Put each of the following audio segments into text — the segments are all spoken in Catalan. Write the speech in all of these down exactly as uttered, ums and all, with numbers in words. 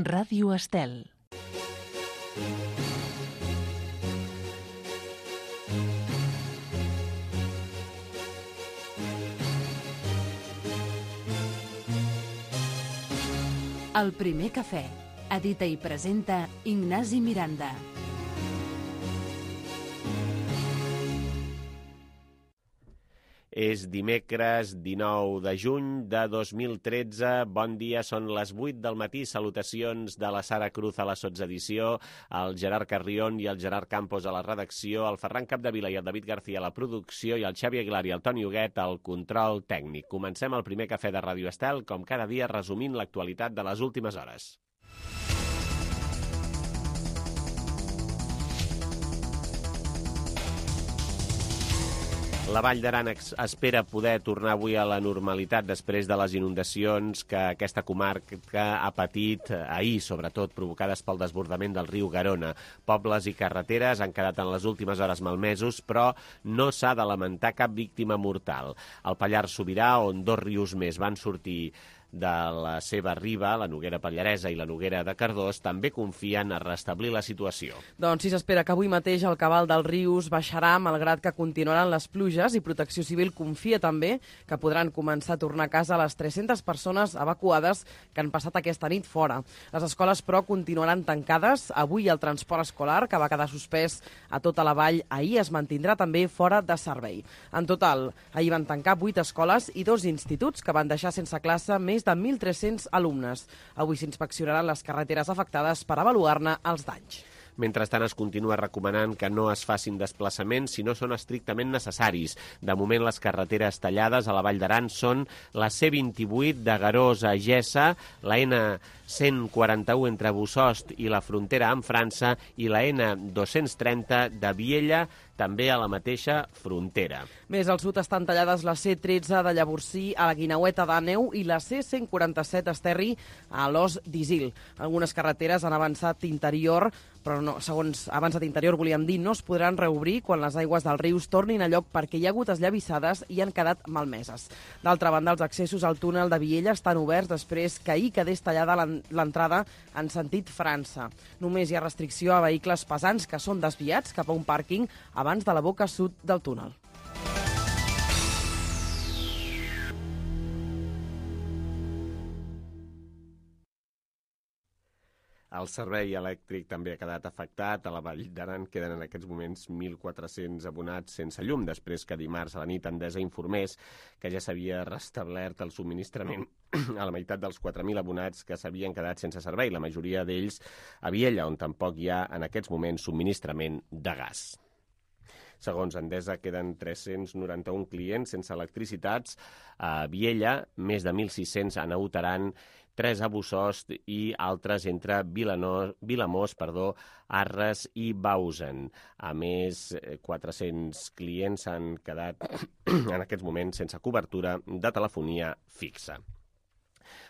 Ràdio Estel. El primer cafè. Edita i presenta Ignasi Miranda. És dimecres dinou de juny de dos mil tretze. Bon dia, són les vuit del matí. Salutacions de la Sara Cruz a la sotsedició, el Gerard Carrión i el Gerard Campos a la redacció, el Ferran Capdevila i el David García a la producció i el Xavi Aguilar i el Toni Huguet al control tècnic. Comencem el primer cafè de Ràdio Estel, com cada dia resumint l'actualitat de les últimes hores. La Vall d'Aran espera poder tornar avui a la normalitat després de les inundacions que aquesta comarca ha patit ahir, sobretot provocades pel desbordament del riu Garona. Pobles i carreteres han quedat en les últimes hores malmesos, però no s'ha de lamentar cap víctima mortal. Al Pallars Sobirà, on dos rius més van sortir de la seva riba, la Noguera Pallaresa i la Noguera de Cardós, també confien a restablir la situació. Doncs sí, s'espera que avui mateix el cabal dels rius baixarà, malgrat que continuaran les pluges, i Protecció Civil confia també que podran començar a tornar a casa les tres-centes persones evacuades que han passat aquesta nit fora. Les escoles, però, continuaran tancades. Avui el transport escolar, que va quedar suspès a tota la vall ahir, es mantindrà també fora de servei. En total, ahir van tancar vuit escoles i dos instituts que van deixar sense classe més de mil tres-cents alumnes. Avui s'inspeccionaran les carreteres afectades per avaluar-ne els danys. Mentrestant, es continua recomanant que no es facin desplaçaments si no són estrictament necessaris. De moment, les carreteres tallades a la Vall d'Aran són la C vint-i-vuit de Garós a Gessa, la N cent quaranta-u entre Bussost i la frontera amb França i la N dos-cents trenta de Viella, també a la mateixa frontera. Més al sud estan tallades la C tretze de Llavorsí a la Guineueta d'Àneu i la C cent quaranta-set Esterri a l'Os d'Isil. Algunes carreteres han avançat interior, però no, segons avançat interior volíem dir, no es podran reobrir quan les aigües dels rius tornin a lloc perquè hi ha hagut esllavissades i han quedat malmeses. D'altra banda, els accessos al túnel de Viella estan oberts després que ahir quedés tallada l'entrada en sentit França. Només hi ha restricció a vehicles pesants que són desviats cap a un pàrquing abans de la boca sud del túnel. El servei elèctric també ha quedat afectat. A la Vall d'Aran queden en aquests moments mil quatre-cents abonats sense llum, després que dimarts a la nit Endesa informés que ja s'havia restablert el subministrament a la meitat dels quatre mil abonats que s'havien quedat sense servei, la majoria d'ells a Viella, on tampoc hi ha en aquests moments subministrament de gas. Segons Endesa, queden tres-cents noranta-un clients sense electricitats a Viella, més de mil sis-cents a Naut Aran, tres a Bussost i altres entre Vilanor, Vilamós, perdó, Arres i Bausen. A més, quatre-cents clients s'han quedat en aquests moments sense cobertura de telefonia fixa.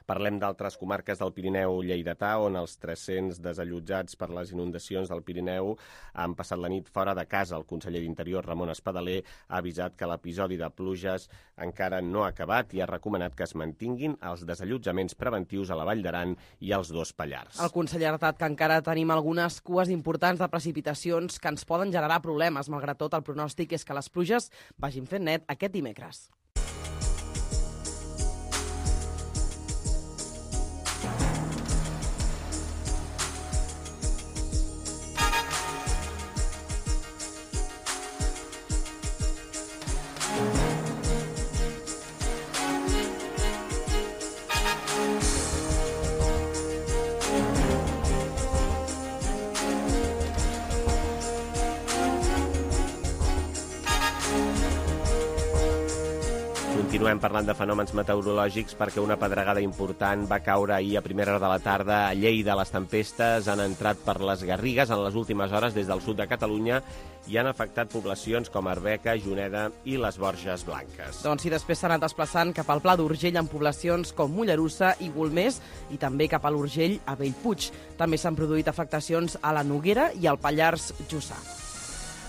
Parlem d'altres comarques del Pirineu lleidatà, on els tres-cents desallotjats per les inundacions del Pirineu han passat la nit fora de casa. El conseller d'Interior, Ramon Espadaler, ha avisat que l'episodi de pluges encara no ha acabat i ha recomanat que es mantinguin els desallotjaments preventius a la Vall d'Aran i als dos Pallars. El conseller ha alertat que encara tenim algunes cues importants de precipitacions que ens poden generar problemes. Malgrat tot, el pronòstic és que les pluges vagin fent net aquest dimecres. Continuem parlant de fenòmens meteorològics perquè una pedregada important va caure ahir a primera hora de la tarda a Lleida. Les tempestes han entrat per les Garrigues en les últimes hores des del sud de Catalunya i han afectat poblacions com Arbeca, Juneda i les Borges Blanques. Doncs sí, després s'han anat desplaçant cap al Pla d'Urgell en poblacions com Mollerussa i Golmés i també cap a l'Urgell a Bellpuig. També s'han produït afectacions a la Noguera i al Pallars Jussà.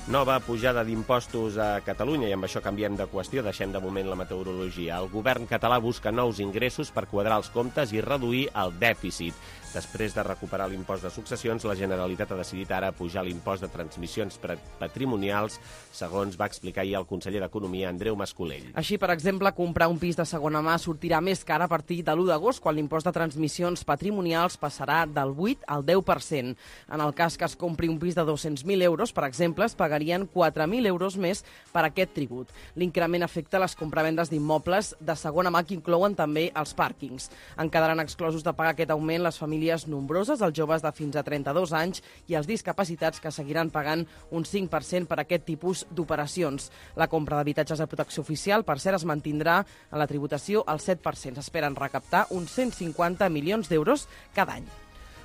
Nova pujada d'impostos a Catalunya, i amb això canviem de qüestió, deixem de moment la meteorologia. El govern català busca nous ingressos per quadrar els comptes i reduir el dèficit. Després de recuperar l'impost de successions, la Generalitat ha decidit ara pujar l'impost de transmissions patrimonials, segons va explicar ahir el conseller d'Economia, Andreu Mascolell. Així, per exemple, comprar un pis de segona mà sortirà més car a partir de l'u d'agost, quan l'impost de transmissions patrimonials passarà del vuit al deu per cent. En el cas que es compri un pis de dos-cents mil euros, per exemple, es pagarien quatre mil euros més per aquest tribut. L'increment afecta les compravendes d'immobles de segona mà, que inclouen també els pàrquings. En quedaran exclosos de pagar aquest augment les famílies nombroses, els joves de fins a trenta-dos anys i els discapacitats, que seguiran pagant un cinc per cent per aquest tipus d'operacions. La compra d'habitatges de protecció oficial, per cert, es mantindrà en la tributació al set per cent. S'esperen recaptar uns cent cinquanta milions d'euros cada any.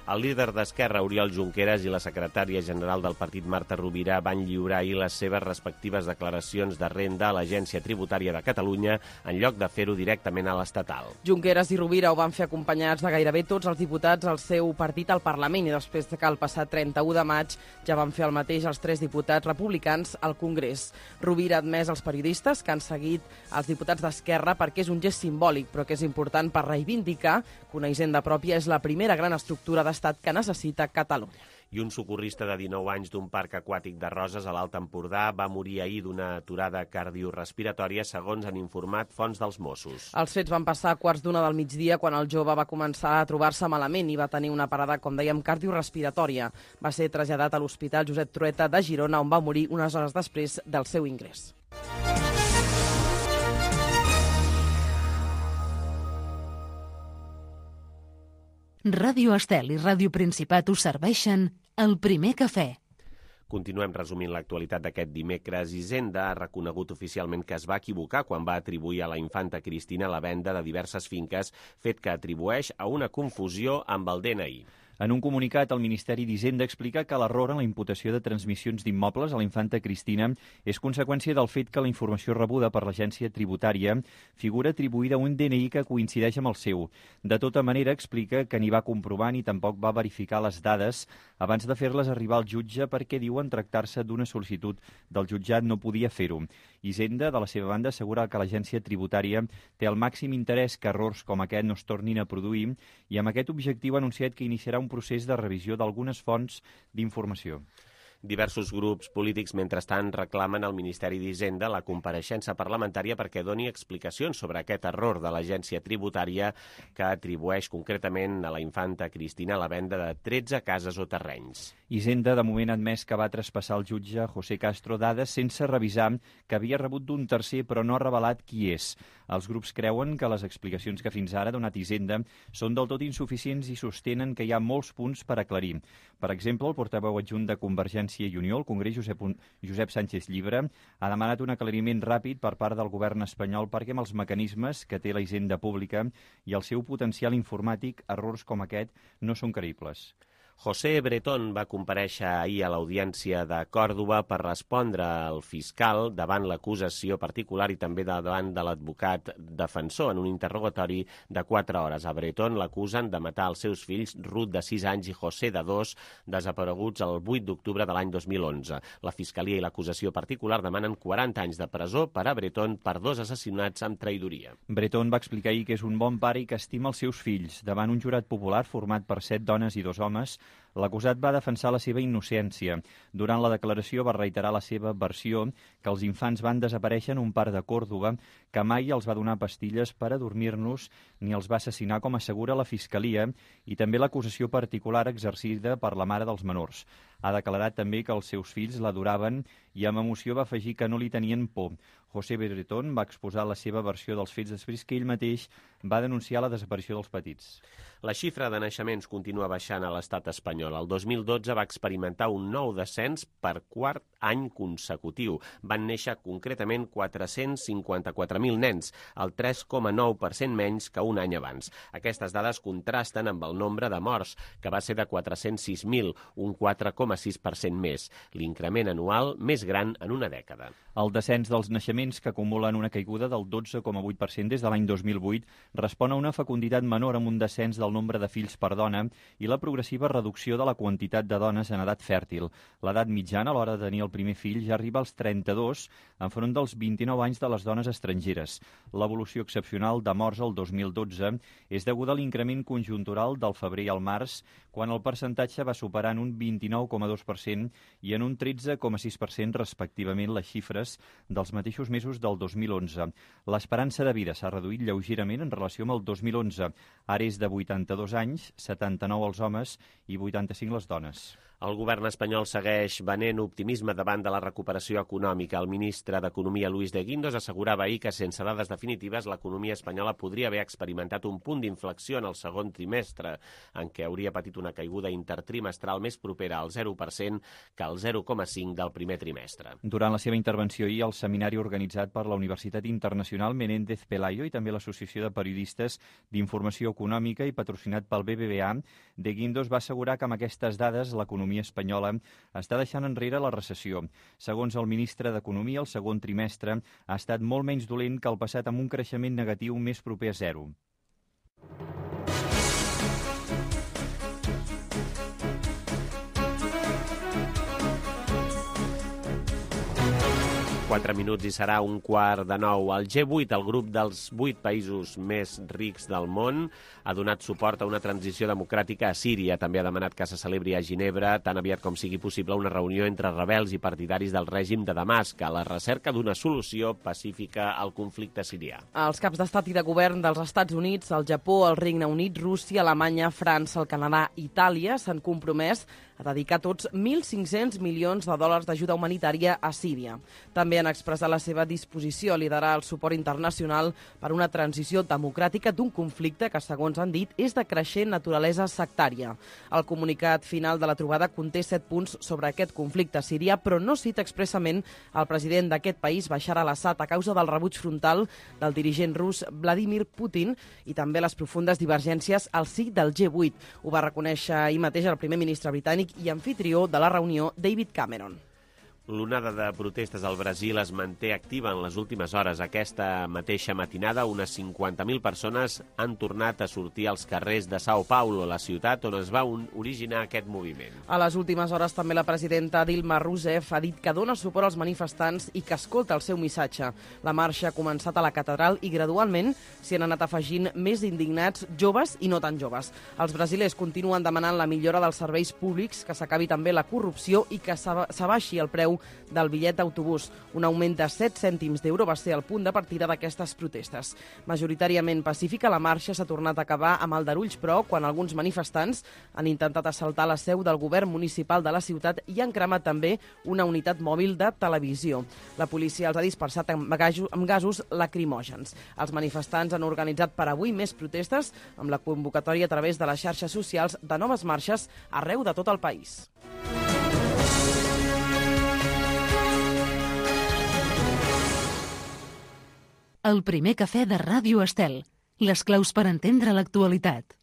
El líder d'Esquerra, Oriol Junqueras, i la secretària general del partit, Marta Rovira, van lliurar ahir les seves respectives declaracions de renda a l'Agència Tributària de Catalunya, en lloc de fer-ho directament a l'estatal. Junqueras i Rovira ho van fer acompanyats de gairebé tots els diputats del seu partit al Parlament, i després que el passat trenta-u de maig ja van fer el mateix els tres diputats republicans al Congrés. Rovira ha admès als periodistes que han seguit els diputats d'Esquerra perquè és un gest simbòlic, però que és important per reivindicar que una hisenda pròpia és la primera gran estructura de estat que necessita Catalunya. I un socorrista de dinou anys d'un parc aquàtic de Roses a l'Alt Empordà va morir ahir d'una aturada cardiorespiratòria, segons han informat fonts dels Mossos. Els fets van passar a quarts d'una del migdia, quan el jove va començar a trobar-se malament i va tenir una parada, com dèiem, cardiorespiratòria. Va ser traslladat a l'Hospital Josep Trueta de Girona, on va morir unes hores després del seu ingrés. Ràdio Estel i Ràdio Principat us serveixen El Primer Cafè. Continuem resumint l'actualitat d'aquest dimecres. Hisenda ha reconegut oficialment que es va equivocar quan va atribuir a la infanta Cristina la venda de diverses finques, fet que atribueix a una confusió amb el D N I. En un comunicat, el Ministeri d'Hisenda explica que l'error en la imputació de transmissions d'immobles a la infanta Cristina és conseqüència del fet que la informació rebuda per l'agència tributària figura atribuïda a un D N I que coincideix amb el seu. De tota manera, explica que ni va comprovar ni tampoc va verificar les dades abans de fer-les arribar al jutge, perquè diuen tractar-se d'una sol·licitud del jutjat no podia fer-ho. Hisenda, de la seva banda, assegura que l'agència tributària té el màxim interès que errors com aquest no es tornin a produir, i amb aquest objectiu ha anunciat que iniciarà un procés de revisió d'algunes fonts d'informació. Diversos grups polítics, mentrestant, reclamen al Ministeri d'Hisenda la compareixença parlamentària perquè doni explicacions sobre aquest error de l'agència tributària que atribueix concretament a la infanta Cristina la venda de tretze cases o terrenys. Hisenda, de moment, ha admès que va traspassar al jutge José Castro dades sense revisar que havia rebut d'un tercer, però no ha revelat qui és. Els grups creuen que les explicacions que fins ara ha donat Hisenda són del tot insuficients i sostenen que hi ha molts punts per aclarir. Per exemple, el portaveu adjunt de Convergència i Unió al Congrés, Josep, Josep Sánchez Llibre, ha demanat un aclariment ràpid per part del govern espanyol perquè amb els mecanismes que té la Hisenda pública i el seu potencial informàtic, errors com aquest no són creïbles. José Bretón va comparèixer ahir a l'Audiència de Còrdova per respondre al fiscal davant l'acusació particular i també davant de l'advocat defensor en un interrogatori de quatre hores. A Bretón l'acusen de matar els seus fills, Ruth, de sis anys, i José, de dos, desapareguts el vuit d'octubre de l'any dos mil onze. La fiscalia i l'acusació particular demanen quaranta anys de presó per a Bretón per dos assassinats amb traïdoria. Bretón va explicar ahir que és un bon pare i que estima els seus fills. Davant un jurat popular format per set dones i dos homes, l'acusat va defensar la seva innocència. Durant la declaració va reiterar la seva versió que els infants van desaparèixer en un parc de Còrdova, que mai els va donar pastilles per adormir-nos ni els va assassinar, com assegura la Fiscalia, i també l'acusació particular exercida per la mare dels menors. Ha declarat també que els seus fills l'adoraven i amb emoció va afegir que no li tenien por. José Bretón va exposar la seva versió dels fets després que ell mateix va denunciar la desaparició dels petits. La xifra de naixements continua baixant a l'estat espanyol. El dos mil dotze va experimentar un nou descens per quart any consecutiu. Van néixer concretament quatre-cents cinquanta-quatre mil nens, el tres coma nou per cent menys que un any abans. Aquestes dades contrasten amb el nombre de morts, que va ser de quatre-cents sis mil, un quatre coma sis per cent més, l'increment anual més gran en una dècada. El descens dels naixements, que acumulen una caiguda del dotze coma vuit per cent des de l'any dos mil vuit, respon a una fecunditat menor amb un descens del nombre de fills per dona i la progressiva reducció de la quantitat de dones en edat fèrtil. L'edat mitjana a l'hora de tenir el primer fill ja arriba als trenta-dos, enfront dels vint-i-nou anys de les dones estrangeres. L'evolució excepcional de morts el dos mil dotze és deguda a l'increment conjuntural del febrer al març, quan el percentatge va superar en un vint-i-nou coma dos per cent i en un tretze coma sis per cent respectivament les xifres dels mateixos mesos del dos mil onze. L'esperança de vida s'ha reduït lleugerament en relació amb el dos mil onze. Ara és de vuitanta-dos anys, setanta-nou els homes i vuitanta-cinc les dones. El govern espanyol segueix venent optimisme davant de la recuperació econòmica. El ministre d'Economia, Luis de Guindos, assegurava ahir que sense dades definitives l'economia espanyola podria haver experimentat un punt d'inflexió en el segon trimestre, en què hauria patit una caiguda intertrimestral més propera al zero per cent que al zero coma cinc del primer trimestre. Durant la seva intervenció ahir al seminari organitzat per la Universitat Internacional Menéndez Pelayo i també l'Associació de Periodistes d'Informació Econòmica i patrocinat pel B B V A, de Guindos va assegurar que amb aquestes dades l'economia espanyola està deixant enrere la recessió. Segons el ministre d'Economia, el segon trimestre ha estat molt menys dolent que el passat, amb un creixement negatiu més proper a zero. Quatre minuts i serà un quart de nou. El G vuit, el grup dels vuit països més rics del món, ha donat suport a una transició democràtica a Síria. També ha demanat que se celebri a Ginebra tan aviat com sigui possible una reunió entre rebels i partidaris del règim de Damasc a la recerca d'una solució pacífica al conflicte sirià. Els caps d'estat i de govern dels Estats Units, el Japó, el Regne Unit, Rússia, Alemanya, França, el Canadà i Itàlia s'han compromès a dedicar tots mil cinc-cents milions de dòlars d'ajuda humanitària a Síria. També han expressat la seva disposició a liderar el suport internacional per una transició democràtica d'un conflicte que, segons han dit, és de creixent naturalesa sectària. El comunicat final de la trobada conté set punts sobre aquest conflicte sirià, però no cita expressament el president d'aquest país, Bashar al-Assad, a causa del rebuig frontal del dirigent rus Vladimir Putin i també les profundes divergències al si del G vuit. Ho va reconèixer ahir mateix el primer ministre britànic i anfitrió de la reunió, David Cameron. L'onada de protestes al Brasil es manté activa en les últimes hores. Aquesta mateixa matinada, unes cinquanta mil persones han tornat a sortir als carrers de São Paulo, la ciutat on es va originar aquest moviment. A les últimes hores també la presidenta Dilma Rousseff ha dit que dona suport als manifestants i que escolta el seu missatge. La marxa ha començat a la catedral i gradualment s'hi han anat afegint més indignats joves i no tan joves. Els brasilers continuen demanant la millora dels serveis públics, que s'acabi també la corrupció i que s'abaixi el preu del bitllet d'autobús. Un augment de set cèntims d'euro va ser el punt de partida d'aquestes protestes. Majoritàriament pacífica, la marxa s'ha tornat a acabar amb aldarulls, però, quan alguns manifestants han intentat assaltar la seu del govern municipal de la ciutat i han cremat també una unitat mòbil de televisió. La policia els ha dispersat amb gasos lacrimògens. Els manifestants han organitzat per avui més protestes amb la convocatòria a través de les xarxes socials de noves marxes arreu de tot el país. El primer cafè de Ràdio Estel. Les claus per entendre l'actualitat.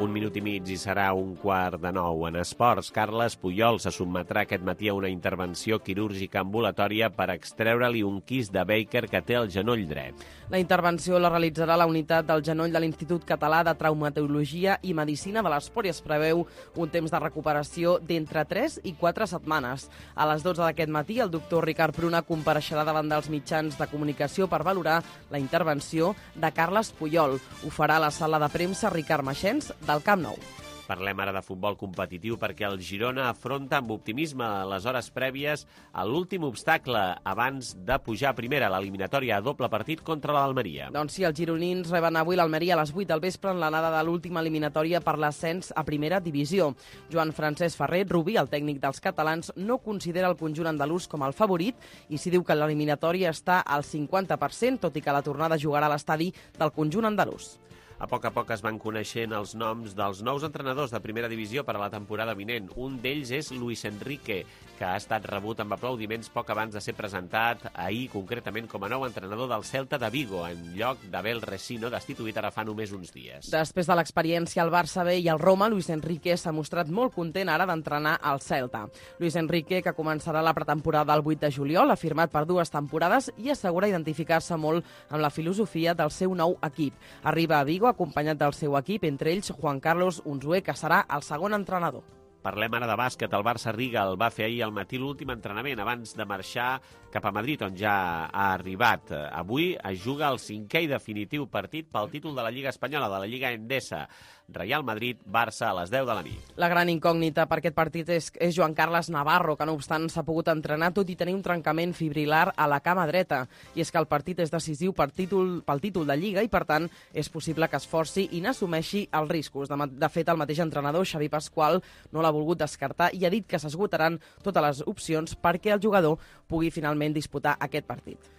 Un minut i mig i serà un quart de nou. En esports, Carles Puyol se sotmetrà aquest matí a una intervenció quirúrgica ambulatòria per extreure-li un quist de Baker que té al genoll dret. La intervenció la realitzarà la unitat del genoll de l'Institut Català de Traumatologia i Medicina de l'Esport i es preveu un temps de recuperació d'entre tres i quatre setmanes. A les dotze d'aquest matí, el doctor Ricard Pruna compareixerà davant dels mitjans de comunicació per valorar la intervenció de Carles Puyol. Ho farà a la sala de premsa Ricard Maxens del Camp Nou. Parlem ara de futbol competitiu perquè el Girona afronta amb optimisme les hores prèvies a l'últim obstacle abans de pujar a primera, l'eliminatòria a doble partit contra l'Almeria. Doncs sí, els gironins reben avui l'Almeria a les vuit del vespre en l'anada de l'última eliminatòria per l'ascens a primera divisió. Joan Francesc Ferrer Rubí, el tècnic dels catalans, no considera el conjunt andalús com el favorit i s'hi diu que l'eliminatòria està al cinquanta per cent, tot i que la tornada jugarà a l'estadi del conjunt andalús. A poc a poc es van coneixent els noms dels nous entrenadors de primera divisió per a la temporada vinent. Un d'ells és Luis Enrique, que ha estat rebut amb aplaudiments poc abans de ser presentat ahir, concretament com a nou entrenador del Celta de Vigo, en lloc d'Abel Resino, destituït ara fa només uns dies. Després de l'experiència al Barça B i al Roma, Luis Enrique s'ha mostrat molt content ara d'entrenar al Celta. Luis Enrique, que començarà la pretemporada el vuit de juliol, ha firmat per dues temporades i assegura identificar-se molt amb la filosofia del seu nou equip. Arriba a Vigo acompanyat del seu equip, entre ells Juan Carlos Unzué, que serà el segon entrenador. Parlem ara de bàsquet. El Barça Riga el va fer ahir al matí l'últim entrenament abans de marxar cap a Madrid, on ja ha arribat. Avui es juga el cinquè i definitiu partit pel títol de la Lliga Espanyola, de la Lliga Endesa. Real Madrid-Barça a les deu de la nit. La gran incògnita per aquest partit és, és Joan Carles Navarro, que no obstant s'ha pogut entrenar tot i tenir un trencament fibrilar a la cama dreta. I és que el partit és decisiu per títol, pel títol de Lliga i, per tant, és possible que es forci i n'assumeixi els riscos. De, de fet, el mateix entrenador, Xavi Pasqual, no l'ha volgut descartar i ha dit que s'esgotaran totes les opcions perquè el jugador pugui finalment disputar aquest partit.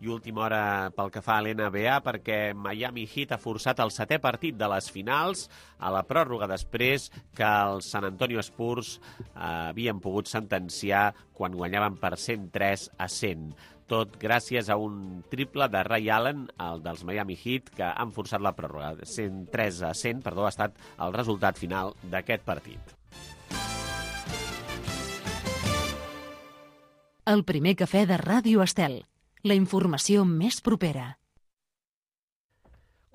I última hora pel que fa a l'N B A, perquè Miami Heat ha forçat el setè partit de les finals a la pròrroga després que els San Antonio Spurs eh, havien pogut sentenciar quan guanyaven per cent tres a cent. Tot gràcies a un triple de Ray Allen, el dels Miami Heat, que han forçat la pròrroga. cent tres a cent, perdó, ha estat el resultat final d'aquest partit. El primer cafè de Ràdio Estel. La informació més propera.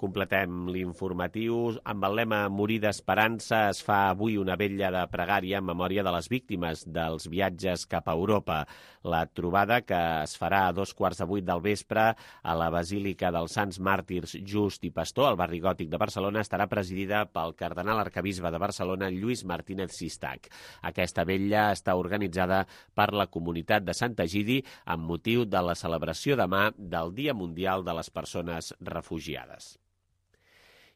Completem l'informatiu. Amb el lema Morir d'esperança es fa avui una vetlla de pregària en memòria de les víctimes dels viatges cap a Europa. La trobada, que es farà a dos quarts de vuit del vespre a la Basílica dels Sants Màrtirs Just i Pastor, al barri gòtic de Barcelona, estarà presidida pel cardenal arquebisbe de Barcelona, Lluís Martínez Sistac. Aquesta vetlla està organitzada per la comunitat de Sant Egidi amb motiu de la celebració demà del Dia Mundial de les Persones Refugiades.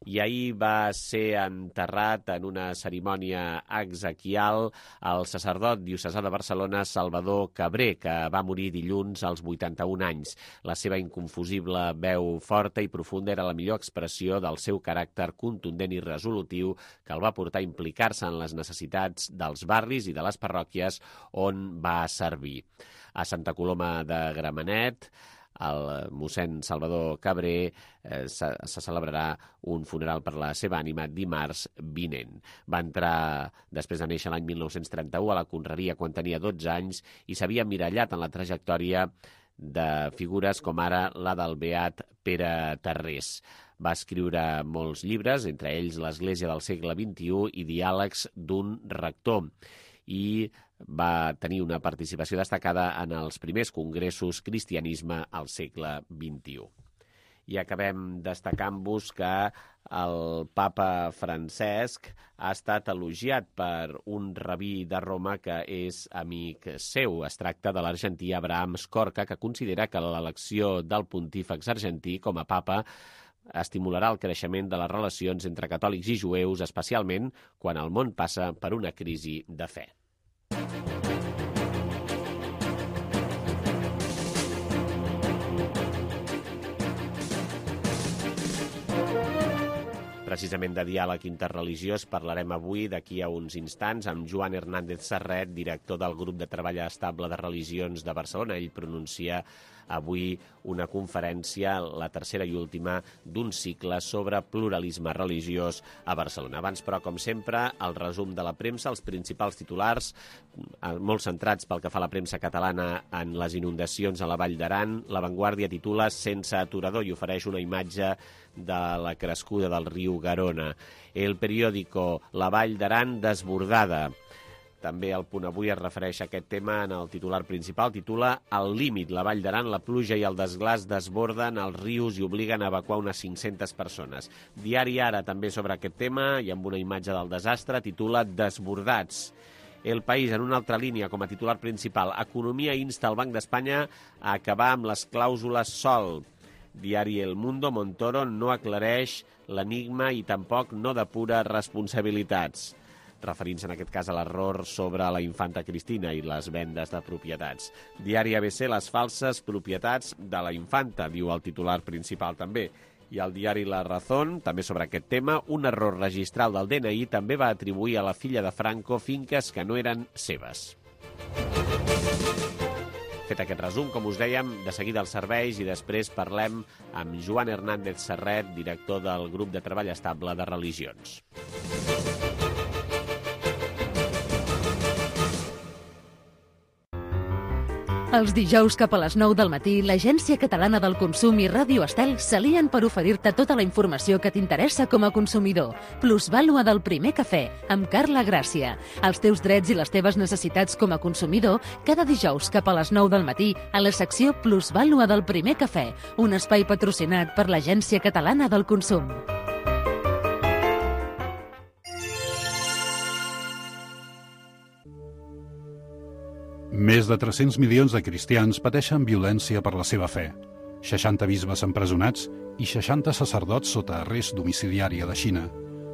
I ahir va ser enterrat en una cerimònia exequial el sacerdot diocesà de Barcelona, Salvador Cabré, que va morir dilluns als vuitanta-un anys. La seva inconfusible veu forta i profunda era la millor expressió del seu caràcter contundent i resolutiu que el va portar a implicar-se en les necessitats dels barris i de les parròquies on va servir. A Santa Coloma de Gramenet, el mossèn Salvador Cabré eh, se, se celebrarà un funeral per la seva ànima dimarts vinent. Va entrar, després de néixer l'any mil nou-cents trenta-u, a la confraria quan tenia dotze anys i s'havia emmirallat en la trajectòria de figures com ara la del beat Pere Tarrés. Va escriure molts llibres, entre ells l'Església del segle vint-i-u i Diàlegs d'un rector, i va tenir una participació destacada en els primers congressos Cristianisme al segle vint-i-u. I acabem destacant-vos que el papa Francesc ha estat elogiat per un rabí de Roma que és amic seu. Es tracta de l'argentí Abraham Scorca, que considera que l'elecció del pontífex argentí com a papa estimularà el creixement de les relacions entre catòlics i jueus, especialment quan el món passa per una crisi de fe. Precisament de diàleg interreligiós parlarem avui, d'aquí a uns instants, amb Joan Hernández Serret, director del Grup de Treball Estable de Religions de Barcelona. Ell pronuncia avui una conferència, la tercera i última, d'un cicle sobre pluralisme religiós a Barcelona. Abans, però, com sempre, el resum de la premsa, els principals titulars, molt centrats pel que fa a la premsa catalana en les inundacions a la Vall d'Aran. La Vanguardia titula Sense aturador i ofereix una imatge de la crescuda del riu Garona. El periòdico La Vall d'Aran desbordada. També el Punt Avui es refereix a aquest tema en el titular principal. Titula Al límit, la Vall d'Aran, la pluja i el desglàs desborden els rius i obliguen a evacuar unes cinc-centes persones. Diari Ara també sobre aquest tema i amb una imatge del desastre titula Desbordats. El País, en una altra línia, com a titular principal, Economia insta el Banc d'Espanya a acabar amb les clàusules sol. Diari El Mundo, Montoro no aclareix l'enigma i tampoc no depura responsabilitats, referint-se en aquest cas a l'error sobre la infanta Cristina i les vendes de propietats. Diari A B C, les falses propietats de la infanta, diu el titular principal també. I el diari La Razón, també sobre aquest tema, un error registral del D N I també va atribuir a la filla de Franco finques que no eren seves. Fet aquest resum, com us dèiem, de seguida els serveis i després parlem amb Joan Hernández Serret, director del grup de treball estable de religions. Els dijous cap a les nou del matí, l'Agència Catalana del Consum i Ràdio Estel s'alien per oferir-te tota la informació que t'interessa com a consumidor. Plusvàlua del primer cafè, amb Carla Gràcia. Els teus drets i les teves necessitats com a consumidor, cada dijous cap a les nou del matí, a la secció Plusvàlua del primer cafè, un espai patrocinat per l'Agència Catalana del Consum. Més de tres-cents milions de cristians pateixen violència per la seva fe. seixanta bisbes empresonats i seixanta sacerdots sota arrest domiciliari a la Xina.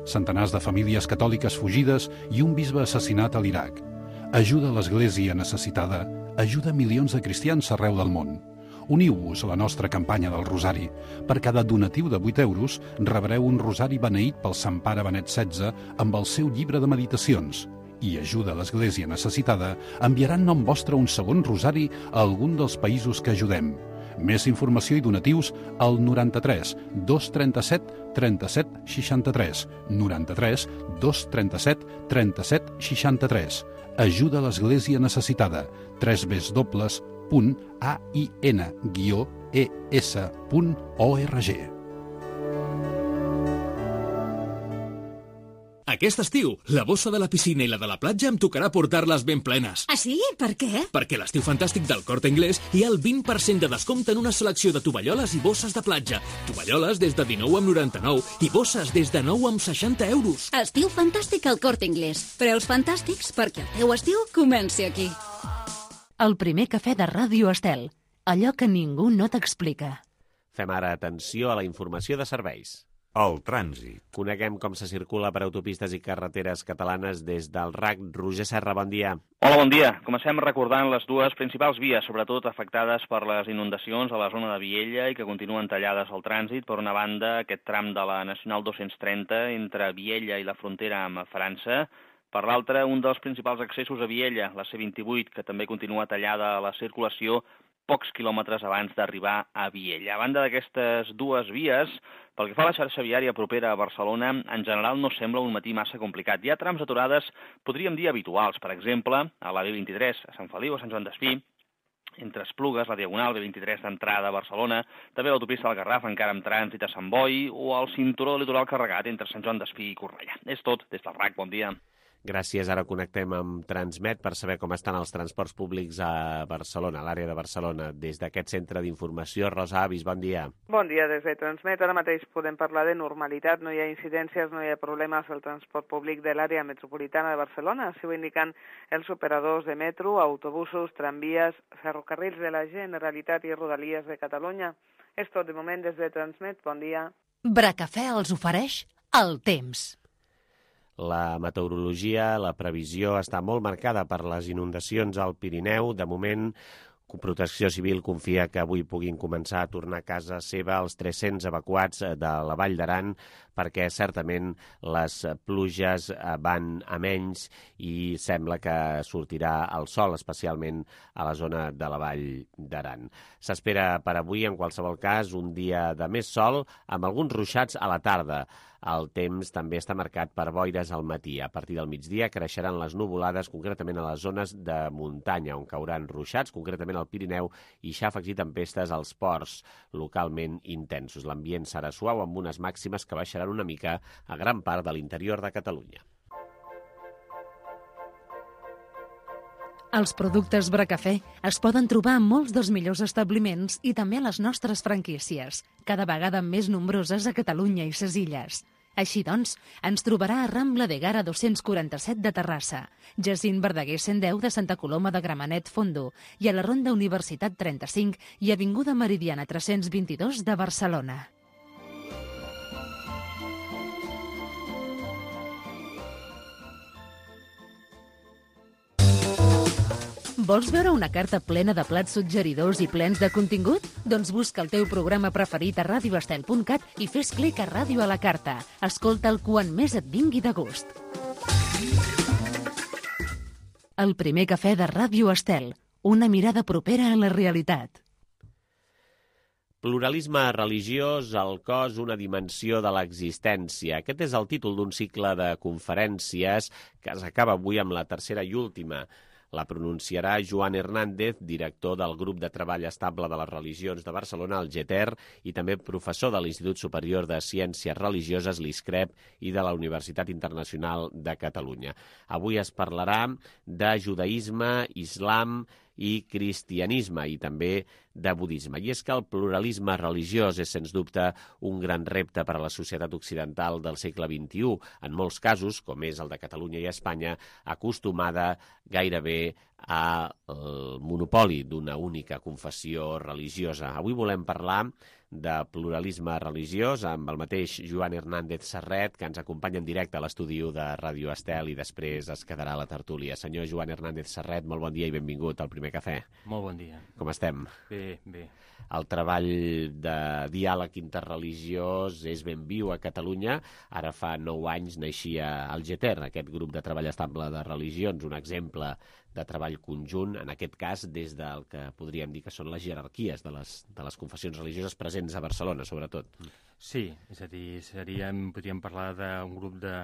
Centenars de famílies catòliques fugides i un bisbe assassinat a l'Iraq. Ajuda a l'Església necessitada, ajuda milions de cristians arreu del món. Uniu-vos a la nostra campanya del Rosari. Per cada donatiu de vuit euros rebreu un rosari beneït pel Sant Pare Benet setze amb el seu llibre de meditacions. I ajuda a l'Església necessitada, enviaran nom vostre un segon rosari a algun dels països que ajudem. Més informació i donatius al noranta-tres dos trenta-set trenta-set seixanta-tres, noranta-tres dos trenta-set trenta-set seixanta-tres. Ajuda a l'Església necessitada, tres w punt a i ena guió e essa punt org. Aquest estiu, la bossa de la piscina i la de la platja em tocarà portar-les ben plenes. Ah, sí? Per què? Perquè a l'estiu fantàstic del Corte Inglés hi ha el vint per cent de descompte en una selecció de tovalloles i bosses de platja. Tovalloles des de dinou amb noranta-nou i bosses des de nou amb seixanta euros. Estiu fantàstic al Corte Inglés. Preus fantàstics perquè el teu estiu comenci aquí. El primer cafè de Ràdio Estel. Allò que ningú no t'explica. Fem ara atenció a la informació de serveis. El trànsit. Coneguem com se circula per autopistes i carreteres catalanes des del R A C. Roger Serra, bon dia. Hola, bon dia. Comencem recordant les dues principals vies, sobretot afectades per les inundacions a la zona de Viella i que continuen tallades al trànsit. Per una banda, aquest tram de la Nacional dos-cents trenta entre Viella i la frontera amb França. Per l'altra, un dels principals accessos a Viella, la C vint-i-vuit, que també continua tallada a la circulació pocs quilòmetres abans d'arribar a Viella. A banda d'aquestes dues vies, pel que fa a la xarxa viària propera a Barcelona, en general no sembla un matí massa complicat. Hi ha trams aturades, podríem dir habituals, per exemple, a la B vint-i-tres, a Sant Feliu, a Sant Joan d'Espí, entre Esplugues, la Diagonal B vint-i-tres d'entrada a Barcelona, també l'autopista del Garraf, encara amb trànsit a Sant Boi, o el cinturó litoral carregat entre Sant Joan d'Espí i Cornellà. És tot, des del R A C, bon dia. Gràcies. Ara connectem amb Transmet per saber com estan els transports públics a Barcelona, a l'àrea de Barcelona. Des d'aquest centre d'informació, Rosa Avis, bon dia. Bon dia, des de Transmet. Ara mateix podem parlar de normalitat. No hi ha incidències, no hi ha problemes al transport públic de l'àrea metropolitana de Barcelona. Així ho indiquen els operadors de metro, autobusos, tramvies, ferrocarrils de la Generalitat i Rodalies de Catalunya. És tot de moment des de Transmet. Bon dia. Bracafè els ofereix el temps. La meteorologia, la previsió està molt marcada per les inundacions al Pirineu. De moment, Protecció Civil confia que avui puguin començar a tornar a casa seva els tres-cents evacuats de la Vall d'Aran, perquè certament les pluges van a menys i sembla que sortirà el sol, especialment a la zona de la Vall d'Aran. S'espera per avui, en qualsevol cas, un dia de més sol, amb alguns ruixats a la tarda. El temps també està marcat per boires al matí. A partir del migdia creixeran les nuvolades, concretament a les zones de muntanya, on cauran ruixats, concretament al Pirineu, i xàfecs i tempestes als ports localment intensos. L'ambient serà suau, amb unes màximes que baixaran una mica a gran part de l'interior de Catalunya. Els productes Bracafè es poden trobar en molts dels millors establiments i també a les nostres franquícies, cada vegada més nombroses a Catalunya i ses Illes. Així doncs, ens trobarà a Rambla de Gara dos-cents quaranta-set de Terrassa, Jacint Verdaguer cent deu de Santa Coloma de Gramenet Fondo i a la Ronda Universitat trenta-cinc i Avinguda Meridiana tres-cents vint-i-dos de Barcelona. Vols veure una carta plena de plats suggeridors i plens de contingut? Doncs busca el teu programa preferit a radio estel punt cat i fes clic a Ràdio a la carta. Escolta'l quan més et vingui de gust. El primer cafè de Ràdio Estel. Una mirada propera a la realitat. Pluralisme religiós, el cos, una dimensió de l'existència. Aquest és el títol d'un cicle de conferències que s'acaba avui amb la tercera i última. La pronunciarà Joan Hernández, director del Grup de Treball Estable de les Religions de Barcelona, el GETER, i també professor de l'Institut Superior de Ciències Religioses, l'ISCREP, i de la Universitat Internacional de Catalunya. Avui es parlarà de judaïsme, islam i cristianisme, i també de budisme. I és que el pluralisme religiós és, sens dubte, un gran repte per a la societat occidental del segle vint-i-u, en molts casos, com és el de Catalunya i Espanya, acostumada gairebé al monopoli d'una única confessió religiosa. Avui volem parlar de pluralisme religiós amb el mateix Joan Hernández Serret, que ens acompanya en directe a l'estudi de Ràdio Estel i després es quedarà a la tertúlia. Senyor Joan Hernández Serret, molt bon dia i benvingut al Primer Cafè. Molt bon dia. Com estem? Bé, bé. El treball de diàleg interreligiós és ben viu a Catalunya. Ara fa nou anys naixia el GETER, aquest grup de treball estable de religions, un exemple de treball conjunt, en aquest cas des del que podríem dir que són les jerarquies de les, de les confessions religioses presents a Barcelona, sobretot. Sí, és a dir, seríem, podríem parlar d'un grup de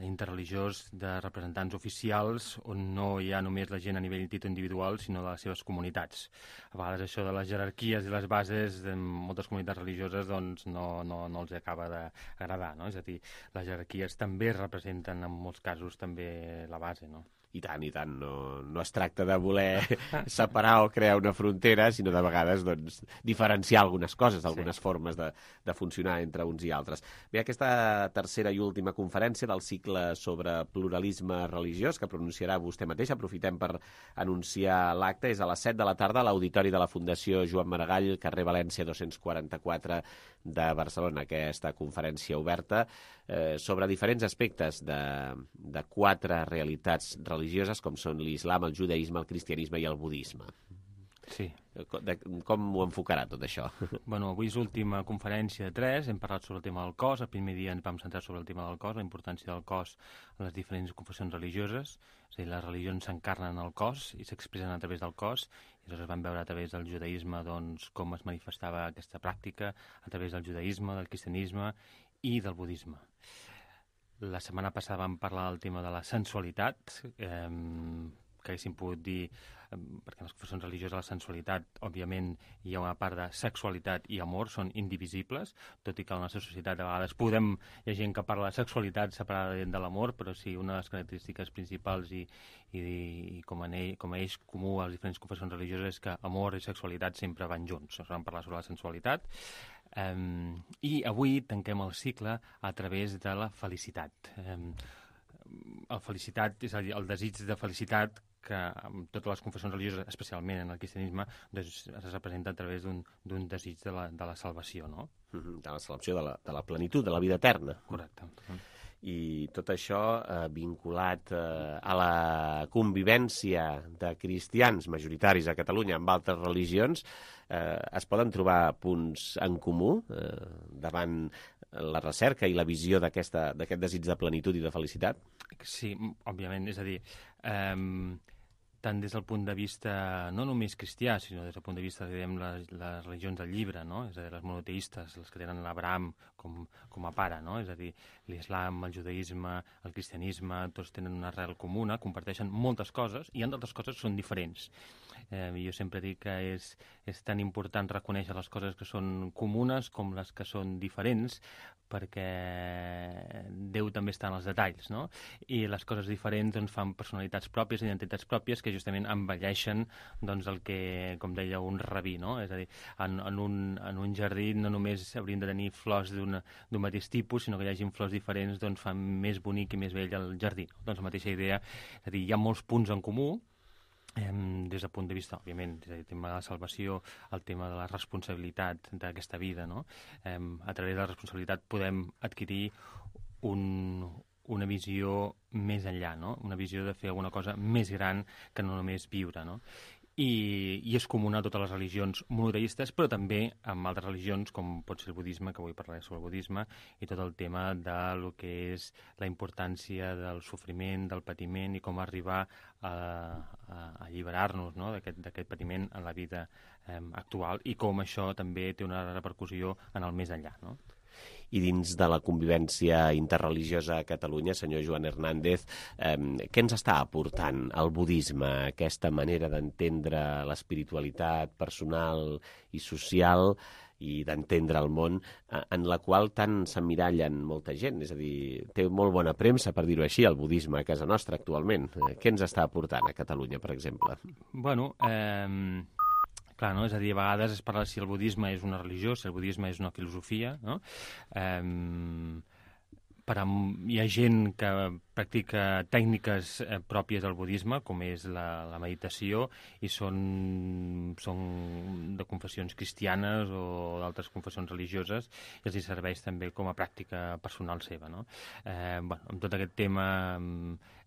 interreligiós de representants oficials on no hi ha només la gent a nivell títol individual, sinó de les seves comunitats. A vegades això de les jerarquies i les bases de moltes comunitats religioses doncs no, no, no els acaba d'agradar, no? És a dir, les jerarquies també representen en molts casos també la base, no? I tant, i tant. No, no es tracta de voler separar o crear una frontera, sinó de vegades doncs, diferenciar algunes coses, algunes sí. formes de, de funcionar entre uns i altres. Bé, aquesta tercera i última conferència del cicle sobre pluralisme religiós, que pronunciarà vostè mateix, aprofitem per anunciar l'acte, és a les set de la tarda a l'Auditori de la Fundació Joan Maragall, carrer València dos-cents quaranta-quatre de Barcelona, aquesta conferència oberta eh, sobre diferents aspectes de, de quatre realitats religioses, com són l'islam, el judaïsme, el cristianisme i el budisme. Sí. De, com ho enfocarà tot això? Bueno, avui és l'última conferència de tres, hem parlat sobre el tema del cos, el primer dia ens vam centrar sobre el tema del cos, la importància del cos en les diferents confessions religioses, és a dir, les religions s'encarnen al cos i s'expressen a través del cos, i llavors vam veure a través del judaïsme doncs, com es manifestava aquesta pràctica, a través del judaïsme, del cristianisme i del budisme. La setmana passada vam parlar del tema de la sensualitat, eh, que haguéssim pogut dir, eh, perquè en les confessions religioses la sensualitat, òbviament, hi ha una part de sexualitat i amor, són indivisibles, tot i que a la nostra societat a vegades podem, hi ha gent que parla de sexualitat separada de l'amor, però sí, una de les característiques principals i, i, i com, en ell, com a eix comú a les diferents confessions religioses és que amor i sexualitat sempre van junts. Ens vam parlar sobre la sensualitat. Um, I avui tanquem el cicle a través de la felicitat. Um, el felicitat és a dir, el desig de felicitat que en totes les confessions religioses, especialment en el cristianisme, doncs, es representa a través d'un desig de la, de la salvació, no? De la salvació, de la, de la plenitud, de la vida eterna. Correcte. I tot això eh, vinculat eh, a la convivència de cristians majoritaris a Catalunya amb altres religions, eh, es poden trobar punts en comú eh, davant la recerca i la visió d'aquest desig de plenitud i de felicitat? Sí, òbviament, és a dir, eh, tant des del punt de vista no només cristià, sinó des del punt de vista, diguem, les, les religions del llibre, no? És a dir, les monoteistes, les que tenen l'Abraham com, com a pare, no? És a dir, l'islam, el judaïsme, el cristianisme, tots tenen una arrel comuna, comparteixen moltes coses, i hi ha d'altres coses que són diferents. Eh, jo sempre dic que és, és tan important reconèixer les coses que són comunes com les que són diferents, perquè Déu també està en els detalls, no? I les coses diferents doncs, fan personalitats pròpies, identitats pròpies, que justament embelleixen doncs, el que, com deia un rabí, no? És a dir, en, en, un, en un jardí no només haurien de tenir flors d'un mateix tipus, sinó que hi hagi flors diferents, doncs fan més bonic i més bell el jardí. Doncs la mateixa idea, és a dir, hi ha molts punts en comú, Eh, des del punt de vista, òbviament, el tema de la salvació, el tema de la responsabilitat d'aquesta vida, no? Eh, a través de la responsabilitat podem adquirir un, una visió més enllà, no? Una visió de fer alguna cosa més gran que no només viure, no? I, i és comuna a totes les religions monoteistes, però també amb altres religions, com pot ser el budisme, que avui parlaré sobre el budisme, i tot el tema de lo que és la importància del sofriment, del patiment, i com arribar a, a, a alliberar-nos, no?, d'aquest patiment en la vida eh, actual, i com això també té una repercussió en el més enllà, no? I dins de la convivència interreligiosa a Catalunya, senyor Joan Hernández, eh, què ens està aportant el budisme, aquesta manera d'entendre l'espiritualitat personal i social i d'entendre el món, en la qual tant s'emmirallen molta gent? És a dir, té molt bona premsa, per dir-ho així, el budisme a casa nostra actualment. Què ens està aportant a Catalunya, per exemple? Bueno, eh... Clar, no? És a dir, a vegades es parla si el budisme és una religió, si el budisme és una filosofia, no? Eh, per a, hi ha gent que practica tècniques eh, pròpies del budisme, com és la, la meditació, i són, són de confessions cristianes o d'altres confessions religioses, i els hi serveix també com a pràctica personal seva, no? Eh, bueno, amb tot aquest tema...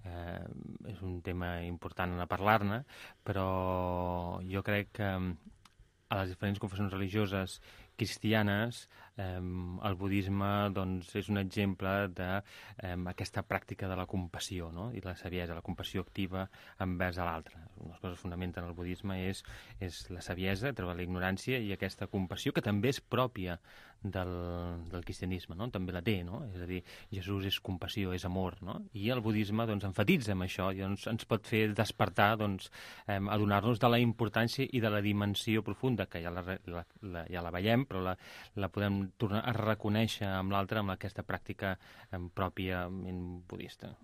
Eh, és un tema important a parlar-ne, però jo crec que a les diferents confessions religioses cristianes eh, el budisme doncs, és un exemple d'aquesta eh, pràctica de la compassió, no? I la saviesa, la compassió activa envers a l'altre. Una de les coses que fonamenten el budisme és, és la saviesa, treure la ignorància, i aquesta compassió que també és pròpia del, del cristianisme, no? També la té, no? És a dir, Jesús és compassió, és amor, no? I el budisme doncs, enfatitza amb això i doncs, ens pot fer despertar, doncs, eh, adonar-nos de la importància i de la dimensió profunda, que ja la, la, la, ja la veiem, però la, la podem tornar a reconèixer amb l'altre, amb aquesta pràctica eh, pròpiament budista.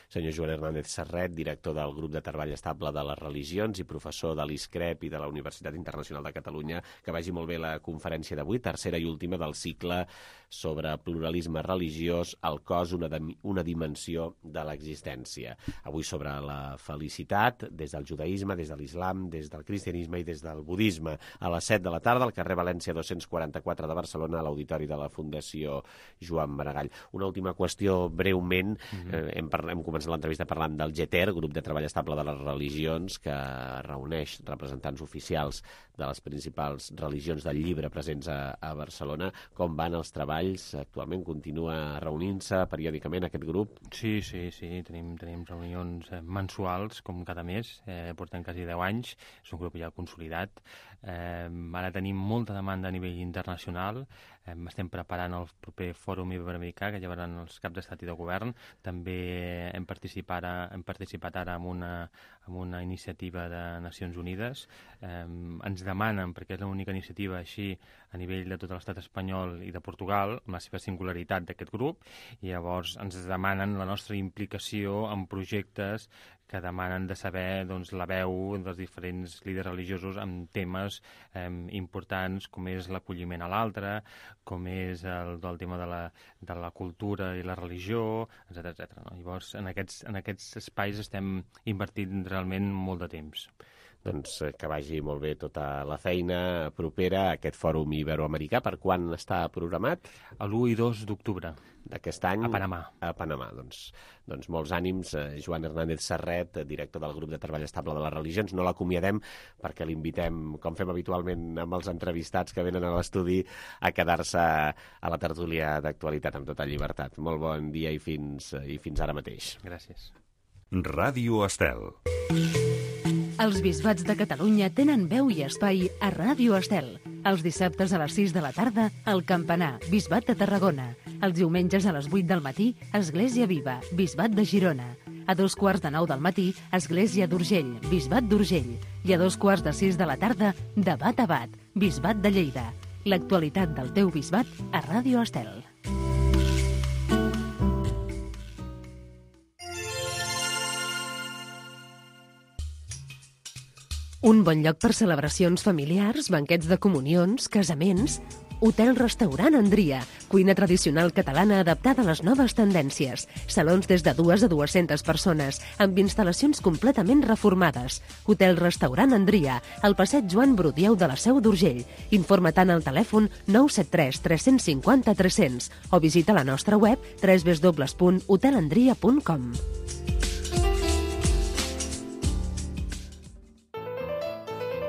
Senyor Joan Hernández Serret, director del Grup de Treball Estable de les Religions i professor de l'I S C R E P i de la Universitat Internacional de Catalunya, que vagi molt bé la conferència d'avui, tercera i última del cicle sobre pluralisme religiós, el cos, una, una dimensió de l'existència. Avui sobre la felicitat, des del judaïsme, des de l'islam, des del cristianisme i des del budisme. A les set de la tarda, al carrer València dos-cents quaranta-quatre de Barcelona, a l'auditori de la Fundació Joan Maragall. Una última qüestió, breument, mm-hmm. eh, hem, parlat, hem començat l'entrevista parlant del G T E R, Grup de Treball Estable de les Religions, que reuneix representants oficials de les principals religions del llibre presents a, a Barcelona. Com van els treballs? Actualment continua reunint-se periòdicament aquest grup? Sí, sí, sí. Tenim, tenim reunions mensuals, com cada mes. Eh, portem quasi deu anys. És un grup ja consolidat. Eh, ara tenim molta demanda a nivell internacional. Eh, estem preparant el proper Fòrum Iberoamericà, que llevaran els caps d'estat i de govern. També hem participat, hem participat ara en una, en una iniciativa de Nacions Unides. Eh, ens demanen, perquè és l'única iniciativa així a nivell de tot l'estat espanyol i de Portugal, amb la seva singularitat d'aquest grup, i llavors ens demanen la nostra implicació en projectes que demanen de saber doncs, la veu dels diferents líders religiosos en temes eh, importants, com és l'acolliment a l'altre, com és el, el tema de la, de la cultura i la religió, etcètera etcètera. No? Llavors, en aquests, en aquests espais estem invertint realment molt de temps. Doncs que vagi molt bé tota la feina propera a aquest Fòrum Iberoamericà. Per quan està programat? l'u i dos d'octubre. D'aquest any? A Panamà. A Panamà, doncs. Doncs molts ànims. Joan Hernández Serret, director del Grup de Treball Estable de les Religions. No l'acomiadem perquè l'invitem, com fem habitualment amb els entrevistats que venen a l'estudi, a quedar-se a la tertúlia d'actualitat amb tota llibertat. Molt bon dia i fins, i fins ara mateix. Gràcies. Ràdio Estel. Els bisbats de Catalunya tenen veu i espai a Ràdio Estel. Els dissabtes a les sis de la tarda, el Campanar, Bisbat de Tarragona. Els diumenges a les vuit del matí, Església Viva, Bisbat de Girona. A dos quarts de nou del matí, Església d'Urgell, Bisbat d'Urgell. I a dos quarts de sis de la tarda, Debat a Bat, Bisbat de Lleida. L'actualitat del teu bisbat a Ràdio Estel. Un bon lloc per celebracions familiars, banquets de comunions, casaments Hotel-restaurant Andria, cuina tradicional catalana adaptada a les noves tendències. Salons des de dues a dues-centes persones, amb instal·lacions completament reformades. Hotel-restaurant Andria, al passeig Joan Brudieu de la Seu d'Urgell. Informa tant al telèfon nou set tres tres cinc zero tres cents o visita la nostra web w w w punt hotel andria punt com.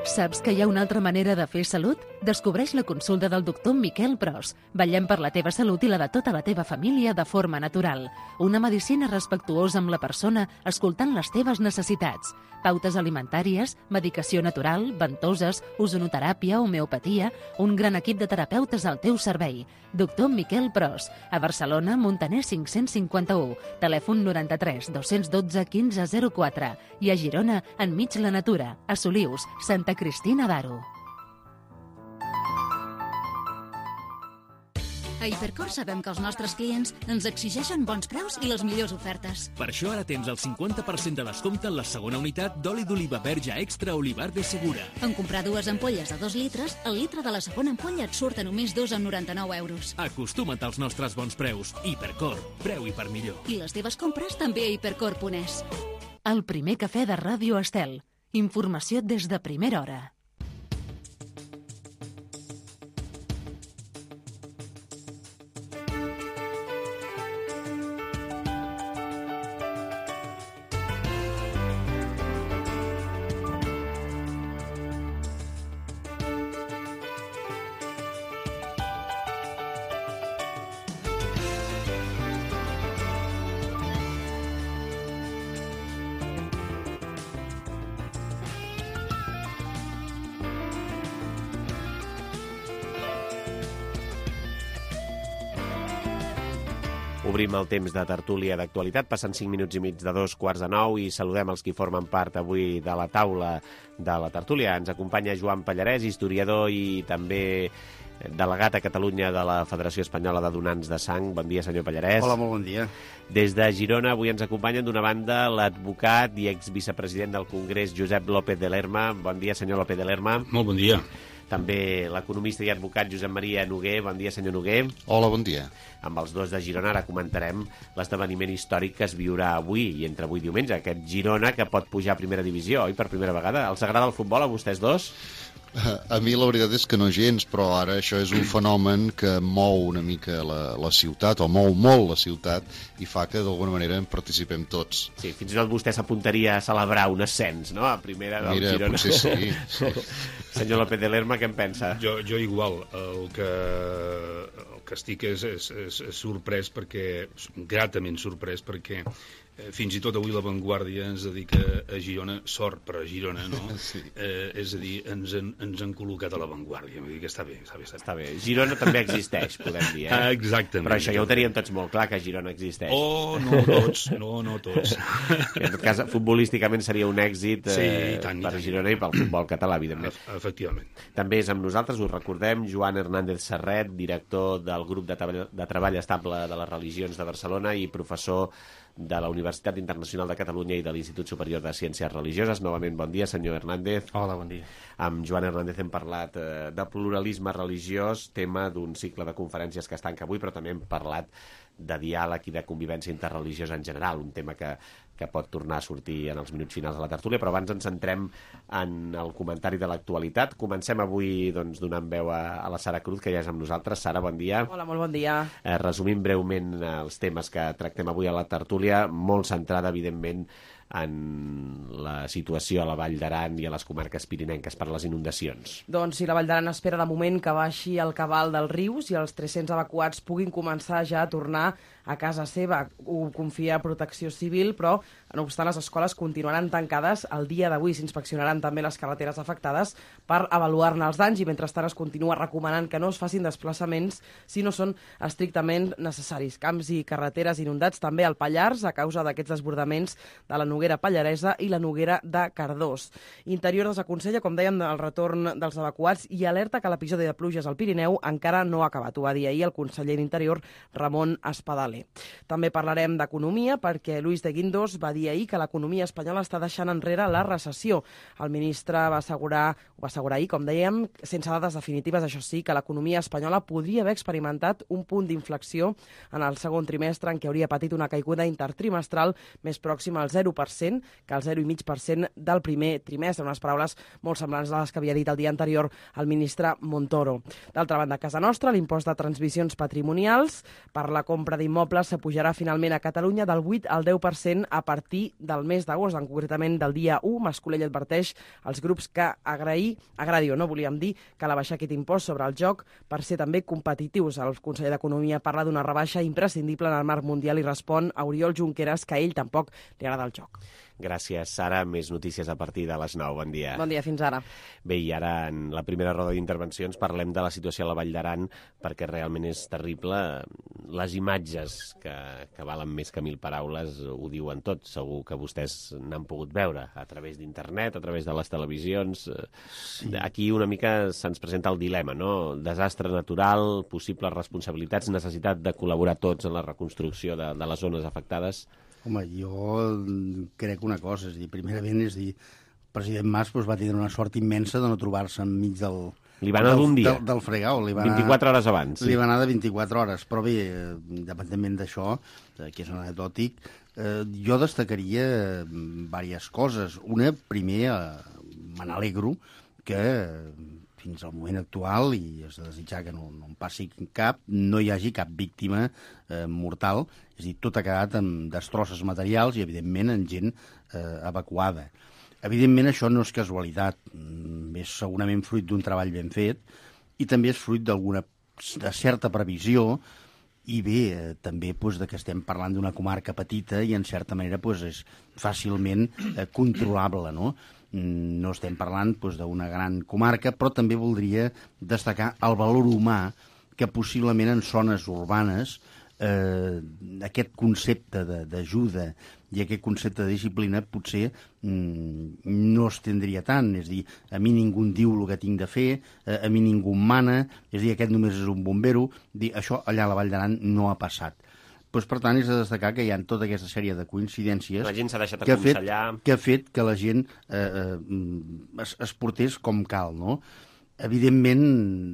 Saps que hi ha una altra manera de fer salut? Descobreix la consulta del doctor Miquel Pros. Vetllem per la teva salut i la de tota la teva família de forma natural. Una medicina respectuosa amb la persona, escoltant les teves necessitats. Pautes alimentàries, medicació natural, ventoses, ozonoteràpia, homeopatia, un gran equip de terapeutes al teu servei. Doctor Miquel Pros, a Barcelona, Montaner cinc-cents cinquanta-u, telèfon noranta-tres dos-cents dotze quinze zero quatre i a Girona, enmig la natura, a Solius, Santa Cristina d'Aro. A Hipercor sabem que els nostres clients ens exigeixen bons preus i les millors ofertes. Per això ara tens el cinquanta per cent de descompte en la segona unitat d'oli d'oliva verge extra Olivar de Segura. En comprar dues ampolles de dos litres, el litre de la segona ampolla et surt a només dos coma noranta-nou euros. Acostuma't als nostres bons preus. Hipercor, preu i per millor. I les teves compres també a hipercor punt es. El primer cafè de Ràdio Estel. Informació des de primera hora. Obrim el temps de tertúlia d'actualitat, passen cinc minuts i mig de dos quarts de nou i saludem els qui formen part avui de la taula de la tertúlia. Ens acompanya Joan Pallarès, historiador i també delegat a Catalunya de la Federació Espanyola de Donants de Sang. Bon dia, senyor Pallarès. Hola, molt bon dia. Des de Girona avui ens acompanyen d'una banda l'advocat i exvicepresident del Congrés, Josep López de Lerma. Bon dia, senyor López de Lerma. Molt bon dia. També l'economista i advocat Josep Maria Noguer. Bon dia, senyor Noguer. Hola, bon dia. Amb els dos de Girona ara comentarem l'esdeveniment històric que es viurà avui i entre avui i diumenge, aquest Girona que pot pujar a primera divisió, oi, per primera vegada. Els agrada el futbol a vostès dos? A mi la veritat és que no gens, però ara això és un fenomen que mou una mica la, la ciutat, o mou molt la ciutat, i fa que d'alguna manera en participem tots. Sí, fins i tot vostè s'apuntaria a celebrar un ascens, no?, a primera del Mira, Girona. potser sí. sí. Senyor López de Lerma, què en pensa? Jo, jo igual. El que, el que estic és, és, és, és sorprès perquè, gratament sorprès perquè fins i tot avui La Vanguardia ens dedica a Girona, sort per a Girona, no? Sí. Eh, és a dir, ens han, ens han col·locat a La Vanguardia. Vull dir que està bé, està bé. Està bé. Està bé. Girona també existeix, podem dir, eh? Ah, exactament. Però això ja ho teníem tots molt clar, que Girona existeix. Oh, no tots, no, no tots. En tot cas, futbolísticament seria un èxit eh, sí, i tant, per i tant. Girona i pel futbol català, evidentment. Efectivament. També és amb nosaltres, us recordem, Joan Hernández Serret, director del grup de, treball, de treball estable de les religions de Barcelona i professor de la Universitat Internacional de Catalunya i de l'Institut Superior de Ciències Religioses. Novament, bon dia, senyor Hernández. Hola, bon dia. Amb Joan Hernández hem parlat eh, de pluralisme religiós, tema d'un cicle de conferències que es tanca avui, però també hem parlat de diàleg i de convivència interreligiosa en general, un tema que, que pot tornar a sortir en els minuts finals de la tertúlia, però abans ens centrem en el comentari de l'actualitat. Comencem avui doncs, donant veu a, a la Sara Cruz, que ja és amb nosaltres. Sara, bon dia. Hola, molt bon dia. Eh, resumint breument els temes que tractem avui a la tertúlia, molt centrada, evidentment, en la situació a la Vall d'Aran i a les comarques pirinenques per les inundacions. Doncs sí, la Vall d'Aran espera de moment que baixi el cabal dels rius i els tres-cents evacuats puguin començar ja a tornar a casa seva. Ho confia Protecció Civil, però, no obstant, les escoles continuaran tancades el dia d'avui. S'inspeccionaran també les carreteres afectades per avaluar-ne els danys i, mentrestant, es continua recomanant que no es facin desplaçaments si no són estrictament necessaris. Camps i carreteres inundats també al Pallars a causa d'aquests desbordaments de la Noguera Pallaresa i la Noguera de Cardós. Interior desaconsella, com dèiem, el retorn dels evacuats i alerta que l'episodi de pluges al Pirineu encara no ha acabat. Ho va dir ahir el conseller d'Interior, Ramon Espadaler. També parlarem d'economia perquè Luis de Guindos va dir dir ahir que l'economia espanyola està deixant enrere la recessió. El ministre va assegurar, ho va assegurar ahir, com dèiem, sense dades definitives, això sí, que l'economia espanyola podria haver experimentat un punt d'inflexió en el segon trimestre en què hauria patit una caiguda intertrimestral més pròxima al zero per cent que al zero coma cinc per cent del primer trimestre, unes paraules molt semblants a les que havia dit el dia anterior el ministre Montoro. D'altra banda, a casa nostra, l'impost de transmissions patrimonials per la compra d'immobles s'apujarà finalment a Catalunya del vuit al deu per cent a partir del mes d'agost, en concretament del dia u. Mascolell adverteix als grups que agrair, agradi o no, volíem dir, que la baixar aquest impost sobre el joc per ser també competitius. El conseller d'Economia parla d'una rebaixa imprescindible en el marc mundial i respon a Oriol Junqueras que a ell tampoc li agrada el joc. Gràcies, Sara. Més notícies a partir de les nou. Bon dia. Bon dia, fins ara. Bé, i ara en la primera roda d'intervencions parlem de la situació a la Vall d'Aran perquè realment és terrible. Les imatges que, que valen més que mil paraules ho diuen tot. Segur que vostès n'han pogut veure a través d'internet, a través de les televisions. Sí. Aquí una mica se'ns presenta el dilema, no? Desastre natural, possibles responsabilitats, necessitat de col·laborar tots en la reconstrucció de, de les zones afectades. Home, jo crec una cosa, és dir, primerament, és dir, el president Mas doncs, va tenir una sort immensa de no trobar-se enmig del... Li va anar d'un dia. Del, del fregau. Li va anar, vint-i-quatre hores abans. Sí. Li va anar de vint-i-quatre hores, però bé, independentment d'això, que és anecdòtic, eh, jo destacaria diverses coses. Una, primer, eh, me n'alegro que fins al moment actual, i és de desitjar que no, no en passi cap, no hi hagi cap víctima eh, mortal, és a dir, tot ha quedat amb destrosses materials i, evidentment, en gent eh, evacuada. Evidentment, això no és casualitat, és segurament fruit d'un treball ben fet i també és fruit d'alguna de certa previsió i bé, eh, també doncs, de que estem parlant d'una comarca petita i, en certa manera, doncs, és fàcilment eh, controlable, no? No estem parlant doncs, d'una gran comarca, però també voldria destacar el valor humà que possiblement en zones urbanes eh, aquest concepte d'ajuda i aquest concepte de disciplina potser mm, no es tindria tant. És a dir, a mi ningú em diu el que tinc de fer, eh, a mi ningú em mana, és a dir, aquest només és un bombero. Dir, això allà a la Vall d'Aran no ha passat. Pues, per tant, és de destacar que hi ha tota aquesta sèrie de coincidències la gent s'ha deixat que, ha fet, aconsellar. que ha fet que la gent eh, eh, es, es portés com cal, no? Evidentment,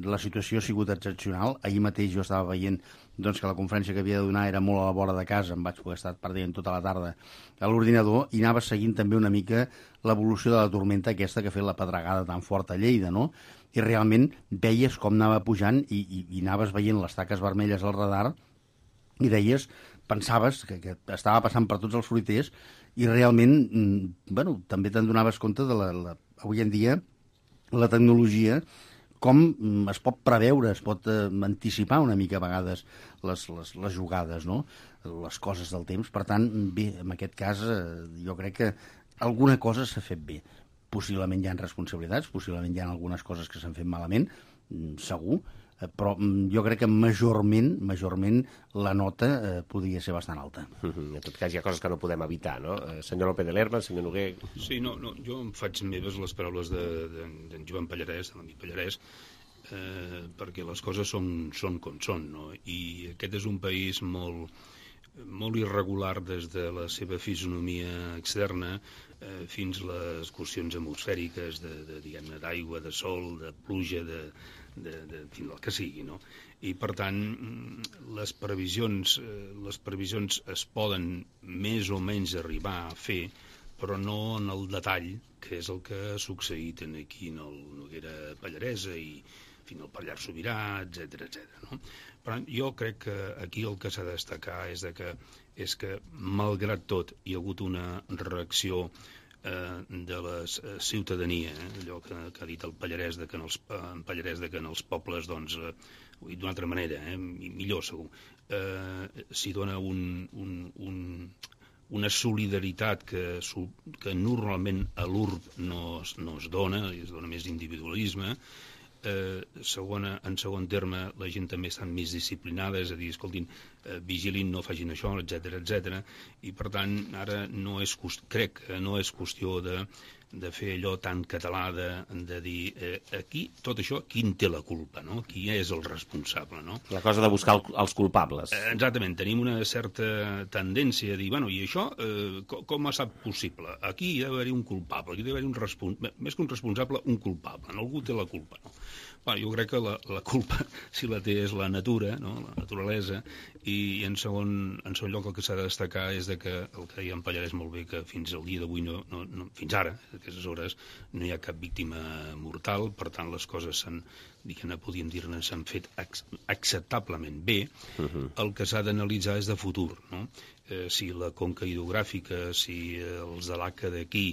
la situació ha sigut excepcional. Ahir mateix jo estava veient doncs, que la conferència que havia de donar era molt a la vora de casa, em vaig poder estar perdent tota la tarda a l'ordinador i anava seguint també una mica l'evolució de la tormenta aquesta que ha fet la pedregada tan forta a Lleida, no? I realment veies com anava pujant i, i, i anaves veient les taques vermelles al radar i deies, pensaves que, que estava passant per tots els fruiters i realment, bueno, també te'n donaves compte de la, la, avui en dia la tecnologia, com es pot preveure, es pot eh, anticipar una mica a vegades les, les, les jugades, no? Les coses del temps. Per tant, bé, en aquest cas eh, jo crec que alguna cosa s'ha fet bé. Possiblement hi ha responsabilitats, possiblement hi ha algunes coses que s'han fet malament, segur, però jo crec que majorment, majorment la nota eh, podria ser bastant alta. En tot cas, hi ha coses que no podem evitar, no? Eh, senyor López de Lerma, senyor Noguer... Sí, no, no, jo em faig meves les paraules d'en de, de, Joan Pallarès, de l'amic Pallarès, eh, perquè les coses són, són com són, no? I aquest és un país molt, molt irregular des de la seva fisonomia externa eh, fins a les qüestions atmosfèriques de, de, diguem-ne, d'aigua, de sol, de pluja, de... de, de, de del que sigui, no? I per tant les previsions les previsions es poden més o menys arribar a fer, però no en el detall, que és el que ha succeït aquí en el Noguera Pallaresa i fins al Pallars Sobirà, etcètera, etcètera, no? Però jo crec que aquí el que s'ha de destacar és de que és que malgrat tot hi ha hagut una reacció de la ciutadania, eh? Allò que, que ha dit el Pallarès de que en els, en Pallarès de que en els pobles, doncs, eh, ho he dit d'una altra manera, eh? Millor segur, eh, s'hi dona un, un, un, una solidaritat que, que normalment a l'urb no, no es dona, es dona més individualisme. Eh, segona, en segon terme, la gent també està més disciplinada, és a dir, escoltin, eh, vigilin, no facin això, etcètera, etcètera, i per tant, ara no és, crec que no és qüestió de de fer allò tan català de, de dir eh, aquí, tot això, qui en té la culpa, no? Qui és el responsable, no? La cosa de buscar el, els culpables. Eh, exactament, tenim una certa tendència a dir, bueno, i això eh, com, com ha estat possible? Aquí hi ha d'haver un culpable, aquí hi ha d'haver un responsable, més que un responsable, un culpable, no? Algú té la culpa, no? Bueno, jo crec que la, la culpa, si la té, és la natura, no? La naturalesa, i en segon, en segon lloc el que s'ha de destacar és de que el que deia en Pallarès molt bé, que fins al dia d'avui, no, no, no, fins ara, a aquestes hores, no hi ha cap víctima mortal, per tant les coses s'han, diguem-ne, podríem dir-ne, s'han fet acceptablement bé. Uh-huh. El que s'ha d'analitzar és de futur, no? Eh, si la conca hidrogràfica, si eh, els de l'A C A d'aquí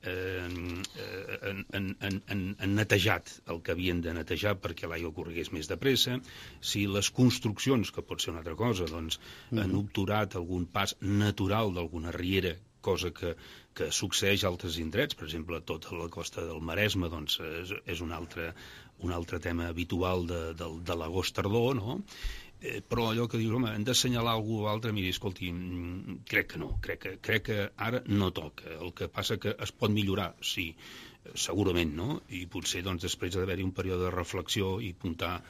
eh, han, han, han, han netejat el que havien de netejar perquè l'aigua corregués més de pressa, si les construccions, que pot ser una altra cosa, doncs, mm. han obturat algun pas natural d'alguna riera, cosa que, que succeeix a altres indrets, per exemple, tota la costa del Maresme, doncs, és, és un, altre, un altre tema habitual de, de, de l'agost-tardor, no? Eh, però allò que dius, home, hem d'assenyalar algú o altre, miri, escolti, crec que no, crec que, crec que ara no toca. El que passa que es pot millorar, sí, segurament, no? I potser, doncs, després d'haver-hi un període de reflexió i apuntar,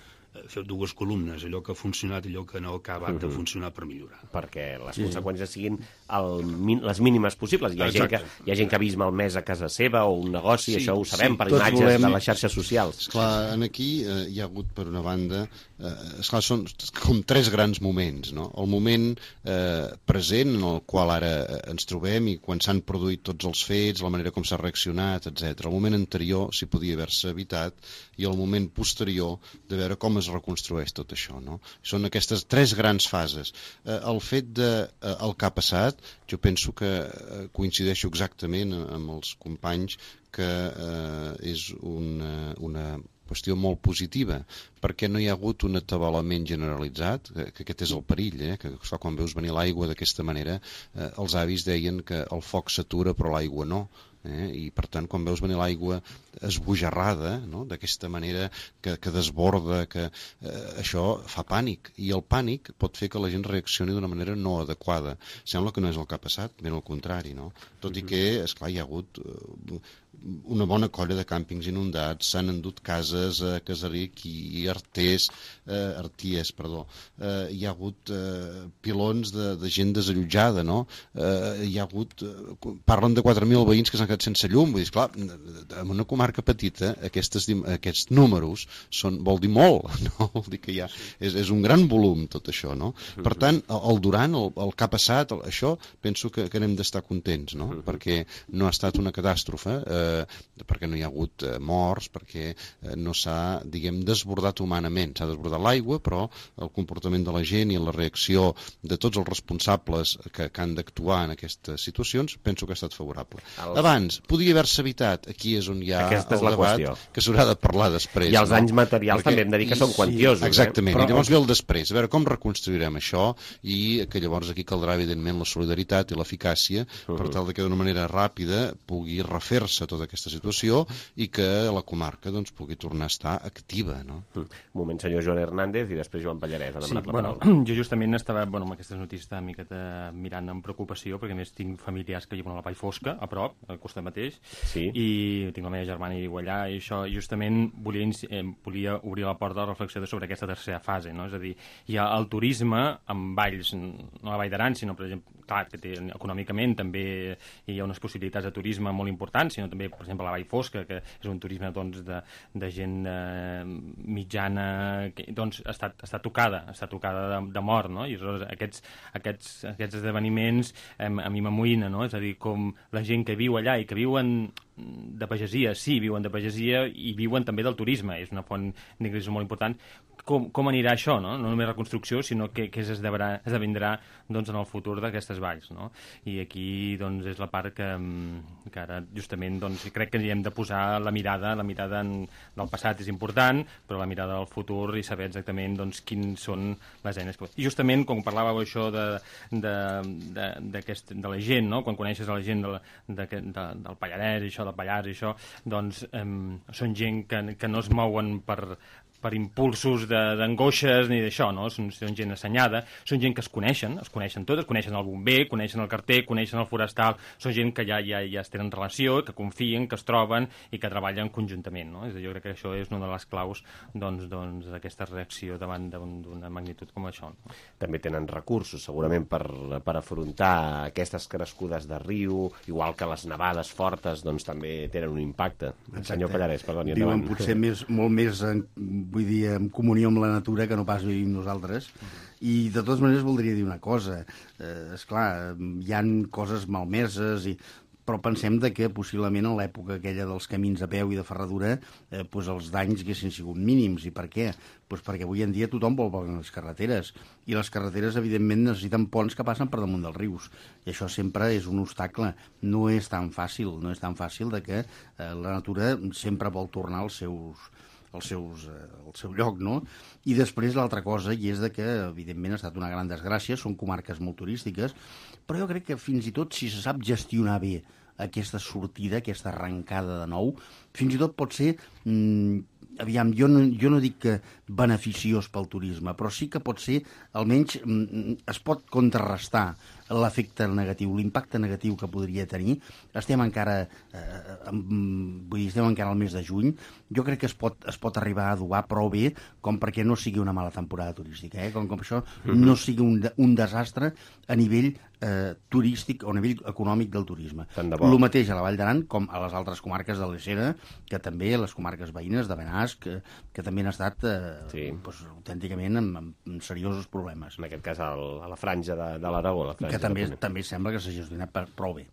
fer dues columnes, allò que ha funcionat i allò que no ha acabat de funcionar per millorar. Perquè les sí. conseqüències siguin el, les mínimes possibles. Hi ha, gent que, hi ha gent que ha vist malmès a casa seva o un negoci, sí, això ho sabem, sí, per imatges volem... de les xarxes socials. Esclar, aquí eh, hi ha hagut, per una banda, eh, esclar, són com tres grans moments, no? El moment eh, present, en el qual ara ens trobem i quan s'han produït tots els fets, la manera com s'ha reaccionat, etcètera. El moment anterior, si podia haver-se evitat, i el moment posterior de veure com es reconstrueix tot això, no? Són aquestes tres grans fases. Eh, el fet de eh, el que ha passat, jo penso que eh, coincideixo exactament amb els companys que eh, és una, una qüestió molt positiva, perquè no hi ha hagut un atabalament generalitzat, que, que aquest és el perill, eh? Que clar, quan veus venir l'aigua d'aquesta manera, eh, els avis deien que el foc s'atura però l'aigua no. Eh? I per tant quan veus venir l'aigua esbojarrada, no? D'aquesta manera que, que desborda, que eh, això fa pànic, i el pànic pot fer que la gent reaccioni d'una manera no adequada. Sembla que no és el que ha passat, ben al contrari, no? Tot i que, esclar, hi ha hagut eh, una bona colla de càmpings inundats, s'han endut cases a Casaric i Artés, eh, Arties, perdó, eh, hi ha hagut eh, pilons de, de gent desallotjada, no? Eh, hi ha hagut, eh, parlen de quatre mil veïns que s'han quedat sense llum, vull dir, clar, en una comarca petita aquestes, aquests números són, vol dir molt, no? Vol dir que hi ha, és, és un gran volum tot això, no? Per tant, el durant, el, el que ha passat, el, això, penso que, que n'hem d'estar contents, no? Perquè no ha estat una catàstrofe, eh, perquè no hi ha hagut eh, morts, perquè eh, no s'ha, diguem, desbordat humanament. S'ha desbordat l'aigua, però el comportament de la gent i la reacció de tots els responsables que, que han d'actuar en aquestes situacions, penso que ha estat favorable. El... Abans, podia haver-se evitat, aquí és on hi ha Aquesta el és la debat, qüestió. Que s'haurà de parlar després. I els no? danys materials perquè... també hem de dir que I, són quantiosos. Sí, exactament, eh? Però... i llavors ve el després, a veure com reconstruirem això, i que llavors aquí caldrà, evidentment, la solidaritat i l'eficàcia, uh -huh. per tal de que d'una manera ràpida pugui refer-se tota aquesta situació i que la comarca doncs, pugui tornar a estar activa. No? Un moment, senyor Joan Hernández, i després Joan Pallarès. Sí, bueno, jo justament estava bueno, amb aquestes notícies una miqueta mirant amb preocupació, perquè a més tinc familiars que viuen a la Vall Fosca, a prop, al costat mateix, sí. i tinc la meva germana i viu allà, i això justament volia, eh, volia obrir la porta de reflexió sobre aquesta tercera fase, no? És a dir, hi ha el turisme amb valls, no a la Vall d'Aran, sinó, per exemple, clar, que té, econòmicament també hi ha unes possibilitats de turisme molt importants, sinó també, per exemple, la Vall Fosca, que és un turisme doncs, de, de gent eh, mitjana, que doncs, està, està tocada, està tocada de, de mort, no? I aleshores aquests, aquests, aquests esdeveniments eh, a mi m'amoïna, no? És a dir, com la gent que viu allà i que viuen de pagesia, sí, viuen de pagesia i viuen també del turisme, és una font d'ingressos molt important. Com, com anirà això, no? No només reconstrucció, sinó que, que esdevindrà, esdevindrà doncs, en el futur d'aquestes valls, no? I aquí doncs, és la part que, que ara justament doncs, crec que hi hem de posar la mirada, la mirada en, del passat és important, però la mirada del futur i saber exactament doncs, quins són les eines. I justament, com parlàveu això de, de, de, de, de la gent, no? Quan coneixes a la gent de, de, de, del Pallarès, això, del Pallars i això, doncs eh, són gent que, que no es mouen per per impulsos d'angoixes ni d'això, no? Són, són gent assenyada, són gent que es coneixen, es coneixen totes, coneixen el bomber, coneixen el carter, coneixen el forestal, són gent que ja, ja, ja es tenen relació, que confien, que es troben i que treballen conjuntament, no? És a dir, jo crec que això és una de les claus doncs, doncs, d'aquesta reacció davant d'una magnitud com això. No? També tenen recursos, segurament, per, per afrontar aquestes crescudes de riu, igual que les nevades fortes, doncs també tenen un impacte. Exacte. Senyor Pallarès, perdoni, endavant. Viuen potser més, molt més, en, vull dir, en comunió amb la natura que no pas vivim nosaltres. I, de totes maneres, voldria dir una cosa. Eh, esclar, hi han coses malmeses i però pensem de que possiblement en l'època aquella dels camins a peu i de ferradura eh, pues els danys haguessin sigut mínims. I per què? Pues perquè avui en dia tothom vol veure les carreteres i les carreteres evidentment necessiten ponts que passen per damunt dels rius i això sempre és un obstacle. No és tan fàcil, no és tan fàcil de que eh, la natura sempre vol tornar als seus als seus, eh, al seu lloc, no? I després l'altra cosa, i és de que, evidentment, ha estat una gran desgràcia, són comarques molt turístiques, però jo crec que fins i tot si se sap gestionar bé aquesta sortida, aquesta arrencada de nou, fins i tot pot ser, mmm, aviam, jo no, jo no dic que beneficiós pel turisme, però sí que pot ser, almenys, mmm, es pot contrarrestar l'efecte negatiu, l'impacte negatiu que podria tenir. Estem encara, eh, amb, vull dir, estem encara al mes de juny. Jo crec que es pot, es pot arribar a adobar prou bé com perquè no sigui una mala temporada turística, eh? com, com això no sigui un, un desastre a nivell eh, turístic o a nivell econòmic del turisme. El mateix a la Vall d'Aran com a les altres comarques de l'Eixera, que també les comarques veïnes de Benasc, que, que també han estat eh, sí. doncs, autènticament amb, amb seriosos problemes. En aquest cas el, a la franja de, de l'Aragó. La franja que també, també sembla que s'ha gestionat prou bé.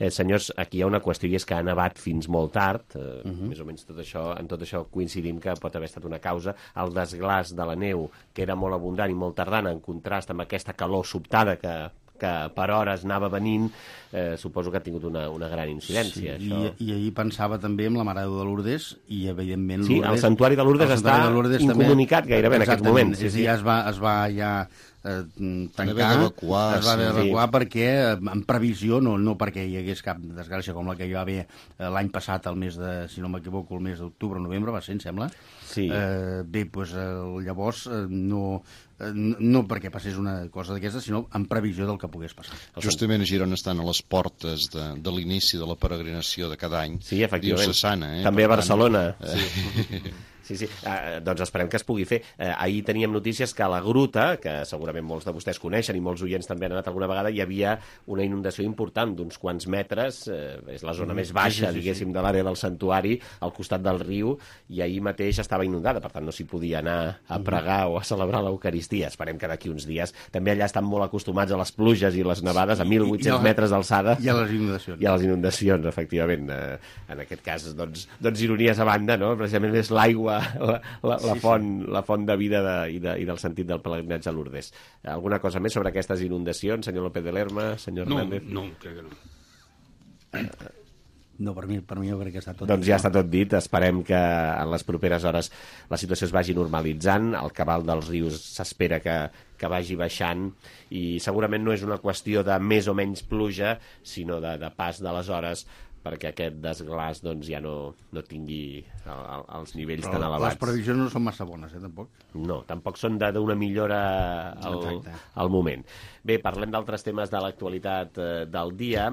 Eh, senyors, aquí hi ha una qüestió i és que ha nevat fins molt tard, eh, uh -huh. més o menys tot això, en tot això coincidim que pot haver estat una causa, el desglàs de la neu, que era molt abundant i molt tardana, en contrast amb aquesta calor sobtada que que per hores anava venint, eh, suposo que ha tingut una, una gran incidència. Sí, això. I, i ahir pensava també en la Mare de Lourdes, i evidentment... Sí, Lourdes, el Santuari de Lourdes està de Lourdes incomunicat també, gairebé en aquests moments. Sí, sí. Ja es va, es va ja eh, tancar, evacuar, es va haver sí. d'evacuar perquè, en previsió, no, no perquè hi hagués cap desgràcia com la que hi va haver eh, l'any passat, el mes de, si no m'equivoco, el mes d'octubre o novembre, va ser, em sembla. Sí. Eh, bé, doncs eh, llavors eh, no... no perquè passés una cosa d'aquesta, sinó en previsió del que pogués passar. Justament a Girona estan a les portes de, de l'inici de la peregrinació de cada any. Sí, efectivament. Diocesana, eh? També a Barcelona. Tant, sí. Sí, sí. Uh, doncs esperem que es pugui fer. Uh, ahir teníem notícies que a la Gruta, que segurament molts de vostès coneixen i molts oients també han anat alguna vegada, hi havia una inundació important d'uns quants metres, uh, és la zona mm, més baixa, sí, sí, diguéssim, sí. de l'àrea del santuari, al costat del riu, i ahir mateix estava inundada, per tant no s'hi podia anar a pregar mm. o a celebrar l'Eucaristia. Esperem que d'aquí uns dies, també allà estan molt acostumats a les pluges i les nevades a mil vuit-cents metres d'alçada. I a les inundacions. I a les inundacions, efectivament. Uh, en aquest cas, doncs, doncs ironies a banda, no? Precisament és l'aigua La, la, la, font, sí, sí. la font de vida de, i, de, i del sentit del pelegrinatge a Lourdes. Alguna cosa més sobre aquestes inundacions, senyor López de Lerma, senyor no, Hernández? No, crec que no. No, per mi, per mi jo crec que està tot doncs dit. Doncs ja està tot dit. Esperem que en les properes hores la situació es vagi normalitzant, el cabal dels rius s'espera que, que vagi baixant i segurament no és una qüestió de més o menys pluja, sinó de, de pas de les hores perquè aquest desglàs doncs, ja no, no tingui el, el, els nivells però tan elevats. Les previsions no són massa bones, eh, tampoc? No, tampoc són d'una millora al, al moment. Bé, parlem d'altres temes de l'actualitat eh, del dia.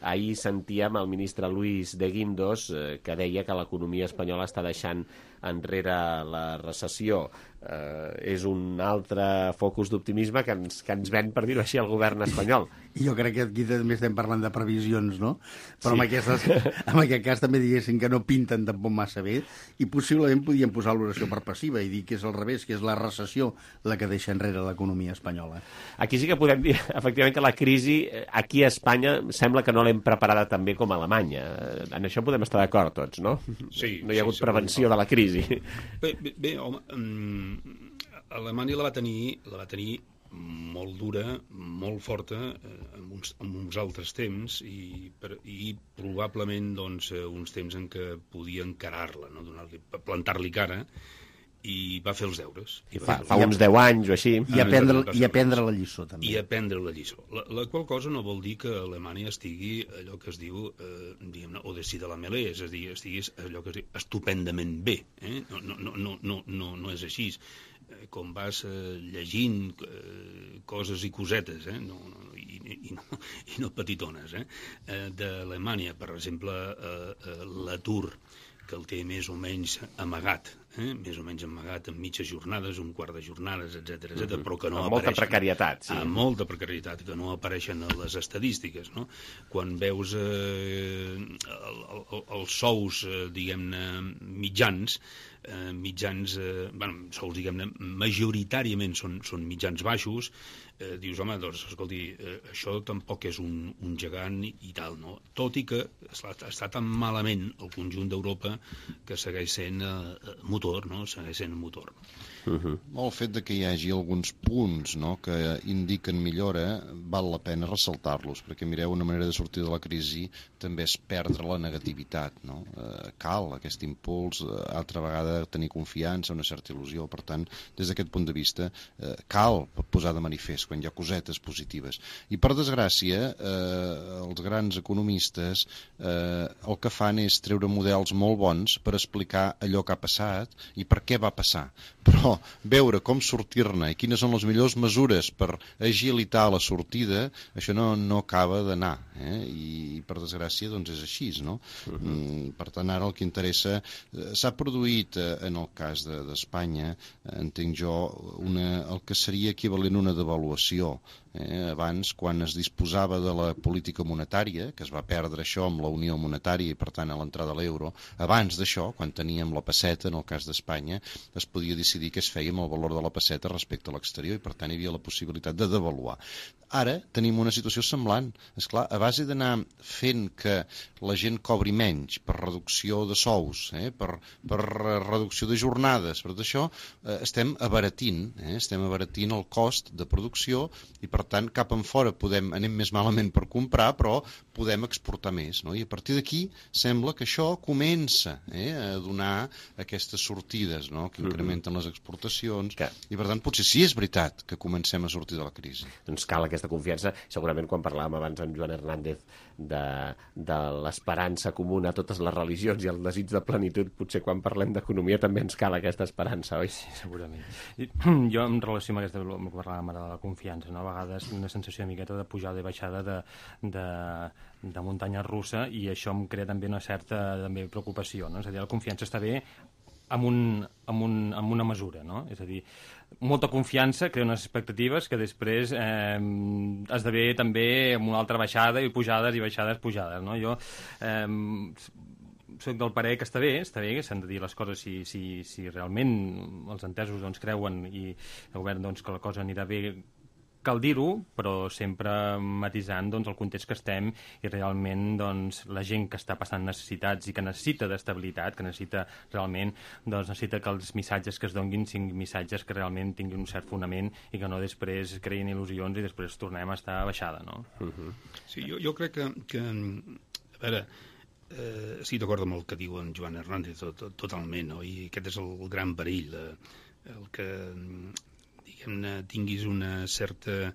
Ahir sentíem el ministre Luis de Guindos eh, que deia que l'economia espanyola està deixant enrere la recessió. Eh, és un altre focus d'optimisme que ens, que ens ven, per dir-ho així, el govern espanyol. Jo crec que aquí també estem parlant de previsions, no? Però sí. en, aquestes, en aquest cas també diguéssim que no pinten tampoc massa bé i possiblement podíem posar l'oració per passiva i dir que és al revés, que és la recessió la que deixa enrere l'economia espanyola. Aquí sí que podem dir, efectivament, que la crisi aquí a Espanya sembla que no l'hem preparada tan bé com a Alemanya. En això podem estar d'acord tots, no? Sí. No hi ha hagut sí, prevenció de la crisi. Bé, bé, bé home, um, Alemanya la va tenir, la va tenir molt dura, molt forta, eh, en, uns, en uns altres temps i, per, i probablement doncs, uns temps en què podia encarar-la, no? Donar-li, plantar-li cara i va fer els deures. I fa, fa uns deu anys o així. I aprendre, i aprendre la lliçó, també. I aprendre la lliçó. La, la qual cosa no vol dir que Alemanya estigui allò que es diu, eh, diguem-ne, au dessus de la mêlée, és a dir, estiguis allò que es diu estupendament bé. Eh? No, no, no, no, no, no, no és així. Eh, com vas eh, llegint eh, coses i cosetes, eh? no, no, i, i, no, i no petitones, eh? eh, d'Alemanya, per exemple, eh, eh, l'atur, que el té més o menys amagat, eh? més o menys amagat en mitges jornades, un quart de jornades, etcètera, etcètera, mm-hmm. però que no amb apareixen... molta precarietat, sí. Amb molta precarietat, que no apareixen a les estadístiques, no? Quan veus eh, el, el, els sous, eh, diguem-ne, mitjans, eh, mitjans, eh, bueno, sous, diguem-ne, majoritàriament són, són mitjans baixos, eh, dius, home, doncs, escolti, eh, això tampoc és un, un gegant i, i tal, no? Tot i que està, està tan malament el conjunt d'Europa que segueix sent eh, motor, no? Segueix sent motor. Uh-huh. El fet de que hi hagi alguns punts, no?, que indiquen millora, val la pena ressaltar-los, perquè mireu, una manera de sortir de la crisi també és perdre la negativitat, no? Eh, cal aquest impuls, eh, altra vegada tenir confiança, una certa il·lusió, per tant, des d'aquest punt de vista, eh, cal posar de manifest quan hi ha cosetes positives. I per desgràcia, eh, els grans economistes eh, el que fan és treure models molt bons per explicar allò que ha passat i per què va passar. Però veure com sortir-ne i quines són les millors mesures per agilitar la sortida, això no, no acaba d'anar, eh? I per desgràcia doncs és així, no? Uh-huh. Per tant, ara el que interessa, eh, s'ha produït eh, en el cas d'Espanya, de, eh, entenc jo, una, el que seria equivalent a una devaluació. Eh, abans, quan es disposava de la política monetària, que es va perdre això amb la unió monetària i per tant a l'entrada a l'euro, abans d'això, quan teníem la pesseta, en el cas d'Espanya, es podia decidir què es feia amb el valor de la pesseta respecte a l'exterior i per tant hi havia la possibilitat de devaluar. Ara tenim una situació semblant. És clar, a base d'anar fent que la gent cobri menys per reducció de sous, eh, per, per reducció de jornades, per tot això eh, estem abaratint, eh, estem abaratint el cost de producció i per tant cap en fora podem, anem més malament per comprar, però podem exportar més, no? I a partir d'aquí sembla que això comença eh, a donar aquestes sortides, no?, que incrementen les exportacions que... i per tant potser sí és veritat que comencem a sortir de la crisi. Doncs cal aquesta confiança. Segurament quan parlàvem abans amb Joan Hernández de, de l'esperança comuna a totes les religions i el desig de plenitud, potser quan parlem d'economia també ens cal aquesta esperança, oi? Sí, segurament. I, jo en relació amb aquesta, que parlàvem ara de la confiança, no? A vegades una sensació de miqueta de pujada i baixada de, de, de muntanya russa i això em crea també una certa també preocupació, no? És a dir, la confiança està bé amb, un, amb, un, amb una mesura, no? És a dir, molta confiança crea unes expectatives que després eh, esdevé també amb una altra baixada i pujades i baixades pujades, no? Jo eh, soc del parer que està bé, està bé que s'han de dir les coses si, si, si realment els entesos doncs, creuen i el govern doncs, que la cosa anirà bé, cal dir-ho, però sempre matisant doncs, el context que estem i realment doncs, la gent que està passant necessitats i que necessita d'estabilitat, que necessita realment, doncs, necessita que els missatges que es donguin siguin missatges que realment tinguin un cert fonament i que no després creïn il·lusions i després tornem a estar baixada, no? Uh-huh. Sí, jo, jo crec que, que a veure, eh, estic d'acord amb el que diu en Joan Hernández tot, tot, totalment, no? I aquest és el gran perill, eh, el que diguem-ne, tinguis una certa,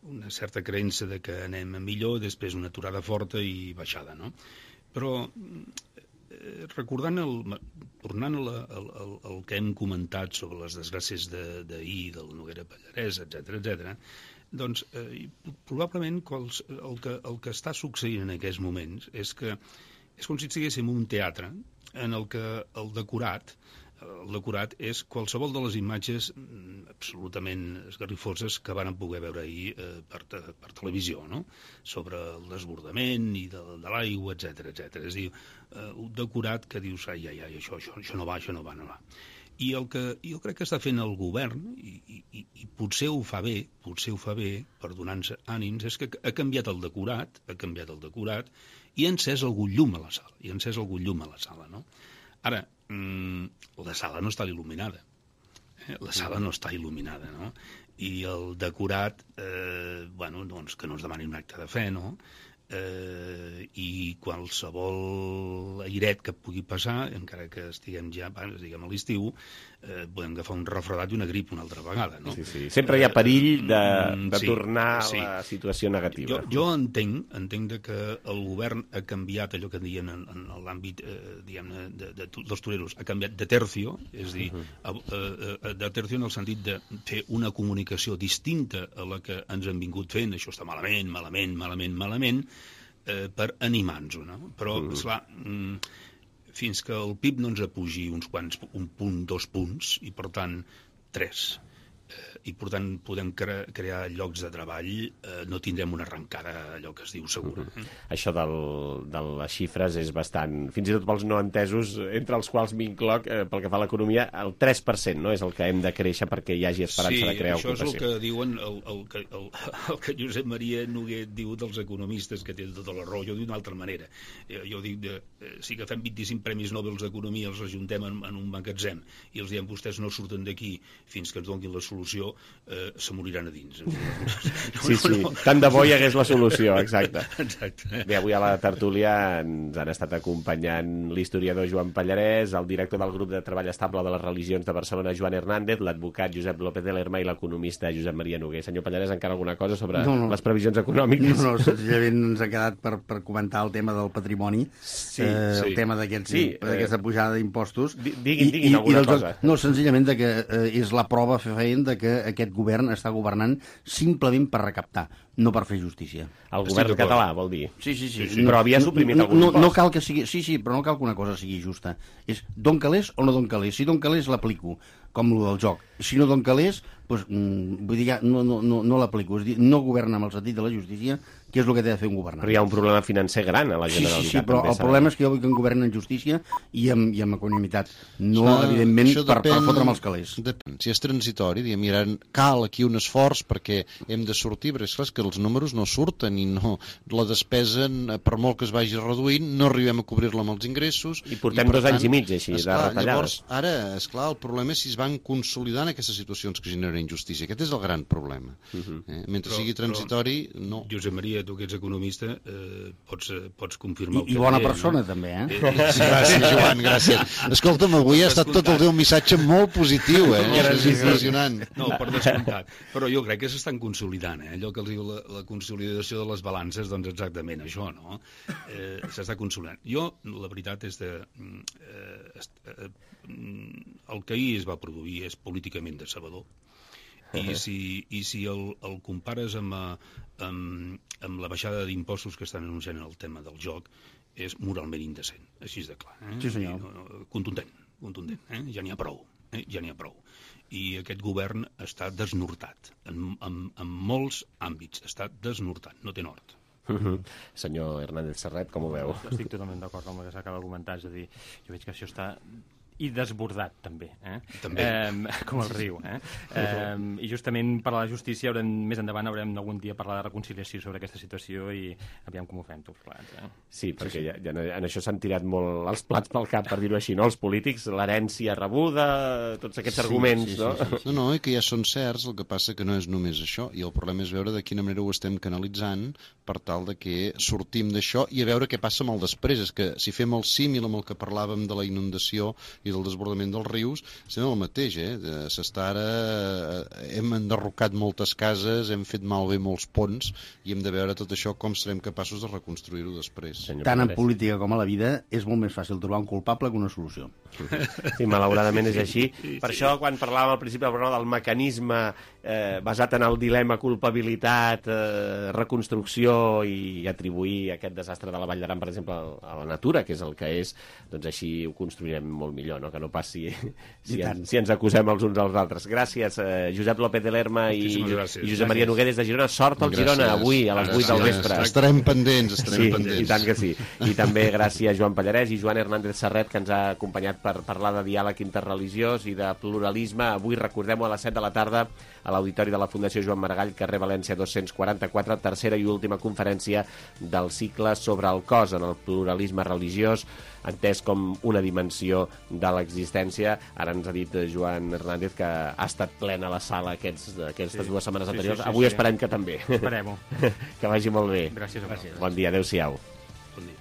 una certa creença de que anem millor, després una aturada forta i baixada, no? Però eh, recordant el, tornant al, al, al que hem comentat sobre les desgràcies d'ahir, de, del Noguera Pallarès, etcètera, etcètera, doncs eh, probablement quals, el, que, el que està succeint en aquests moments és que és com si estiguéssim en un teatre en el que el decorat el decorat és qualsevol de les imatges absolutament esgarrifoses que van poder veure ahir eh, per, te, per televisió, no? Sobre el desbordament i de, de l'aigua, etcètera, etcètera. És a dir, eh, un decorat que dius, ai, ai, ai, això, això, això no va, això no va, no va. I el que jo crec que està fent el govern, i, i, i potser ho fa bé, potser ho fa bé, per donar-nos ànims, és que ha canviat el decorat, ha canviat el decorat, i ha encès algun llum a la sala, i ha encès algun llum a la sala, no? Ara, mmm, la sala no està il·luminada, eh? La sala no està il·luminada, no? I el decorat, eh, bueno, doncs que no es demani un acte de fe, no? eh, i qualsevol airet que pugui passar, encara que estiguem ja estiguem a l'estiu, eh, podem agafar un refredat i una grip una altra vegada, no? Sí, sí. Sempre hi ha perill de, de sí, tornar sí. a la situació negativa. Jo, jo entenc, entenc de que el govern ha canviat allò que diem en, en l'àmbit eh, diguem-ne de, de, dels toreros, ha canviat de tercio, és a dir, uh -huh. eh, eh, de tercio en el sentit de fer una comunicació distinta a la que ens han vingut fent, això està malament, malament, malament, malament, eh, per animar-nos, no? Però, uh -huh. esclar, mm, fins que el P I B no ens apugi uns quants, un punt, dos punts, i per tant, tres, i per tant podem cre crear llocs de treball, eh, no tindrem una arrencada, allò que es diu, segura. Mm-hmm. Això del, de les xifres és bastant... Fins i tot pels no entesos, entre els quals m'incloc, eh, pel que fa a l'economia, el tres per cent, no?, és el que hem de créixer perquè hi hagi esperança sí, de crear ocupació. Sí, això és el que diuen, el, el, el, el, el que Josep Maria Noguer diu dels economistes, que té tota la raó. Jo dic d'una altra manera. Eh, jo dic, de, eh, si agafem vint-i-cinc premis Nobel d'Economia, els ajuntem en, en un magatzem i els diem, vostès no surten d'aquí fins que ens donin la solució, eh, se moriran a dins. Sí, sí, tant de bo hi hagués la solució, exacte. Exacte. Bé, avui a la tertúlia ens han estat acompanyant l'historiador Joan Pallarès, el director del grup de treball estable de les religions de Barcelona, Joan Hernández, l'advocat Josep López de Lerma i l'economista Josep Maria Noguer. Senyor Pallarès, encara alguna cosa sobre no, no. les previsions econòmiques? No, no, senzillament ens ha quedat per, per comentar el tema del patrimoni, sí, eh, sí. el tema d'aquesta sí, eh, pujada d'impostos. Diguin, diguin alguna i cosa. No, senzillament de que eh, és la prova fefaent de que aquest govern està governant simplement per recaptar, no per fer justícia. El govern català, vol dir? Sí, sí, sí. sí, sí. No, però havia suprimit no, algun no, impost. no cal que sigui, sí, sí, però no cal que una cosa sigui justa. És d'on calés o no d'on calés. Si d'on calés l'aplico, com el del joc. Si no d'on calés, doncs, mm, vull dir, ja, no, no, no, no l'aplico. És dir, no governa amb el sentit de la justícia, que és el que té de fer un governant. Però hi ha un problema financer gran a la Generalitat. Sí, sí, sí, però el problema és que jo vull que en governen en justícia i amb, i amb equanimitat. No, ah, evidentment, per, per fotre'm els calés. Depèn. Si és transitori, diguem, mira, cal aquí un esforç perquè hem de sortir, perquè és clar que els números no surten i no, la despesa, per molt que es vagi reduint, no arribem a cobrir-la amb els ingressos. I portem i, dos tant, anys i mig, així, esclar, de retallades. Llavors, ara, esclar, el problema és si es van consolidant aquestes situacions que generen injustícia. Aquest és el gran problema. Uh -huh. eh? Mentre però, sigui transitori, però, no. Josep Maria, tu que ets economista, eh, pots, pots confirmar... I, i bona persona, no? També, eh? eh sí, gràcies, Joan, gràcies. Escolta'm, avui ha estat tot el teu missatge molt positiu, eh? No, és impressionant. No, per descomptat. Però jo crec que s'estan consolidant, eh? Allò que els diu la, la consolidació de les balances, doncs exactament això, no? Eh, s'està consolidant. Jo, la veritat és de... Eh, eh, el que ahir es va produir és políticament decebedor. I si, i si el, el compares amb, amb, amb la baixada d'impostos que estan anunciant en el tema del joc, és moralment indecent, així és de clar. Eh? Sí, senyor. I, contundent, contundent. Eh? Ja n'hi ha prou, eh? ja n'hi ha prou. I aquest govern està desnortat, en, en, en molts àmbits, està desnortat, no té nord. Uh -huh. Senyor Hernández Serret, com ho veu? Estic totalment d'acord amb el que s'acaba de comentar, és a dir, jo veig que això està... i desbordat, també, eh? també. Eh, com el riu. Eh? Eh, I justament per a la justícia, haurem, més endavant haurem algun dia parlar de reconciliació sobre aquesta situació i aviam com ho fem tots plats. Eh? Sí, perquè sí, sí. Ja, ja en això s'han tirat molt els plats pel cap, per dir-ho així, no? Els polítics, l'herència rebuda, tots aquests sí, arguments, sí, sí, no? Sí, sí, sí. No, no, i que ja són certs, el que passa que no és només això, i el problema és veure de quina manera ho estem canalitzant per tal de que sortim d'això i a veure què passa amb el després. És que si fem el símil amb el que parlàvem de la inundació i del desbordament dels rius, estem el mateix, eh? S'està ara... Hem enderrocat moltes cases, hem fet malbé molts ponts i hem de veure tot això com serem capaços de reconstruir-ho després. Senyor Tant en política com a la vida és molt més fàcil trobar un culpable que una solució. Sí, malauradament és així. Per sí. això, quan parlàvem al principi del mecanisme eh, basat en el dilema culpabilitat, eh, reconstrucció i atribuir aquest desastre de la Vall d'Aran, per exemple, a la natura, que és el que és, doncs així ho construirem molt millor, no? Que no passi si, en, si ens acusem els uns als altres. Gràcies, eh, Josep López de Lerma i, i Josep Maria Noguer des de Girona. Sort al Girona avui a les vuit del vespre. Estarem pendents, estarem sí, pendents. I tant que sí. I també gràcies Joan Pallarès i Joan Hernández Serret, que ens ha acompanyat per parlar de diàleg interreligiós i de pluralisme. Avui, recordem-ho, a les set de la tarda a l'Auditori de la Fundació Joan Maragall, carrer València dos-cents quaranta-quatre, tercera i última conferència del cicle sobre el cos en el pluralisme religiós. entès com una dimensió de l'existència. Ara ens ha dit Joan Hernández que ha estat plena la sala aquests, aquestes sí. dues setmanes sí, anteriors. Sí, sí, Avui sí. esperem que també. Esperem-ho. Que vagi molt bé. Gràcies. Gràcies. Bon dia, adeu-siau. Bon dia.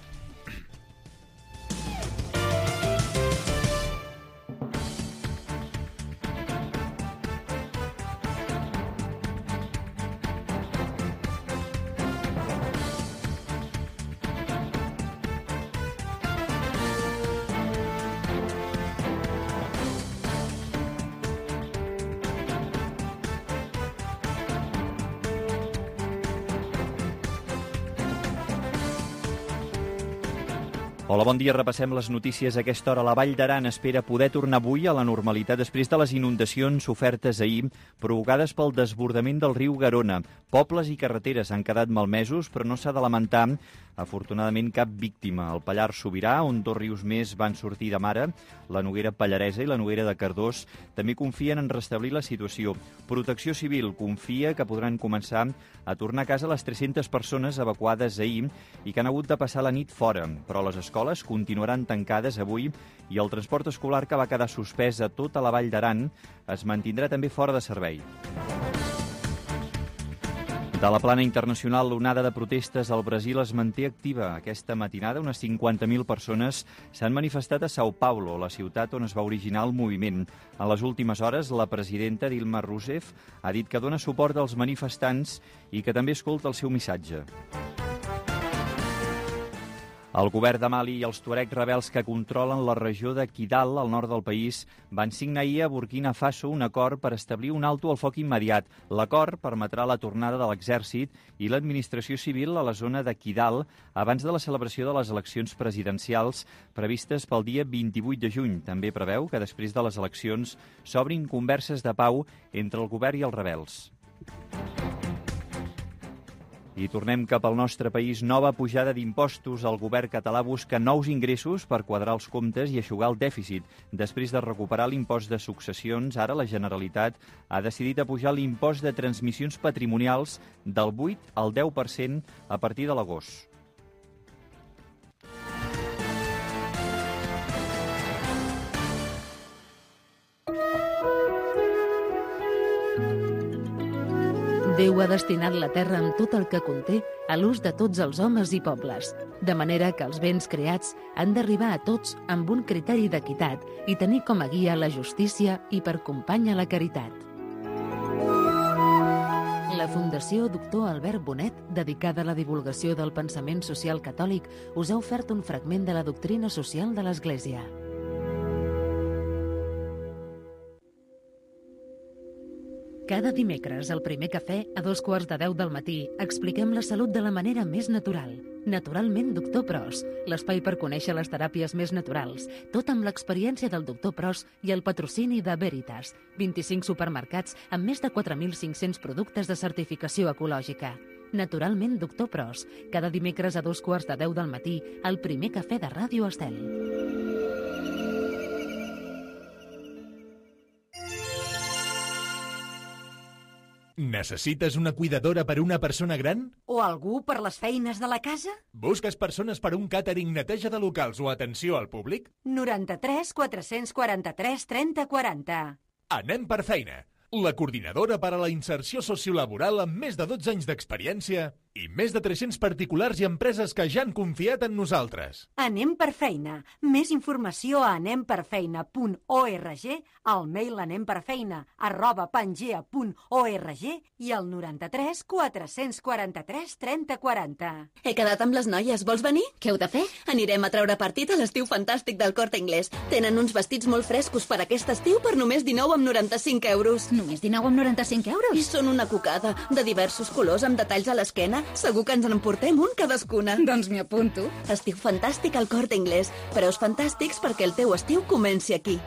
Hola, bon dia. Repassem les notícies a aquesta hora. La Vall d'Aran espera poder tornar avui a la normalitat després de les inundacions sofertes ahir provocades pel desbordament del riu Garona. Pobles i carreteres han quedat malmesos, però no s'ha de lamentar, afortunadament, cap víctima. El Pallars Sobirà, on dos rius més van sortir de mare, la Noguera Pallaresa i la Noguera de Cardós, també confien en restablir la situació. Protecció Civil confia que podran començar a tornar a casa les tres-centes persones evacuades ahir i que han hagut de passar la nit fora, però les escoles continuaran tancades avui i el transport escolar, que va quedar suspès a tota la Vall d'Aran, es mantindrà també fora de servei. De la plana internacional, l'onada de protestes al Brasil es manté activa. Aquesta matinada, unes cinquanta mil persones s'han manifestat a São Paulo, la ciutat on es va originar el moviment. En les últimes hores, la presidenta Dilma Rousseff ha dit que dona suport als manifestants i que també escolta el seu missatge. El govern de Mali i els tuareg rebels que controlen la regió de Kidal, al nord del país, van signar ahir a Burkina Faso un acord per establir un alto al foc immediat. L'acord permetrà la tornada de l'exèrcit i l'administració civil a la zona de Kidal abans de la celebració de les eleccions presidencials previstes pel dia vint-i-vuit de juny. També preveu que després de les eleccions s'obrin converses de pau entre el govern i els rebels. I tornem cap al nostre país. Nova pujada d'impostos. El govern català busca nous ingressos per quadrar els comptes i eixugar el dèficit. Després de recuperar l'impost de successions, ara la Generalitat ha decidit apujar l'impost de transmissions patrimonials del vuit al deu per cent a partir de l'agost. Déu ha destinat la terra amb tot el que conté a l'ús de tots els homes i pobles, de manera que els béns creats han d'arribar a tots amb un criteri d'equitat i tenir com a guia la justícia i per companya la caritat. La Fundació Doctor Albert Bonet, dedicada a la divulgació del pensament social catòlic, us ha ofert un fragment de la doctrina social de l'Església. Cada dimecres, al primer cafè, a dos quarts de deu del matí, expliquem la salut de la manera més natural. Naturalment, doctor Pros, l'espai per conèixer les teràpies més naturals, tot amb l'experiència del doctor Pros i el patrocini de Veritas, vint-i-cinc supermercats amb més de quatre mil cinc-cents productes de certificació ecològica. Naturalment, doctor Pros, cada dimecres a dos quarts de deu del matí, al primer cafè de Ràdio Estel. Necessites una cuidadora per a una persona gran? O algú per les feines de la casa? Busques persones per a un càtering, neteja de locals o atenció al públic? noranta-tres quatre-cents quaranta-tres trenta quaranta. Anem per feina. La coordinadora per a la inserció sociolaboral amb més de dotze anys d'experiència i més de tres-cents particulars i empreses que ja han confiat en nosaltres. Anem per feina. Més informació a anemperfeina punt org, al mail anemperfeina arroba pangea punt org i al noranta-tres quatre-cents quaranta-tres trenta quaranta. He quedat amb les noies. Vols venir? Què heu de fer? Anirem a treure partit a l'estiu fantàstic del Corte Inglés. Tenen uns vestits molt frescos per aquest estiu per només dinou amb noranta-cinc euros. Només dinou amb noranta-cinc euros? I són una cocada, de diversos colors amb detalls a l'esquena. Segur que ens en emportem un cadascuna. Doncs m'hi apunto. Estiu fantàstic al Corte Inglés. Preus fantàstics perquè el teu estiu comenci aquí.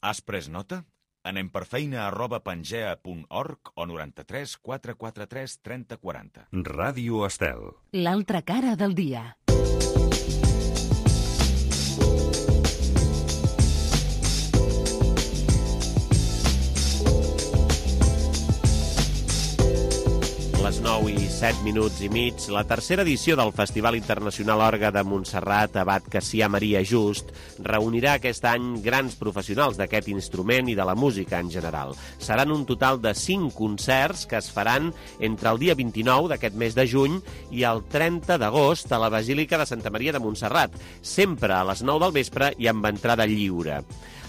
Has pres nota? Anem per feina arroba pangea punt org o noranta-tres quatre quaranta-tres trenta quaranta. Ràdio Estel. L'altra cara del dia. les nou i set minuts i mig, la tercera edició del Festival Internacional Orgue de Montserrat, Abat Cassià Maria Just, reunirà aquest any grans professionals d'aquest instrument i de la música en general. Seran un total de cinc concerts que es faran entre el dia vint-i-nou d'aquest mes de juny i el trenta d'agost a la Basílica de Santa Maria de Montserrat, sempre a les nou del vespre i amb entrada lliure.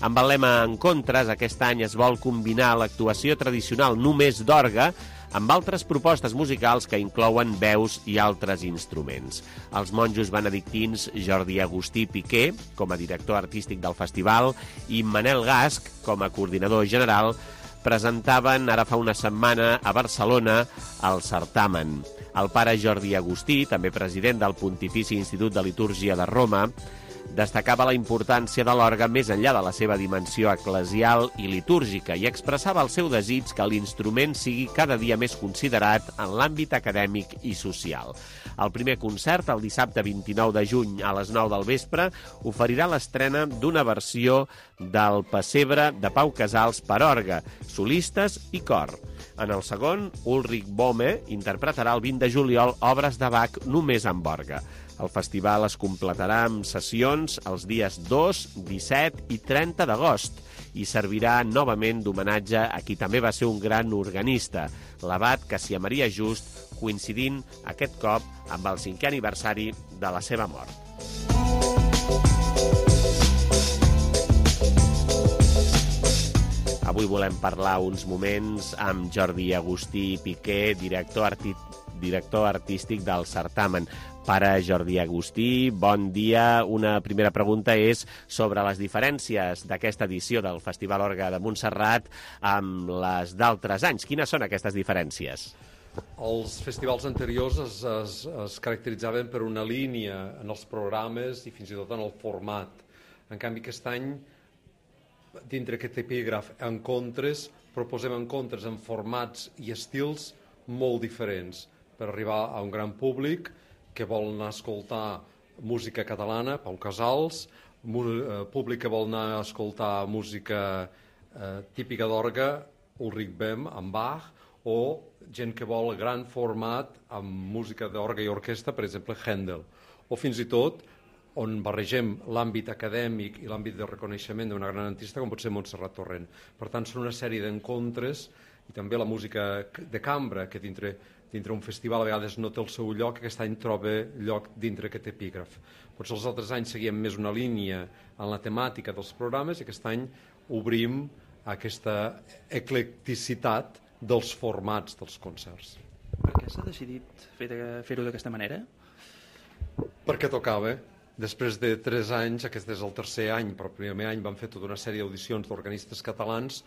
Amb el lema Encontres, aquest any es vol combinar l'actuació tradicional només d'orgue amb altres propostes musicals que inclouen veus i altres instruments. Els monjos benedictins Jordi Agustí Piqué, com a director artístic del festival, i Manel Gasc, com a coordinador general, presentaven ara fa una setmana a Barcelona el certamen. El pare Jordi Agustí, també president del Pontifici Institut de Litúrgia de Roma, destacava la importància de l'orgue més enllà de la seva dimensió eclesial i litúrgica i expressava el seu desig que l'instrument sigui cada dia més considerat en l'àmbit acadèmic i social. El primer concert, el dissabte vint-i-nou de juny a les nou del vespre, oferirà l'estrena d'una versió del Pessebre de Pau Casals per orgue, solistes i cor. En el segon, Ulrich Bohme interpretarà el vint de juliol obres de Bach només amb orgue. El festival es completarà amb sessions els dies dos, disset i trenta d'agost i servirà novament d'homenatge a qui també va ser un gran organista, l'abat Cassià Maria Just, coincidint aquest cop amb el cinquè aniversari de la seva mort. Avui volem parlar uns moments amb Jordi Agustí Piqué, director, arti... director artístic del certamen. Pare Jordi Agustí, bon dia. Una primera pregunta és sobre les diferències d'aquesta edició del Festival Orgue de Montserrat amb les d'altres anys. Quines són aquestes diferències? Els festivals anteriors es, es, es caracteritzaven per una línia en els programes i fins i tot en el format. En canvi, aquest any, dintre aquest epígraf Encontres, proposem encontres en formats i estils molt diferents per arribar a un gran públic que vol anar a escoltar música catalana, Pau Casals, públic que vol anar a escoltar música eh, típica d'orgue, Ulrich Bohme, amb Bach, o gent que vol gran format amb música d'orgue i orquestra, per exemple, Händel. O fins i tot, on barregem l'àmbit acadèmic i l'àmbit de reconeixement d'una gran artista, com pot ser Montserrat Torrent. Per tant, són una sèrie d'encontres i també la música de cambra, que dintre dintre un festival a vegades no té el seu lloc, aquest any troba lloc dintre aquest epígraf. Potser els altres anys seguíem més una línia en la temàtica dels programes i aquest any obrim aquesta eclecticitat dels formats dels concerts. Per què s'ha decidit fer-ho d'aquesta manera? Perquè tocava. Després de tres anys, aquest és el tercer any, però el primer any vam fer tota una sèrie d'audicions d'organistes catalans,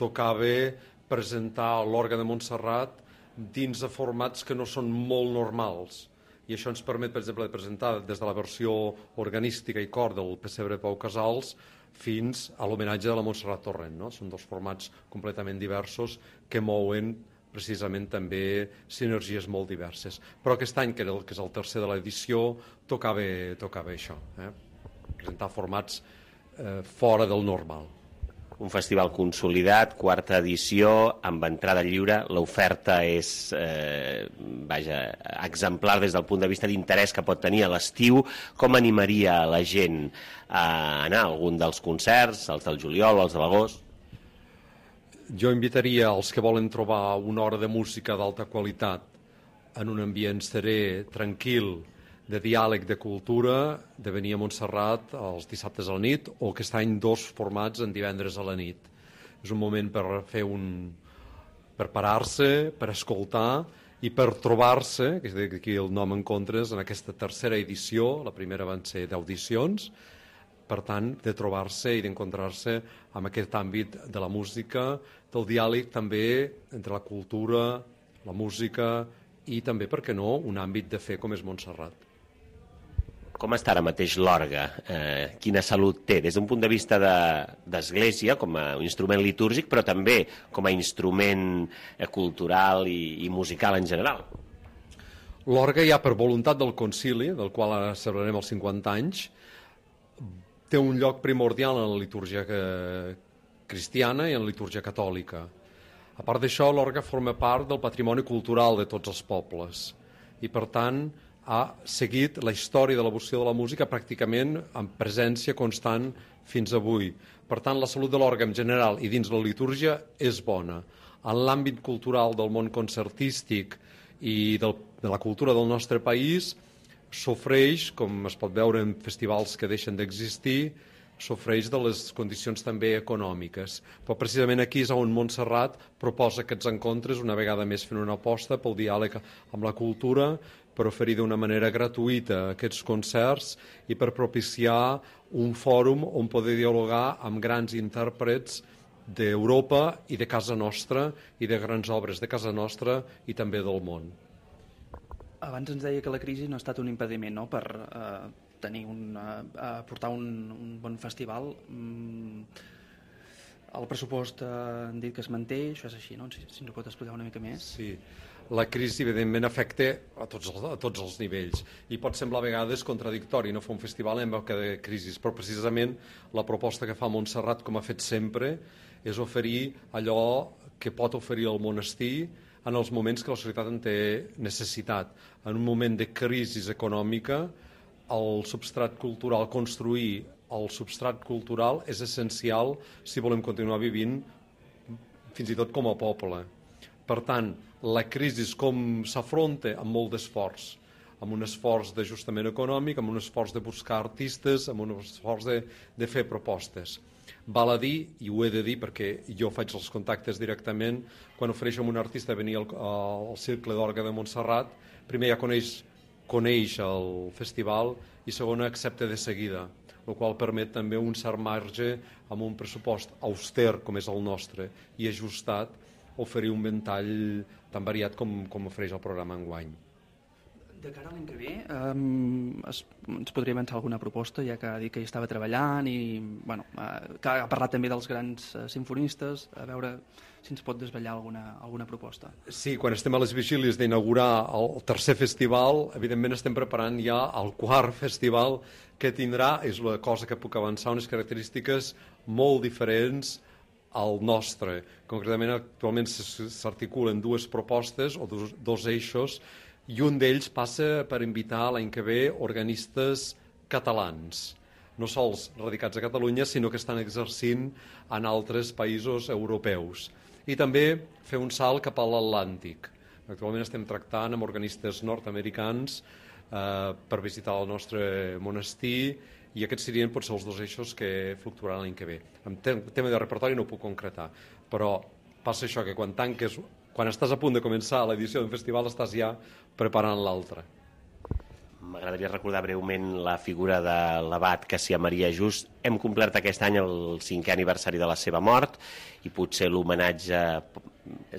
tocava presentar l'Orgue de Montserrat dins de formats que no són molt normals. I això ens permet, per exemple, de presentar des de la versió organística i cor del Pessebre Pau Casals fins a l'homenatge de la Montserrat Torrent. No? Són dos formats completament diversos que mouen precisament també sinergies molt diverses. Però aquest any, que és el tercer de l'edició, tocava, tocava això, eh? Presentar formats eh, fora del normal. Un festival consolidat, quarta edició, amb entrada lliure. L'oferta és eh, vaja, exemplar des del punt de vista d'interès que pot tenir a l'estiu. Com animaria la gent a anar a algun dels concerts, els del juliol o els de l'agost? Jo invitaria els que volen trobar una hora de música d'alta qualitat en un ambient serè, tranquil, de diàleg de cultura, de venir a Montserrat els dissabtes a la nit, o aquest any dos formats en divendres a la nit. És un moment per fer un... per parar-se, per escoltar i per trobar-se, que és aquí el nom Encontres, en aquesta tercera edició, la primera van ser d'audicions, per tant, de trobar-se i d'encontrar-se amb aquest àmbit de la música, del diàleg també entre la cultura, la música i també, per què no, un àmbit de fe com és Montserrat. Com està ara mateix l'orgue? Eh, quina salut té? Des d'un punt de vista d'església, com a instrument litúrgic, però també com a instrument eh, cultural i, i musical en general. L'orgue, ja per voluntat del concili, del qual ara celebrarem els cinquanta anys, té un lloc primordial en la litúrgia cristiana i en la litúrgia catòlica. A part d'això, l'orgue forma part del patrimoni cultural de tots els pobles i, per tant, ha seguit la història de l'evolució de la música pràcticament amb presència constant fins avui. Per tant, la salut de l'orgue en general i dins la litúrgia és bona. En l'àmbit cultural del món concertístic i del, de la cultura del nostre país sofreix, com es pot veure en festivals que deixen d'existir, sofreix de les condicions també econòmiques. Però precisament aquí és on Montserrat proposa aquests encontres, una vegada més fent una aposta pel diàleg amb la cultura, per oferir d'una manera gratuïta aquests concerts i per propiciar un fòrum on poder dialogar amb grans intèrprets d'Europa i de casa nostra i de grans obres de casa nostra i també del món. Abans ens deia que la crisi no ha estat un impediment, no?, per eh, tenir un, eh, portar un, un bon festival. Mm, el pressupost eh, han dit que es manté, això és així, no? Si, si ens ho pot explicar una mica més. Sí, la crisi evidentment afecta a tots, els, a tots els nivells i pot semblar a vegades contradictori no fer un festival en època de crisi, però precisament la proposta que fa Montserrat, com ha fet sempre, és oferir allò que pot oferir el monestir en els moments que la societat en té necessitat. En un moment de crisi econòmica, el substrat cultural, construir el substrat cultural és essencial si volem continuar vivint fins i tot com a poble. Per tant, la crisi com s'afronta amb molt d'esforç, amb un esforç d'ajustament econòmic, amb un esforç de buscar artistes, amb un esforç de, de fer propostes. Val a dir, i ho he de dir perquè jo faig els contactes directament, quan ofereixo a un artista venir al, al Cercle d'Orgue de Montserrat, primer ja coneix, coneix el festival i segon accepta de seguida, el qual permet també un cert marge amb un pressupost auster com és el nostre i ajustat, oferir un ventall tan variat com, com ofereix el programa enguany. De cara a l'any que ve, um, es, ens podria avançar alguna proposta, ja que ha dit que hi estava treballant i bueno, uh, que ha parlat també dels grans uh, sinfonistes, a veure si ens pot desvetllar alguna, alguna proposta. Sí, quan estem a les vigílies d'inaugurar el tercer festival, evidentment estem preparant ja el quart festival que tindrà, és la cosa que puc avançar, unes característiques molt diferents al nostre. Concretament, actualment s'articulen dues propostes o dos, dos eixos i un d'ells passa per invitar l'any que ve organistes catalans, no sols radicats a Catalunya, sinó que estan exercint en altres països europeus. I també fer un salt cap a l'Atlàntic. Actualment estem tractant amb organistes nord-americans eh, per visitar el nostre monestir i aquests serien potser els dos eixos que fluctuaran l'any que ve. En tema de repertori no ho puc concretar, però passa això, que quan tanques, quan estàs a punt de començar l'edició d'un festival estàs ja preparant l'altre. M'agradaria recordar breument la figura de l'abat Cassià Maria Just. Hem complert aquest any el cinquè aniversari de la seva mort i potser l'homenatge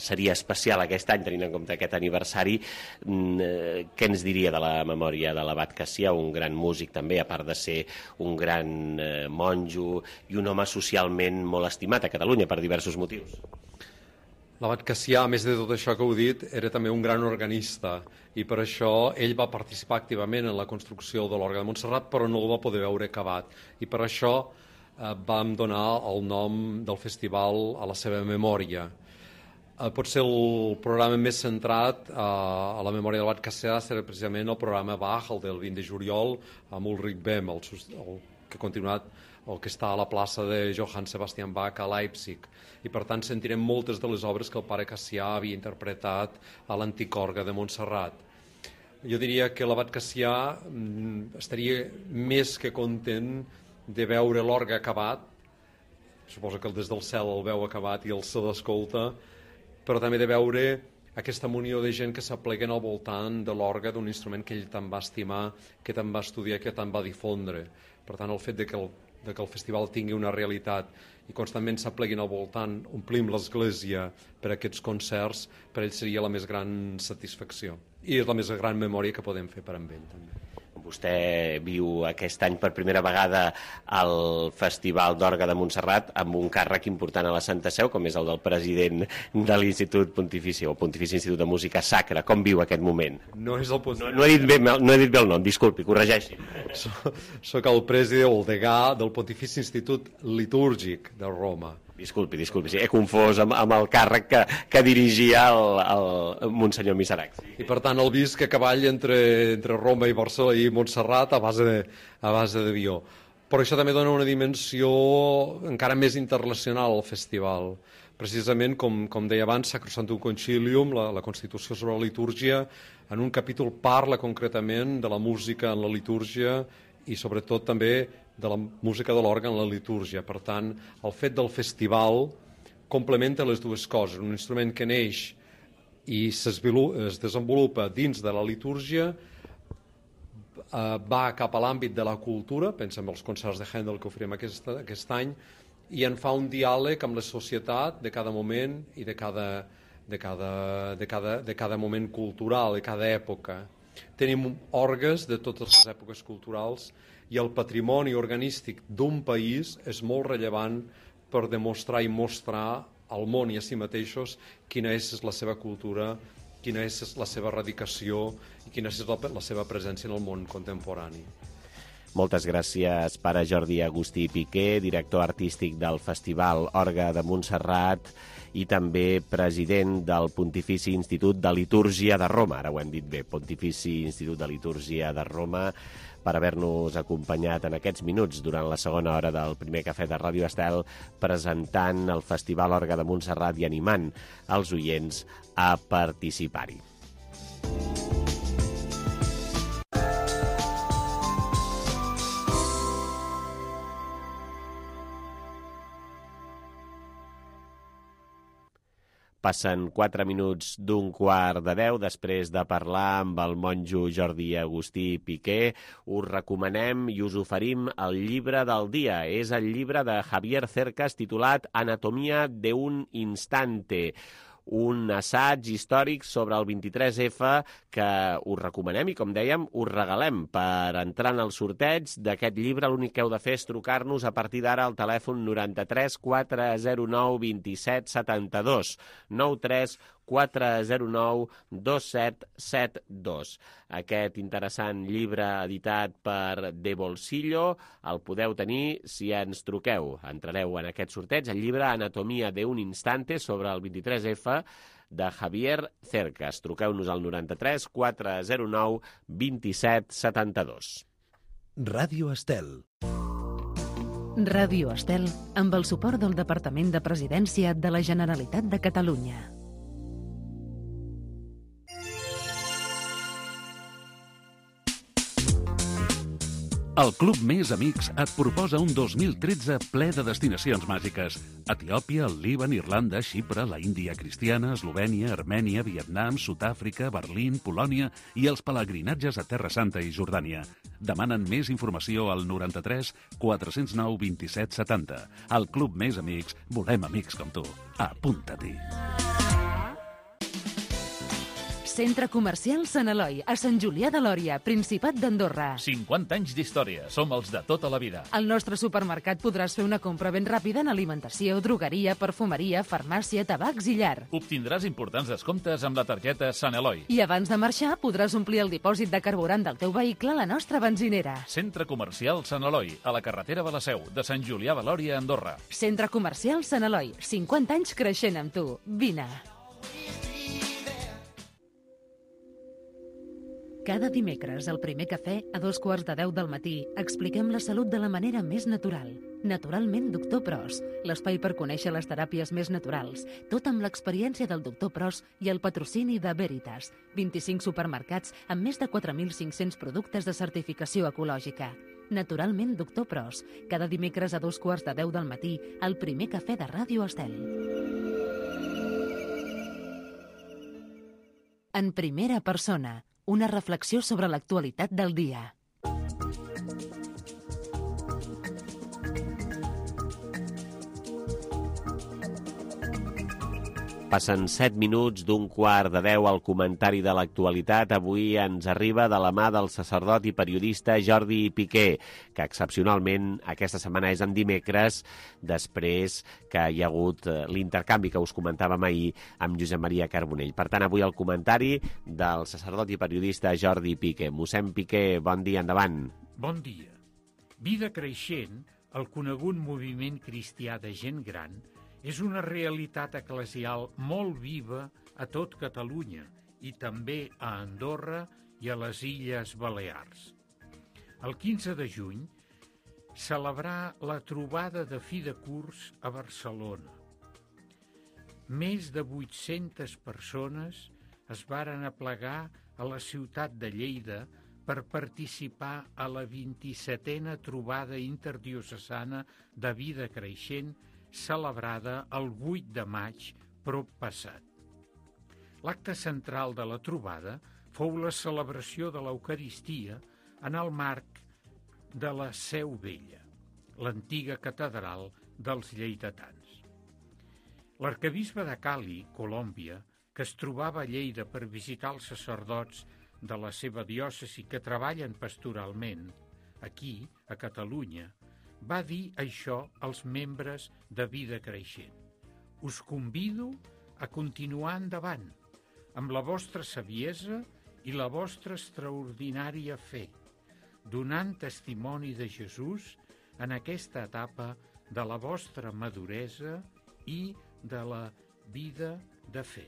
seria especial aquest any, tenint en compte aquest aniversari. Què ens diria de la memòria de l'abat Cassià, un gran músic també, a part de ser un gran monjo i un home socialment molt estimat a Catalunya per diversos motius? L'abat Cassià, a més de tot això que heu dit, era també un gran organista i per això ell va participar activament en la construcció de l'Orgue de Montserrat, però no el va poder veure acabat. I per això eh, vam donar el nom del festival a la seva memòria. Eh, potser el programa més centrat eh, a la memòria de l'abat Cassià serà precisament el programa Bach, el del vint de juliol, amb Ulrich Bem, el, el que ha continuat, el que està a la plaça de Johann Sebastian Bach a Leipzig. I per tant sentirem moltes de les obres que el pare Cassià havia interpretat a l'antic orgue de Montserrat. Jo diria que l'abat Cassià estaria més que content de veure l'orgue acabat, suposo que des del cel el veu acabat i el se l'escolta, però també de veure aquesta munió de gent que s'apleguen al voltant de l'orgue d'un instrument que ell tant va estimar, que tant va estudiar, que tant va difondre. Per tant, el fet de que el de que el festival tingui una realitat i constantment s'apleguin al voltant, omplim l'església per aquests concerts, per ell seria la més gran satisfacció. I és la més gran memòria que podem fer per amb ell, també. Vostè viu aquest any per primera vegada al Festival d'Orgue de Montserrat amb un càrrec important a la Santa Seu, com és el del president de l'Institut Pontifici, o Pontifici Institut de Música Sacra. Com viu aquest moment? No és el no, no, he dit bé, no he dit bé el nom, disculpi, corregeixi. Soc el president o el degà del Pontifici Institut Litúrgic de Roma. Disculpi, disculpi, sí, he confós amb, amb el càrrec que, que dirigia el, el Monsenyor Miserac. I per tant el visc a cavall entre, entre Roma i Barcelona i Montserrat a base de, a base d'avió. Però això també dona una dimensió encara més internacional al festival. Precisament, com, com deia abans, Sacrosanctum Concilium, la, la Constitució sobre la litúrgia, en un capítol parla concretament de la música en la litúrgia i sobretot també de la música de l'òrgan en la litúrgia. Per tant, el fet del festival complementa les dues coses. Un instrument que neix i es desenvolupa dins de la litúrgia, va cap a l'àmbit de la cultura, pensa en els concerts de Handel que oferim aquest, aquest any, i en fa un diàleg amb la societat de cada moment i de cada, de cada, de cada, de cada moment cultural, de cada època. Tenim orgues de totes les èpoques culturals i el patrimoni organístic d'un país és molt rellevant per demostrar i mostrar al món i a si mateixos quina és la seva cultura, quina és la seva radicació i quina és la, la seva presència en el món contemporani. Moltes gràcies, pare Jordi Agustí Piqué, director artístic del Festival Orgue de Montserrat i també president del Pontifici Institut de Litúrgia de Roma. Ara ho hem dit bé, Pontifici Institut de Litúrgia de Roma, per haver-nos acompanyat en aquests minuts durant la segona hora del primer cafè de Ràdio Estel, presentant el Festival Orgue de Montserrat i animant els oients a participar-hi. Passen quatre minuts d'un quart de deu després de parlar amb el monjo Jordi Agustí Piqué. Us recomanem i us oferim el llibre del dia. És el llibre de Javier Cercas titulat Anatomía de un instante, un assaig històric sobre el vint-i-tres efa que us recomanem i, com dèiem, us regalem. Per entrar en el sorteig d'aquest llibre l'únic que heu de fer és trucar-nos a partir d'ara al telèfon noranta-tres quatre zero nou vint-i-set setanta-dos, nou tres quatre zero nou dos set set dos. Aquest interessant llibre editat per De Bolsillo el podeu tenir si ens truqueu. Entrareu en aquest sorteig, el llibre Anatomía de un instante sobre el vint-i-tres efa de Javier Cercas. Truqueu-nos al noranta-tres quatre zero nou vint-i-set setanta-dos. Ràdio Estel. Ràdio Estel, amb el suport del Departament de Presidència de la Generalitat de Catalunya. El Club Més Amics et proposa un dos mil tretze ple de destinacions màgiques. Etiòpia, el Líban, Irlanda, Xipre, la Índia cristiana, Eslovènia, Armènia, Vietnam, Sud-àfrica, Berlín, Polònia i els pelegrinatges a Terra Santa i Jordània. Demanen més informació al noranta-tres quatre zero nou vint-i-set setanta. Al Club Més Amics volem amics com tu. Apunta-t'hi. Centre Comercial Sant Eloi, a Sant Julià de Lòria, Principat d'Andorra. cinquanta anys d'història. Som els de tota la vida. Al nostre supermercat podràs fer una compra ben ràpida en alimentació, drogueria, perfumeria, farmàcia, tabacs i llar. Obtindràs importants descomptes amb la targeta Sant Eloi. I abans de marxar podràs omplir el dipòsit de carburant del teu vehicle a la nostra benzinera. Centre Comercial Sant Eloi, a la carretera de la Seu, de Sant Julià de Lòria, Andorra. Centre Comercial Sant Eloi, cinquanta anys creixent amb tu. Vine. Cada dimecres, al primer cafè, a dos quarts de deu del matí, expliquem la salut de la manera més natural. Naturalment, doctor Pros, l'espai per conèixer les teràpies més naturals, tot amb l'experiència del doctor Pros i el patrocini de Veritas, vint-i-cinc supermercats amb més de quatre mil cinc-cents productes de certificació ecològica. Naturalment, doctor Pros, cada dimecres a dos quarts de deu del matí, al primer cafè de Ràdio Estel. En primera persona, una reflexió sobre l'actualitat del dia. Passen set minuts d'un quart de deu al comentari de l'actualitat. Avui ens arriba de la mà del sacerdot i periodista Jordi Piqué, que excepcionalment aquesta setmana és en dimecres, després que hi ha hagut l'intercanvi que us comentàvem ahir amb Josep Maria Carbonell. Per tant, avui el comentari del sacerdot i periodista Jordi Piqué. Mossèn Piqué, bon dia, endavant. Bon dia. Vida Creixent, el conegut moviment cristià de gent gran, És una realitat eclesial molt viva a tot Catalunya i també a Andorra i a les Illes Balears. El quinze de juny celebrà la trobada de fi de curs a Barcelona. Més de vuit-centes persones es varen aplegar a la ciutat de Lleida per participar a la vint-i-setena trobada interdiocesana de vida creixent celebrada el vuit de maig prop passat. L'acte central de la trobada fou la celebració de l'Eucaristia en el marc de la Seu Vella, l'antiga catedral dels lleidatans. L'arquebisbe de Cali, Colòmbia, que es trobava a Lleida per visitar els sacerdots de la seva diòcesi que treballen pastoralment, aquí, a Catalunya, va dir això als membres de Vida Creixent. Us convido a continuar endavant amb la vostra saviesa i la vostra extraordinària fe, donant testimoni de Jesús en aquesta etapa de la vostra maduresa i de la vida de fe.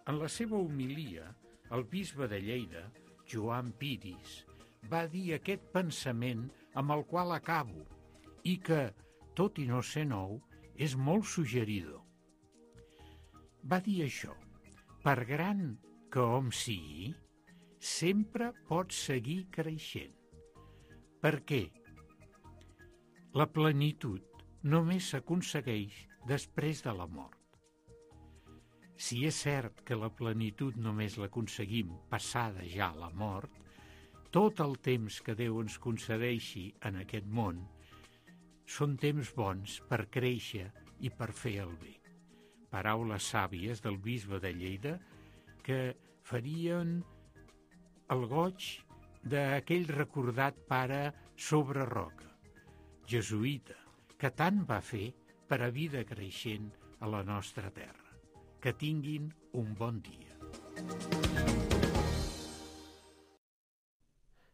En la seva homilia, el bisbe de Lleida, Joan Piris, va dir aquest pensament amb el qual acabo i que, tot i no ser nou, és molt suggeridor. Va dir això: per gran que hom sigui, sempre pot seguir creixent. Per què? La plenitud només s'aconsegueix després de la mort. Si és cert que la plenitud només l'aconseguim passada ja la mort, tot el temps que Déu ens concedeixi en aquest món són temps bons per créixer i per fer el bé. Paraules sàvies del bisbe de Lleida que farien el goig d'aquell recordat pare Sobreroca, jesuïta, que tant va fer per a Vida Creixent a la nostra terra. Que tinguin un bon dia.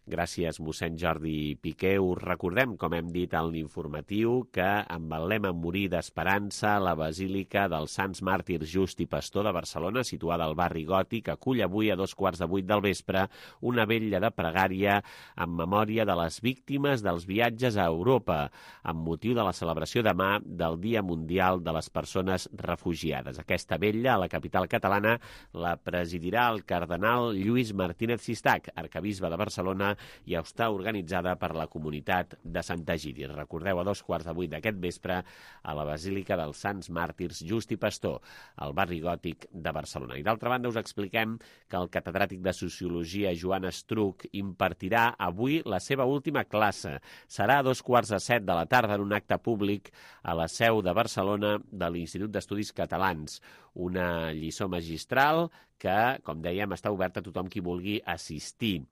Gràcies, mossèn Jordi Piqué. Us recordem, com hem dit en l'informatiu, que amb el lema Morir d'Esperança, la Basílica dels Sants Màrtirs Just i Pastor de Barcelona, situada al barri Gòtic, acull avui a dos quarts de vuit del vespre una vetlla de pregària en memòria de les víctimes dels viatges a Europa, amb motiu de la celebració demà del Dia Mundial de les Persones Refugiades. Aquesta vetlla, a la capital catalana, la presidirà el cardenal Lluís Martínez Sistac, arquebisbe de Barcelona, i està organitzada per la comunitat de Santa Egídia. Recordeu, a dos quarts de vuit d'aquest vespre a la Basílica dels Sants Màrtirs Just i Pastor, al barri Gòtic de Barcelona. I d'altra banda us expliquem que el catedràtic de Sociologia Joan Estruch impartirà avui la seva última classe. Serà a dos quarts de set de la tarda en un acte públic a la seu de Barcelona de l'Institut d'Estudis Catalans. Una lliçó magistral que, com dèiem, està oberta a tothom qui vulgui assistir.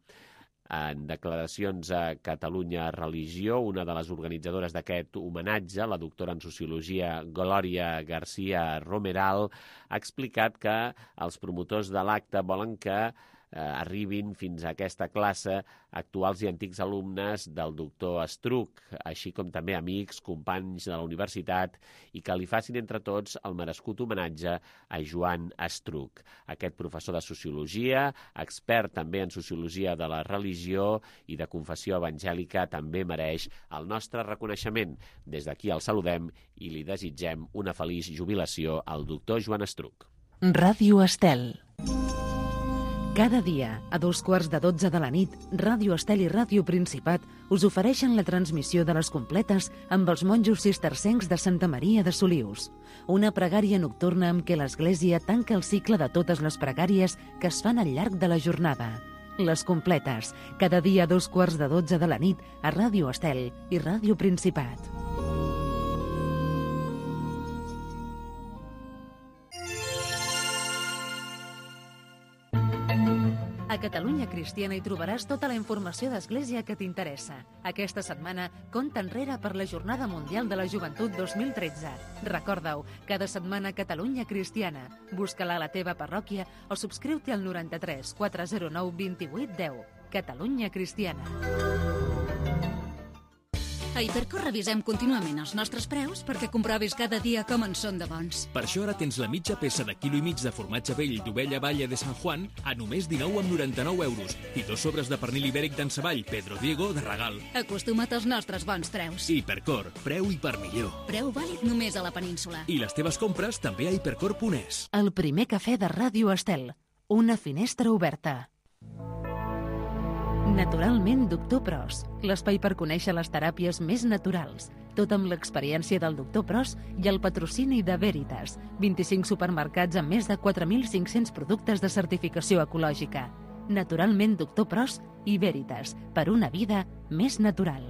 En declaracions a Catalunya Religió, una de les organitzadores d'aquest homenatge, la doctora en Sociologia Glòria García Romeral, ha explicat que els promotors de l'acte volen que eh, arribin fins a aquesta classe actuals i antics alumnes del doctor Estruch, així com també amics, companys de la universitat, i que li facin entre tots el merescut homenatge a Joan Estruch. Aquest professor de Sociologia, expert també en Sociologia de la religió i de confessió evangèlica, també mereix el nostre reconeixement. Des d'aquí el saludem i li desitgem una feliç jubilació al doctor Joan Estruch. Ràdio Estel. Cada dia, a dos quarts de dotze de la nit, Ràdio Estel i Ràdio Principat us ofereixen la transmissió de les completes amb els monjos cistercencs de Santa Maria de Solius. Una pregària nocturna amb què l'Església tanca el cicle de totes les pregàries que es fan al llarg de la jornada. Les completes, cada dia a dos quarts de dotze de la nit a Ràdio Estel i Ràdio Principat. A Catalunya Cristiana hi trobaràs tota la informació d'Església que t'interessa. Aquesta setmana, compta enrere per la Jornada Mundial de la Joventut dos mil tretze. Recorda-ho, cada setmana Catalunya Cristiana. Busca-la a la teva parròquia o subscriu-te al noranta-tres quatre zero nou vint-i-vuit deu. Catalunya Cristiana. A Hipercor revisem contínuament els nostres preus perquè comprovis cada dia com en són de bons. Per això ara tens la mitja peça de quilo i mig de formatge vell d'ovella Valle de San Juan a només dinou coma noranta-nou euros i dos sobres de pernil ibèric d'en Savall Pedro Diego de regal. Acostuma't als nostres bons preus. Hipercor, preu i per millor. Preu vàlid només a la península. I les teves compres també a hipercor punt es. El primer cafè de Ràdio Estel. Una finestra oberta. Naturalment Doctor Pros, l'espai per conèixer les teràpies més naturals, tot amb l'experiència del Doctor Pros i el patrocini de Veritas, vint-i-cinc supermercats amb més de quatre mil cinc-cents productes de certificació ecològica. Naturalment Doctor Pros i Veritas, per una vida més natural.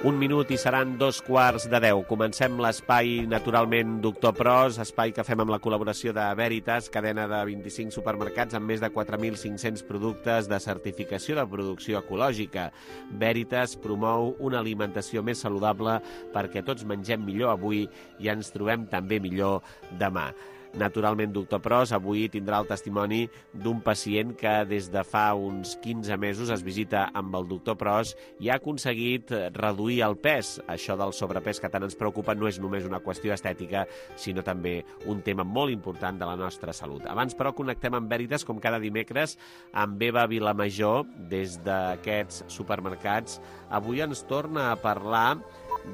Un minut i seran dos quarts de deu. Comencem l'espai, naturalment, Doctor Pros, espai que fem amb la col·laboració de Veritas, cadena de vint-i-cinc supermercats amb més de quatre mil cinc-cents productes de certificació de producció ecològica. Veritas promou una alimentació més saludable perquè tots mengem millor avui i ens trobem també millor demà. Naturalment, Doctor Pros avui tindrà el testimoni d'un pacient que des de fa uns quinze mesos es visita amb el Doctor Pros i ha aconseguit reduir el pes. Això del sobrepès que tant ens preocupa no és només una qüestió estètica, sinó també un tema molt important de la nostra salut. Abans, però, connectem amb Veritas, com cada dimecres, amb Eva Vilamajor, des d'aquests supermercats. Avui ens torna a parlar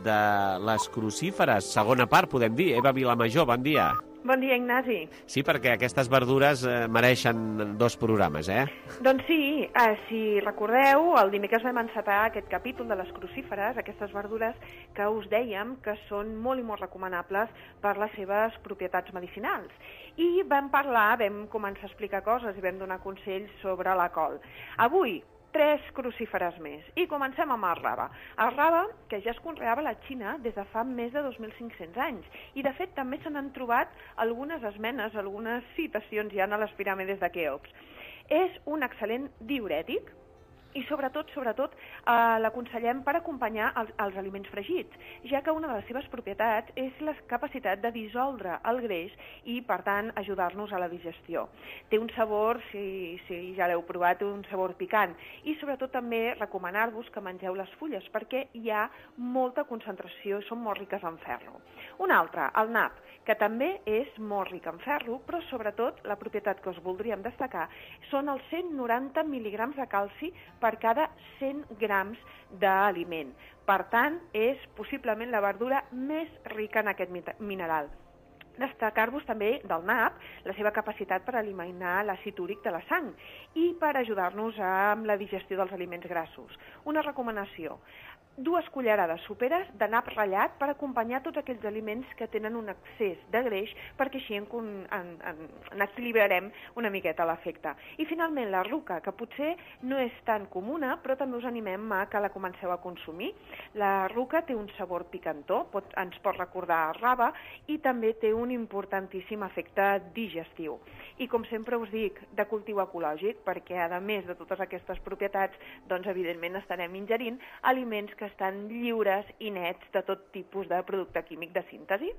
de les crucíferes. Segona part, podem dir. Eva Vilamajor, bon dia. Bon dia, Ignasi. Sí, perquè aquestes verdures eh, mereixen dos programes, eh? Doncs sí, eh, si recordeu, el dimecres vam encetar aquest capítol de les crucíferes, aquestes verdures que us dèiem que són molt i molt recomanables per les seves propietats medicinals. I vam parlar, vam començar a explicar coses i vam donar consells sobre la col. Avui, tres crucíferes més. I comencem amb el rave. El rave, que ja es conreava a la Xina des de fa més de dos mil cinc-cents anys. I, de fet, també se n'han trobat algunes esmenes, algunes citacions ja a les piràmides de Keops. És un excel·lent diürètic, i sobretot, sobretot, eh, l'aconsellem per acompanyar els, els aliments fregits, ja que una de les seves propietats és la capacitat de dissoldre el greix i, per tant, ajudar-nos a la digestió. Té un sabor, si, si ja l'heu provat, un sabor picant, i sobretot també recomanar-vos que mengeu les fulles, perquè hi ha molta concentració i són molt riques en ferro. Un altre, el nap, que també és molt ric en ferro, però sobretot la propietat que us voldríem destacar són els cent noranta mil·ligrams de calci per cada cent grams d'aliment. Per tant, és possiblement la verdura més rica en aquest mineral. Destacar-vos també del nap la seva capacitat per eliminar l'àcid úric de la sang i per ajudar-nos amb la digestió dels aliments grassos. Una recomanació: dues cullerades soperes de nap ratllat per acompanyar tots aquells aliments que tenen un excés de greix, perquè així en, en, en, en equilibrarem una miqueta l'efecte. I finalment la ruca, que potser no és tan comuna, però també us animem a que la comenceu a consumir. La ruca té un sabor picantó, pot, ens pot recordar rave, i també té un importantíssim efecte digestiu. I com sempre us dic, de cultiu ecològic, perquè a més de totes aquestes propietats, doncs evidentment estarem ingerint aliments que estan lliures i nets de tot tipus de producte químic de síntesi.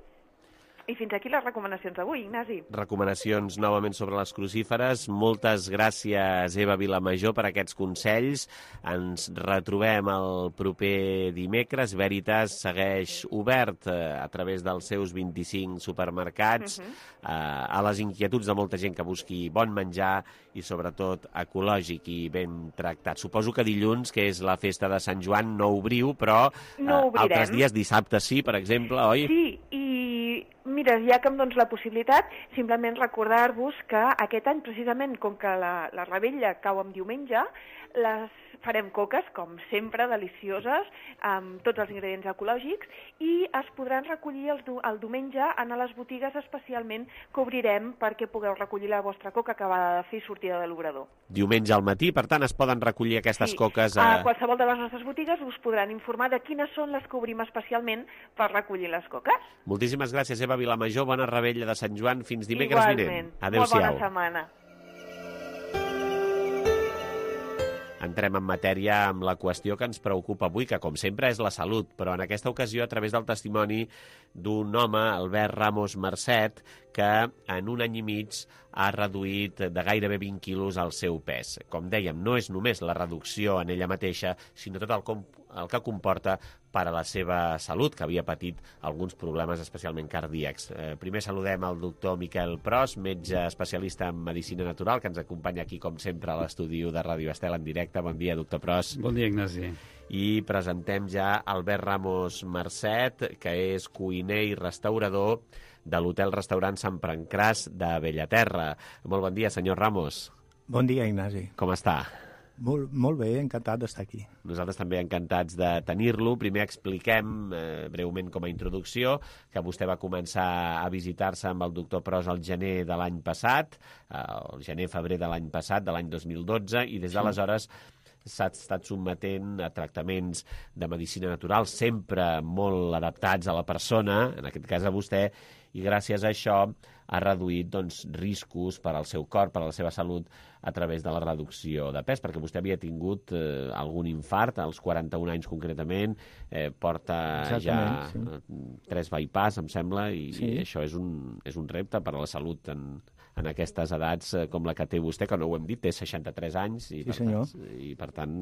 I fins aquí les recomanacions d'avui, Ignasi. Recomanacions novament sobre les crucíferes. Moltes gràcies, Eva Vilamajor, per aquests consells. Ens retrobem el proper dimecres. Veritas segueix obert eh, a través dels seus vint-i-cinc supermercats uh-huh. eh, a les inquietuds de molta gent que busqui bon menjar i sobretot ecològic i ben tractat. Suposo que dilluns, que és la festa de Sant Joan, no obriu, però eh, no altres dies, dissabte sí, per exemple, oi? Sí, i mira, ja que em dones la possibilitat, simplement recordar-vos que aquest any, precisament, com que la, la revetlla cau en diumenge, les farem coques, com sempre, delicioses, amb tots els ingredients ecològics, i es podran recollir el, el diumenge en les botigues especialment que obrirem perquè pugueu recollir la vostra coca acabada de fer i sortida de l'obrador. Diumenge al matí, per tant, es poden recollir aquestes sí. coques a... a qualsevol de les nostres botigues us podran informar de quines són les que obrim especialment per recollir les coques. Moltíssimes gràcies, Eva Vilamajor. Bona revetlla de Sant Joan. Fins dimecres vinent. Adéu-siau. Molt bona setmana. Entrem en matèria amb la qüestió que ens preocupa avui, que com sempre és la salut, però en aquesta ocasió a través del testimoni d'un home, Albert Ramos Marcet, que en un any i mig ha reduït de gairebé vint quilos el seu pes. Com dèiem, no és només la reducció en ella mateixa, sinó tot el, com, el que comporta per a la seva salut, que havia patit alguns problemes especialment cardíacs. Eh, primer saludem el doctor Miquel Pros, metge especialista en medicina natural, que ens acompanya aquí, com sempre, a l'estudi de Ràdio Estel en directe. Bon dia, doctor Pros. Bon dia, Ignasi. I presentem ja Albert Ramos Marcet, que és cuiner i restaurador de l'hotel-restaurant Sant Pancràs de Bellaterra. Molt bon dia, senyor Ramos. Bon dia, Ignasi. Com està? Molt, molt bé, encantat d'estar aquí. Nosaltres també encantats de tenir-lo. Primer expliquem, eh, breument com a introducció, que vostè va començar a visitar-se amb el doctor Pros al gener de l'any passat, el gener-febrer de l'any passat, de l'any dos mil dotze, i des d'aleshores s'ha estat sotmetent a tractaments de medicina natural, sempre molt adaptats a la persona, en aquest cas a vostè, i gràcies a això ha reduït doncs, riscos per al seu cor, per a la seva salut, a través de la reducció de pes, perquè vostè havia tingut eh, algun infart, als quaranta-un anys concretament, eh, porta Exactament, ja sí. tres bypass, em sembla, i, sí. i això és un, és un repte per a la salut en, en aquestes edats eh, com la que té vostè, que no ho hem dit, té seixanta-tres anys, i, sí, per senyor. tant, i per tant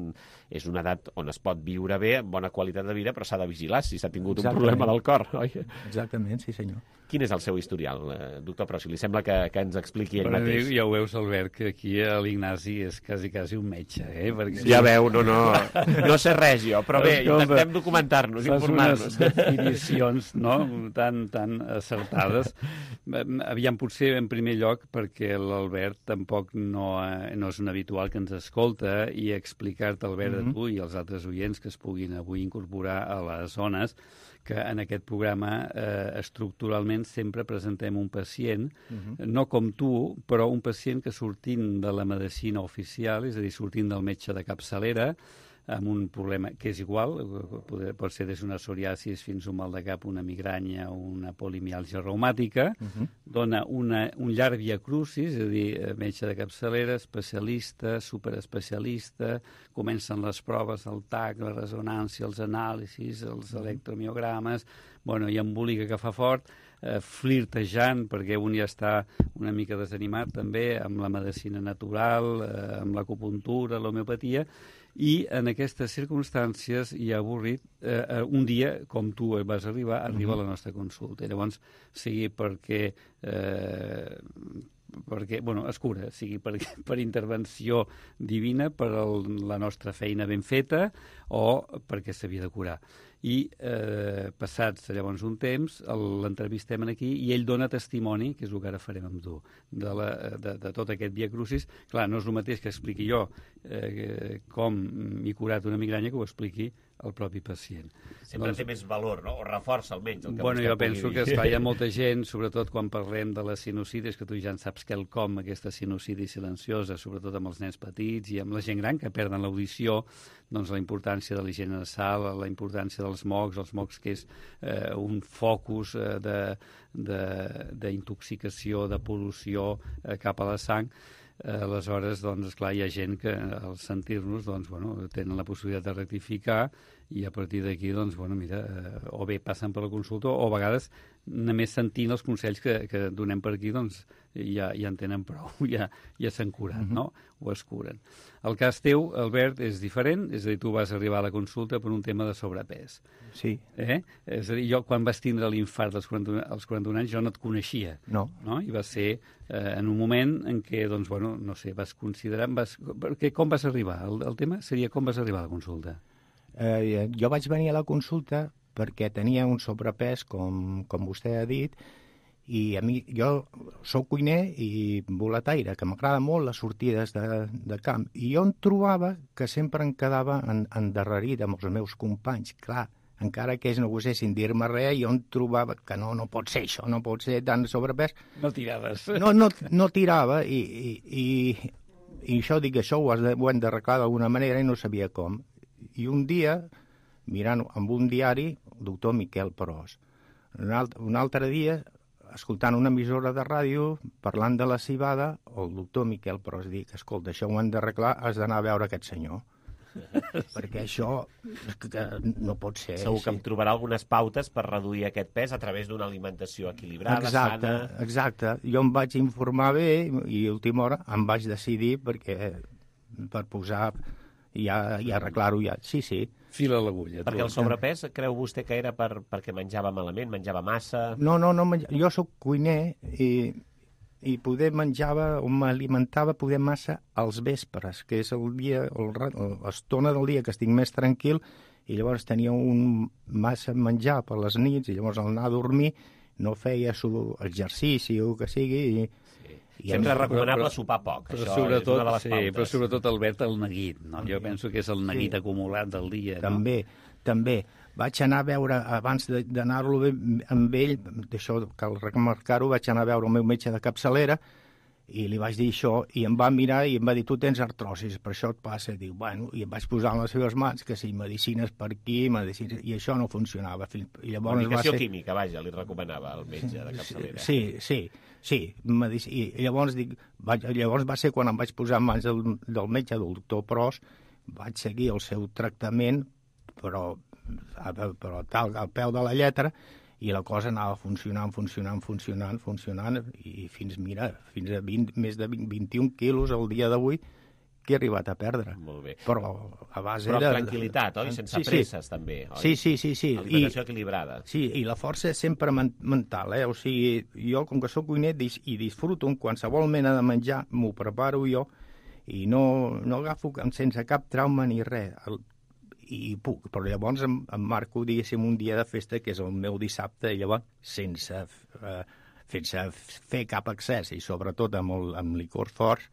és una edat on es pot viure bé, amb bona qualitat de vida, però s'ha de vigilar si s'ha tingut Exactament. un problema del cor, oi? Exactament, sí senyor. Quin és el seu historial, eh, doctor Pros? Si li sembla que, que ens expliqui ell Però mateix. Ja ho veus, Albert, que aquí l'Ignasi és quasi, quasi un metge, eh? Perquè... Ja veu, no, no, no sé res jo, però bé, Escolta, intentem documentar-nos, informar-nos. Fas unes definicions, no?, tan, tan acertades. Aviam, potser en primer lloc, perquè l'Albert tampoc no, no és un habitual que ens escolta, i explicar-te, Albert, mm-hmm. a tu i als altres oients que es puguin avui incorporar a les zones, que en aquest programa eh, estructuralment sempre presentem un pacient, uh-huh. no com tu, però un pacient que sortint de la medicina oficial, és a dir, sortint del metge de capçalera, amb un problema que és igual, pot ser des d'una psoriasis fins a un mal de cap, una migranya o una polimiàlgia reumàtica, uh-huh. dona una, un llarg via crucis, és a dir, metge de capçalera, especialista, superespecialista, comencen les proves, el T A C, la resonància, els anàlisis, els uh-huh. electromiogrames, bueno, i embolica que fa fort, eh, flirtejant, perquè un ja està una mica desanimat també amb la medicina natural, eh, amb l'acupuntura, l'homeopatia, i en aquestes circumstàncies i avorrit, eh, un dia, com tu vas arribar, arriba a la nostra consulta. I llavors, sigui perquè, eh, perquè bueno, es cura, sigui per, per intervenció divina, per el, la nostra feina ben feta, o perquè s'havia de curar. I eh, passats llavors un temps l'entrevistem aquí i ell dona testimoni, que és el que ara farem amb tu, de, la, de, de tot aquest via crucis. Clar, no és el mateix que expliqui jo eh, com m'he curat una migranya que ho expliqui el propi pacient. Sempre doncs, té més valor, no? O reforça almenys el que bueno, vostè jo penso dir. que esclar, hi ha molta gent, sobretot quan parlem de les sinusitis, que tu ja en saps quelcom, aquesta sinusitis silenciosa, sobretot amb els nens petits i amb la gent gran que perden l'audició, doncs la importància de l'higiene nasal, la importància dels mocs, els mocs que és eh, un focus eh, d'intoxicació, de, de, de pol·lució eh, cap a la sang. Eh, aleshores, doncs, esclar, hi ha gent que al sentir-nos, doncs, bueno, tenen la possibilitat de rectificar i a partir d'aquí, doncs, bueno, mira, eh, o bé passen per la consulta o a vegades només sentint els consells que, que donem per aquí, doncs, ja, ja en tenen prou, ja, ja s'han curat, uh-huh. no? O es curen. El cas teu, Albert, és diferent, és a dir, tu vas arribar a la consulta per un tema de sobrepès. Sí. Eh? És a dir, jo quan vas tindre l'infart als quaranta-un, als quaranta-un anys jo no et coneixia. No. No? I va ser eh, en un moment en què, doncs, bueno, no sé, vas considerar... Vas, perquè com vas arribar? El, el tema seria com vas arribar a la consulta. Eh, jo vaig venir a la consulta perquè tenia un sobrepès, com, com vostè ha dit, I a mi, jo sóc cuiner i boletaire, que m'agrada molt les sortides de, de camp. I jo em trobava que sempre em quedava en, endarrerit amb els meus companys. Clar, encara que ells no gosessin dir-me res, jo em trobava que no, no pot ser això, no pot ser tant sobrepès. No tiraves. No, no, no tirava i, i, i, i això dic, això ho, has de, ho hem d'arreglar d'alguna manera i no sabia com. I un dia, mirant amb un diari, el doctor Miquel Pros. Un altre, un altre dia, escoltant una emissora de ràdio, parlant de la civada, el doctor Miquel Pros dic, escolta, això ho hem d'arreglar, has d'anar a veure aquest senyor. Perquè això que no pot ser. Segur que sí. em trobarà algunes pautes per reduir aquest pes a través d'una alimentació equilibrada, exacte, sana... Exacte. Jo em vaig informar bé i a última hora em vaig decidir perquè per posar i, ja, i arreglar-ho ja. Sí, sí. Fila a l'agulla. Perquè el sobrepès, creu vostè que era per, perquè menjava malament, menjava massa... No, no, no menja... jo sóc cuiner i, i poder menjava o m'alimentava poder massa als vespres, que és el dia, l'estona del dia que estic més tranquil, i llavors tenia un massa menjar per les nits, i llavors al anar a dormir no feia su exercici o que sigui, i I sempre és recomanable però, sopar poc, però això sobretot, és una de les pautes. Sí, però sobretot, Albert, el neguit, no? Jo penso que és el neguit sí. acumulat del dia, no? També, també. Vaig anar a veure, abans d'anar-lo amb ell, d'això cal remarcar-ho, vaig anar a veure el meu metge de capçalera i li vaig dir això, i em va mirar i em va dir, tu tens artrosis, per això et passa. Diu, bueno, i em vaig posar en les seves mans que si medicines per aquí, medicines... i això no funcionava. I llavors Medicació va ser... química, vaja, li recomanava el metge de capçalera. Sí, sí, sí. Medic... I llavors, dic, vaig... llavors va ser quan em vaig posar en mans del, del metge, del doctor Pros, vaig seguir el seu tractament, però, però tal, al peu de la lletra, i la cosa anava funcionant, funcionant, funcionant, funcionant, i fins, mira, fins a vint, més de vint, vint-i-un quilos al dia d'avui que he arribat a perdre. Molt bé. Però a base Però de... amb tranquil·litat, oi? Sense sí, presses, sí. també, oi? Sí, sí, sí. sí. Alimentació equilibrada. Sí, i la força és sempre mental, eh? O sigui, jo, com que sóc cuiner i disfruto en qualsevol mena de menjar, m'ho preparo jo, i no, no agafo sense cap trauma ni res. El, i puc, però llavors em, em marco, diguéssim, un dia de festa, que és el meu dissabte, i llavors, sense, eh, sense fer cap excés, i sobretot amb, el, amb licors forts,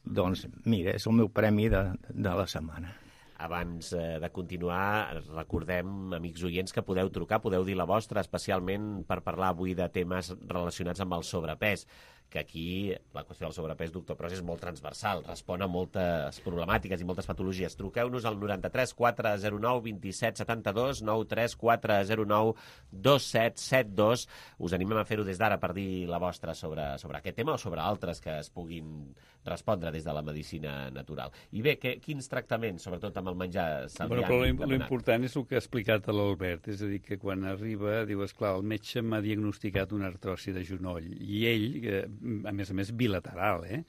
doncs, mira, és el meu premi de, de la setmana. Abans eh, de continuar, recordem, amics oients, que podeu trucar, podeu dir la vostra, especialment per parlar avui de temes relacionats amb el sobrepès, que aquí la qüestió del sobrepès, doctor Pros, és molt transversal, respon a moltes problemàtiques i moltes patologies. Truqueu-nos al noranta-tres quatre zero nou vint set setanta-dos, noranta-tres quatre zero nou dos set set dos. Us animem a fer-ho des d'ara per dir la vostra sobre, sobre aquest tema o sobre altres que es puguin respondre des de la medicina natural. I bé, que, quins tractaments, sobretot amb el menjar, se li bueno, han però l'important és el que ha explicat l'Albert, és a dir, que quan arriba, diu, esclar, el metge m'ha diagnosticat una artrosi de genoll, i ell, que, a més a més, bilateral, eh?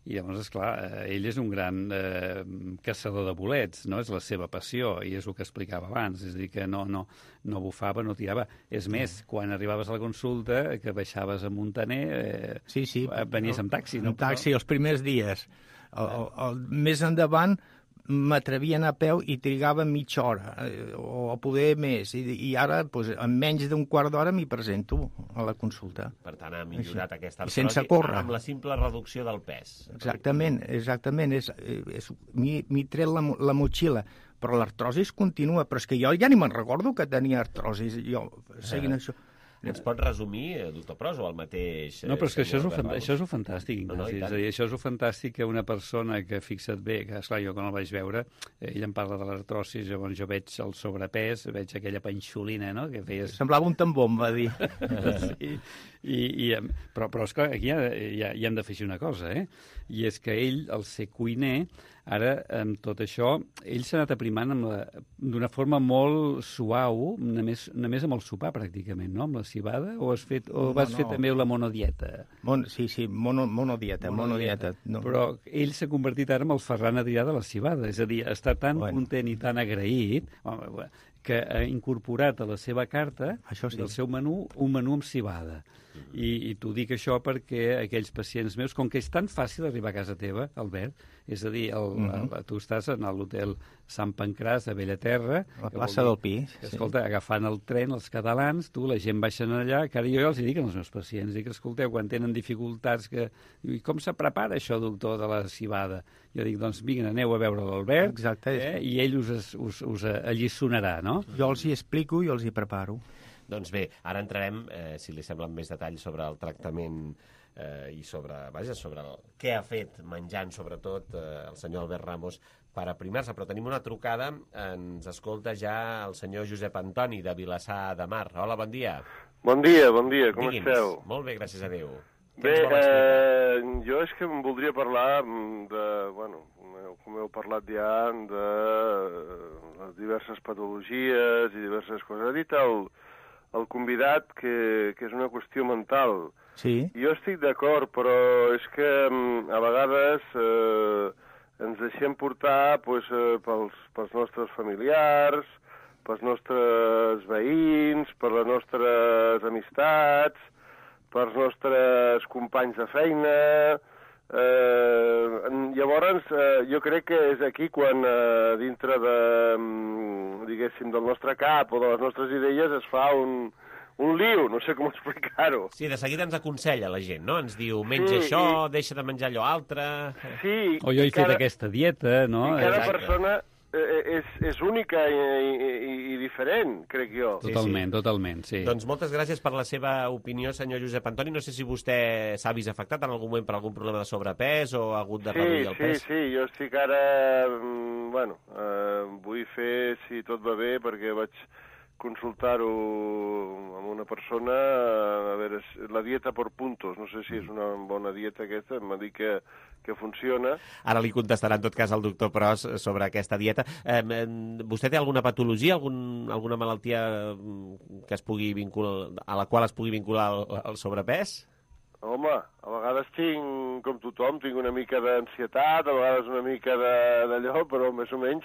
I llavors, esclar, ell és un gran eh, caçador de bolets, no? És la seva passió, i és el que explicava abans, és a dir, que no, no, no bufava, no tirava. És més, quan arribaves a la consulta, que baixaves a Montaner, eh, sí, sí, venies amb taxi, no? Amb taxi, els primers dies. El, el, el, més endavant m'atrevia a anar a peu i trigava mitja hora, eh, o poder més, i, i ara, doncs, en menys d'un quart d'hora m'hi presento a la consulta. Per tant, ha millorat aquesta artrosi sense córrer, amb la simple reducció del pes. Exactament, exactament. És, és, m'hi tret la, la motxilla, però l'artrosis continua, però és que jo ja ni me'n recordo que tenia artrosis, jo, seguint eh. això... Ens pot resumir, doctor Pros, o el mateix... No, però és que això és, fan... això és el fantàstic, Ignasi. No, no, és a dir, això és el fantàstic que una persona que, fixa't bé, que, esclar, jo quan el vaig veure, ell em parla de l'artrosis, llavors jo veig el sobrepès, veig aquella panxolina, no?, que feies... Semblava un tambor, em va dir. Sí, i, i, però, però esclar, aquí ja, ja, ja hem de fer una cosa, eh? I és que ell, al ser cuiner, ara, amb tot això, ell s'ha anat aprimant d'una forma molt suau, només, només amb el sopar, pràcticament, no?, amb la cibada, o has fet, o vas no, no. fer també la monodieta? Mon, sí, sí, mono, monodieta, monodieta. monodieta no. Però ell s'ha convertit ara en el Ferran Adrià de la cibada, és a dir, està tan bueno. content i tan agraït, que ha incorporat a la seva carta sí. del seu menú un menú amb civada. I, i t'ho dic això perquè aquells pacients meus, com que és tan fàcil arribar a casa teva, Albert, és a dir, el, uh -huh. el, tu estàs en l'hotel Sant Pancràs de Bellaterra, la plaça del Pi, que, escolta, sí. agafant el tren, els catalans, tu, la gent baixen allà, que ara jo els dic als meus pacients, dic, escolteu, quan tenen dificultats, que... I com se prepara això, doctor, de la civada? Jo dic, doncs, vinga, aneu a veure l'Albert, eh? I ell us, us, us alliçonarà, no? Jo els hi explico i els hi preparo. Doncs bé, ara entrarem, eh, si li sembla, en més detall sobre el tractament eh, i sobre, vaja, sobre el, què ha fet menjant, sobretot, eh, el senyor Albert Ramos per aprimar-se. Però tenim una trucada, ens escolta ja el senyor Josep Antoni, de Vilassar de Mar. Hola, bon dia. Bon dia, bon dia, com Digui'ns. esteu? Molt bé, gràcies a Déu. Bé, eh, jo és que em voldria parlar de, bueno, com heu parlat ja, de les diverses patologies i diverses coses. Ha dit el, el convidat que, que és una qüestió mental. Sí. Jo estic d'acord, però és que a vegades eh, ens deixem portar pues, eh, pels, pels nostres familiars, pels nostres veïns, per les nostres amistats, pels nostres companys de feina. Eh, llavors, eh, jo crec que és aquí quan eh, dintre de, diguéssim, del nostre cap o de les nostres idees es fa un, un liu, no sé com explicar-ho. Sí, de seguida ens aconsella la gent, no? Ens diu, menja sí, això, i... deixa de menjar allò altre... Sí. O jo he fet cada... aquesta dieta, no? I cada Exacte. persona... És, és única i, i, i diferent, crec jo. Totalment, sí, sí. totalment, sí. Doncs moltes gràcies per la seva opinió, senyor Josep Antoni. No sé si vostè s'ha vist afectat en algun moment per algun problema de sobrepès o ha hagut de sí, reduir el sí, pes. Sí, sí, jo estic ara... Bueno, eh, vull fer, si tot va bé, perquè vaig consultar-ho amb una persona, a veure, la dieta per puntos, no sé si és una bona dieta aquesta, m'ha dit que, que funciona. Ara li contestarà en tot cas el doctor Pros sobre aquesta dieta. Eh, vostè té alguna patologia, algun, alguna malaltia que es pugui vincular, a la qual es pugui vincular el, el sobrepès? Home, a vegades tinc, com tothom, tinc una mica d'ansietat, a vegades una mica d'allò, però més o menys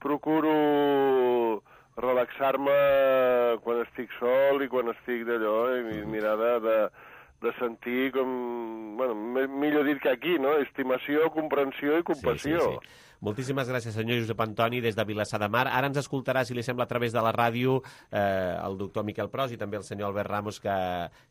procuro relaxar-me quan estic sol i quan estic d'allò, i mirar de, de, de sentir com... Bueno, millor dit que aquí, no? Estimació, comprensió i compassió. Sí, sí, sí. Moltíssimes gràcies, senyor Josep Antoni, des de Vilassar de Mar. Ara ens escoltarà, si li sembla, a través de la ràdio, eh, el doctor Miquel Pros i també el senyor Albert Ramos, que,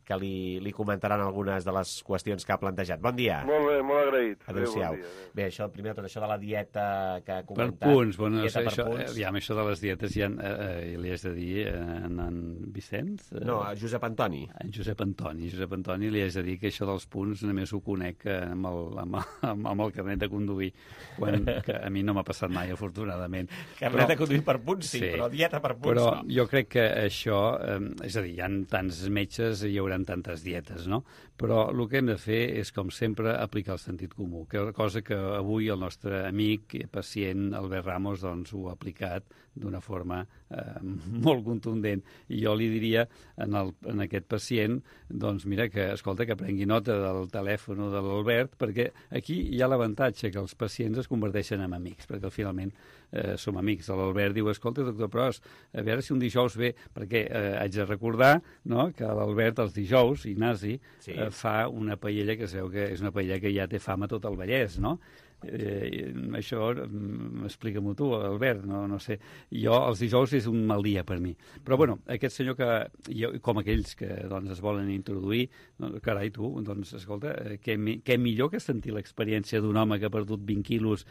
que li, li comentaran algunes de les qüestions que ha plantejat. Bon dia. Molt bé, molt agraït. Adéu-siau. Bon dia. Bé, això, primer de tot, això de la dieta que ha comentat. Per punts, bueno, dieta això, per punts. Ja, això de les dietes ja eh, eh, li has de dir en, en Vicenç? Eh, no, a Josep Antoni. En Josep Antoni. Josep Antoni li has de dir que això dels punts només ho conec amb el, amb, amb, amb el carnet de conduir, quan que a mi no m'ha passat mai, afortunadament. Carnet de conduir per punts, sí, sí, però dieta per punts però no. Jo crec que això, eh, és a dir, hi ha tants metges i hi haurà tantes dietes, no? Però el que hem de fer és, com sempre, aplicar el sentit comú, que cosa que avui el nostre amic, pacient, Albert Ramos, doncs ho ha aplicat d'una forma eh, molt contundent. I jo li diria en, el, en aquest pacient, doncs mira, que escolta, que prengui nota del telèfon de l'Albert, perquè aquí hi ha l'avantatge que els pacients es converteixen en amics, perquè finalment eh, som amics. L'Albert diu, escolta, doctor Pros, a veure si un dijous ve, perquè eh, haig de recordar, no?, que l'Albert els dijous, Ignasi, sí. eh, fa una paella que es veu que és una paella que ja té fama a tot el Vallès, no? Eh, això explica-m'ho tu, Albert, no, no sé. Jo els dijous és un mal dia per mi, però bueno, aquest senyor que jo, com aquells que doncs, es volen introduir, doncs, carai tu, doncs escolta, què, què millor que sentir l'experiència d'un home que ha perdut vint quilos,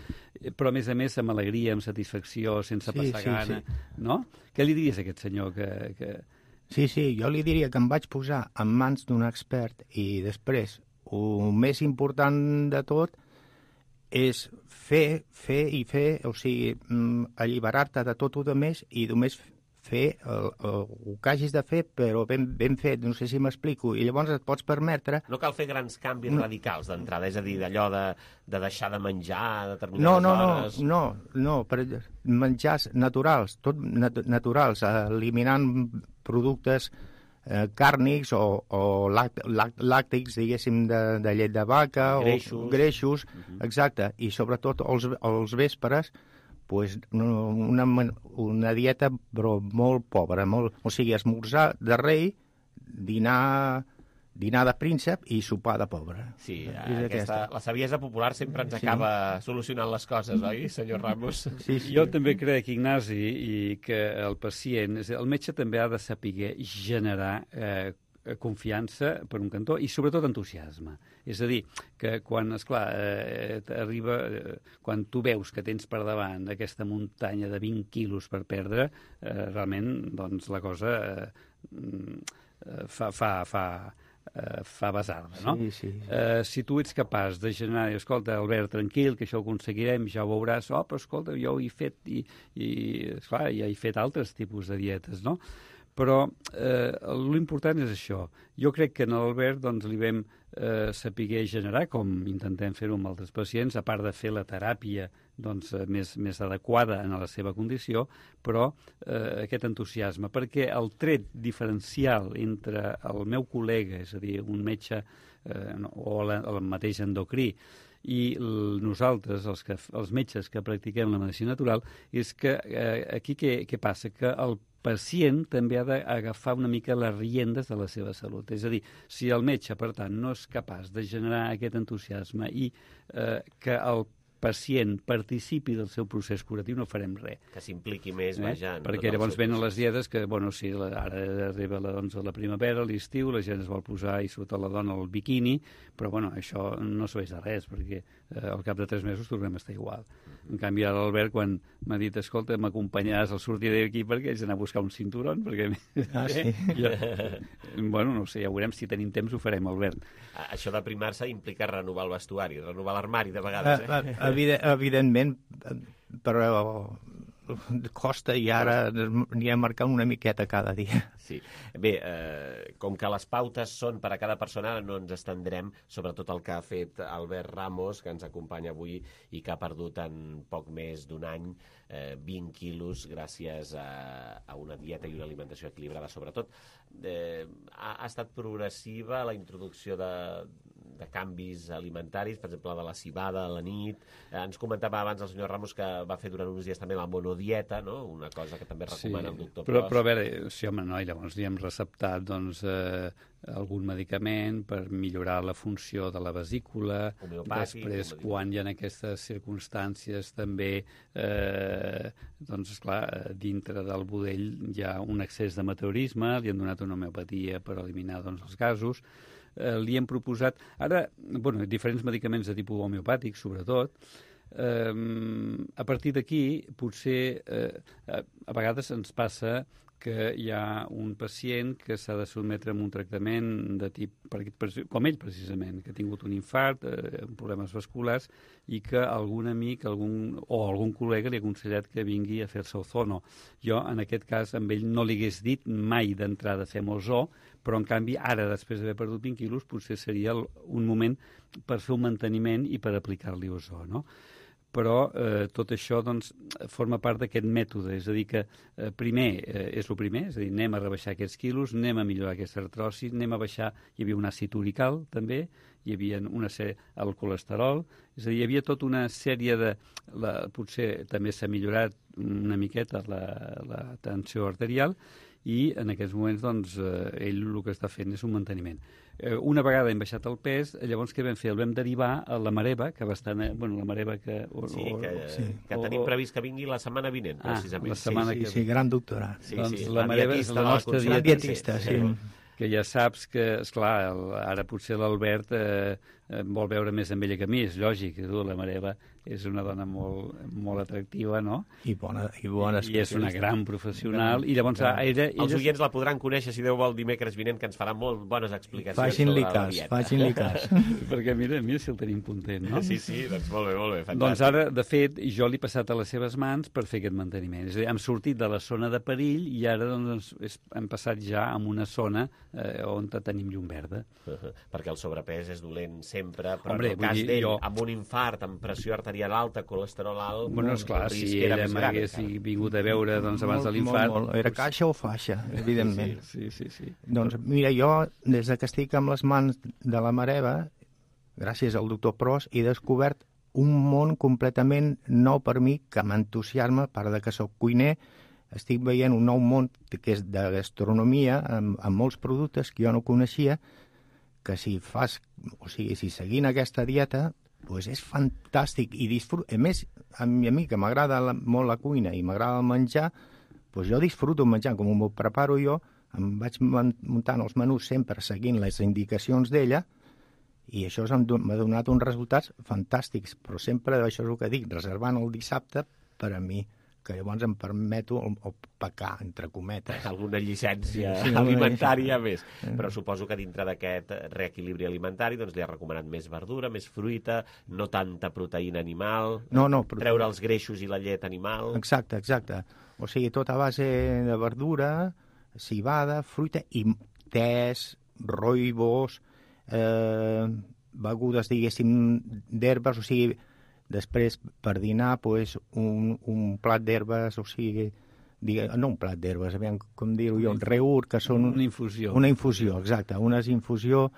però a més a més amb alegria, amb satisfacció, sense sí, passar sí, gana, sí. No? Què li diries a aquest senyor que, que... Sí, sí, jo li diria que em vaig posar en mans d'un expert i després, el més important de tot és fer, fer i fer, o sigui, alliberar-te de tot el més i només fer el, el, el que hagis de fer, però ben, ben fet, no sé si m'explico, i llavors et pots permetre... No cal fer grans canvis no. radicals d'entrada, és a dir, d'allò de, de deixar de menjar a determinades no, no, hores... No, no, no, per menjars naturals, tot nat naturals, eliminant productes eh, càrnics o, o làct, làct, làctics, diguéssim, de, de llet de vaca, greixos, o greixos, uh-huh. Exacte, i sobretot els, els vespres pues, una, una dieta però molt pobra, molt, o sigui, esmorzar de rei, dinar, dinar de príncep i sopar de pobre. Sí, aquesta, la saviesa popular sempre ens sí. acaba solucionant les coses, oi, senyor Ramos? Sí, sí. Jo també crec, Ignasi, i que el pacient, el metge també ha de saber generar eh, confiança per un cantó i sobretot entusiasme. És a dir, que quan, esclar, eh, arriba, eh, quan tu veus que tens per davant aquesta muntanya de vint quilos per perdre, eh, realment doncs, la cosa eh, fa, fa, fa, eh, fa basarda, no? Sí, sí. Eh, si tu ets capaç de generar, escolta, Albert, tranquil, que això ho aconseguirem, ja ho veuràs, oh, però escolta, jo ho he fet, i, i esclar, ja he fet altres tipus de dietes, no? Però eh, l'important és això. Jo crec que en l'Albert doncs, li vam eh, saber generar, com intentem fer-ho amb altres pacients, a part de fer la teràpia doncs, més, més adequada en la seva condició, però eh, aquest entusiasme, perquè el tret diferencial entre el meu col·lega, és a dir, un metge eh, o la, el mateix endocrí, i el, nosaltres, els, que, els metges que practiquem la medicina natural, és que eh, aquí què, què passa? Que el pacient també ha d'agafar una mica les riendes de la seva salut. És a dir, si el metge, per tant, no és capaç de generar aquest entusiasme i eh, que el pacient participi del seu procés curatiu, no farem res. Que s'impliqui més, eh? vaja. Perquè llavors venen les dietes que, bueno, sí, la, ara arriba la, doncs, la primavera, l'estiu, la gent es vol posar, i sobretot la dona, el biquini, però, bueno, això no serveix de res, perquè eh, al cap de tres mesos tornem a estar igual. En canvi, ara l'Albert, quan m'ha dit, escolta, m'acompanyaràs al sortir d'aquí perquè haig d'anar a buscar un cinturón, perquè... Ah, sí? jo... Bueno, no sé, ja veurem, si tenim temps ho farem, Albert. Això d'aprimar-se implica renovar el vestuari, renovar l'armari, de vegades, eh? Evident, evidentment, però costa i ara n'hi ha marcant una miqueta cada dia. Sí. Bé, eh, com que les pautes són per a cada persona, ara no ens estendrem sobre tot el que ha fet Albert Ramos, que ens acompanya avui i que ha perdut en poc més d'un any eh, vint quilos gràcies a, a una dieta i una alimentació equilibrada, sobretot. Eh, ha, ha estat progressiva la introducció de, de canvis alimentaris, per exemple, de la cibada a la nit. Eh, ens comentava abans el senyor Ramos que va fer durant uns dies també la monodieta, no? Una cosa que també recomana sí, el doctor però, Pros. Però a veure, sí, home, no, i llavors li hem receptat doncs, eh, algun medicament per millorar la funció de la vesícula. Després, quan hi ha aquestes circumstàncies també, eh, doncs, esclar, dintre del budell hi ha un excés de meteorisme, li han donat una homeopatia per eliminar doncs, els gasos. Eh, li hem proposat, ara, bueno, diferents medicaments de tipus homeopàtic, sobretot. Eh, a partir d'aquí, potser, eh, a, a vegades ens passa que hi ha un pacient que s'ha de sotmetre a un tractament de tip, com ell precisament, que ha tingut un infart, eh, problemes vasculars, i que algun amic algun, o algun col·lega li ha aconsellat que vingui a fer-se ozono. Jo, en aquest cas, amb ell no li hagués dit mai d'entrada fem ozó, però en canvi ara, després d'haver perdut vint quilos, potser seria un moment per fer un manteniment i per aplicar-li ozó, no? Però eh, tot això doncs, forma part d'aquest mètode, és a dir que eh, primer eh, és el primer, és a dir, anem a rebaixar aquests quilos, anem a millorar aquesta artrosi, anem a baixar, hi havia un àcid urical també, hi havia una sèrie, el colesterol, és a dir, hi havia tota una sèrie de, la, potser també s'ha millorat una miqueta la, la tensió arterial, i en aquests moments doncs, eh, ell el que està fent és un manteniment. Eh, una vegada hem baixat el pes, llavors què vam fer? El vam derivar a la Mareva, que va estar... Bueno, la Mareva que... O, sí, que, o, sí. que tenim previst que vingui la setmana vinent, precisament. Ah, la setmana sí, que... sí, sí, gran doctorat. Sí, doncs sí, la, la Mareva és la nostra dietista, dietista sí. sí. Que ja saps que, esclar, el, ara potser l'Albert eh, vol veure més amb ella que a mi, és lògic, la Mareva és una dona molt, molt atractiva, no? I bona, i bona I és una gran professional, i llavors ella, ella... Els oients la podran conèixer, si Déu vol, dimecres vinent, que ens farà molt bones explicacions facin-li sobre cas, la dieta. Facin-li cas. Perquè mira, mira si el tenim content, no? Sí, sí, doncs molt bé, molt bé, fantàstic. Doncs ara, de fet, jo l'he passat a les seves mans per fer aquest manteniment. És a dir, hem sortit de la zona de perill i ara doncs, és, hem passat ja a una zona eh, on tenim llum verda. Uh -huh. Perquè el sobrepès és dolent sempre, però Hombre, en el cas dir, d'ell, jo... amb un infart, amb pressió arterial alta, colesterol alt... Bueno, esclar, si ella m'hagués vingut a veure doncs, abans molt, de l'infart... Molt, molt. Era caixa o faixa, evidentment. Sí, sí, sí, sí. Doncs mira, jo, des que estic amb les mans de la Mareva, gràcies al doctor Pros, he descobert un món completament nou per mi, que m'entusiasma, a part de que soc cuiner, estic veient un nou món que és de gastronomia, amb, amb molts productes que jo no coneixia, que si fas, o sigui, si seguint aquesta dieta, doncs és fantàstic i disfruto. A més, a mi, a mi que m'agrada la, molt la cuina i m'agrada el menjar, doncs jo disfruto menjant, com m'ho preparo jo, em vaig muntant els menús sempre seguint les indicacions d'ella, i això m'ha donat uns resultats fantàstics, però sempre, això és el que dic, reservant el dissabte per a mi, que llavors em permeto el, el pecar, entre cometes. Alguna llicència sí, alimentària més. Però suposo que dintre d'aquest reequilibri alimentari doncs li ha recomanat més verdura, més fruita, no tanta proteïna animal, no, no, prote... treure els greixos i la llet animal... Exacte, exacte. O sigui, tot a base de verdura, civada, fruita i tés, roibos, eh, begudes, diguéssim, d'herbes, o sigui... Després, per dinar, pues, un, un plat d'herbes, o sigui, digue, no un plat d'herbes, aviam com dir-ho jo, un reur, que són... Una infusió. Una infusió, exacte, una infusió,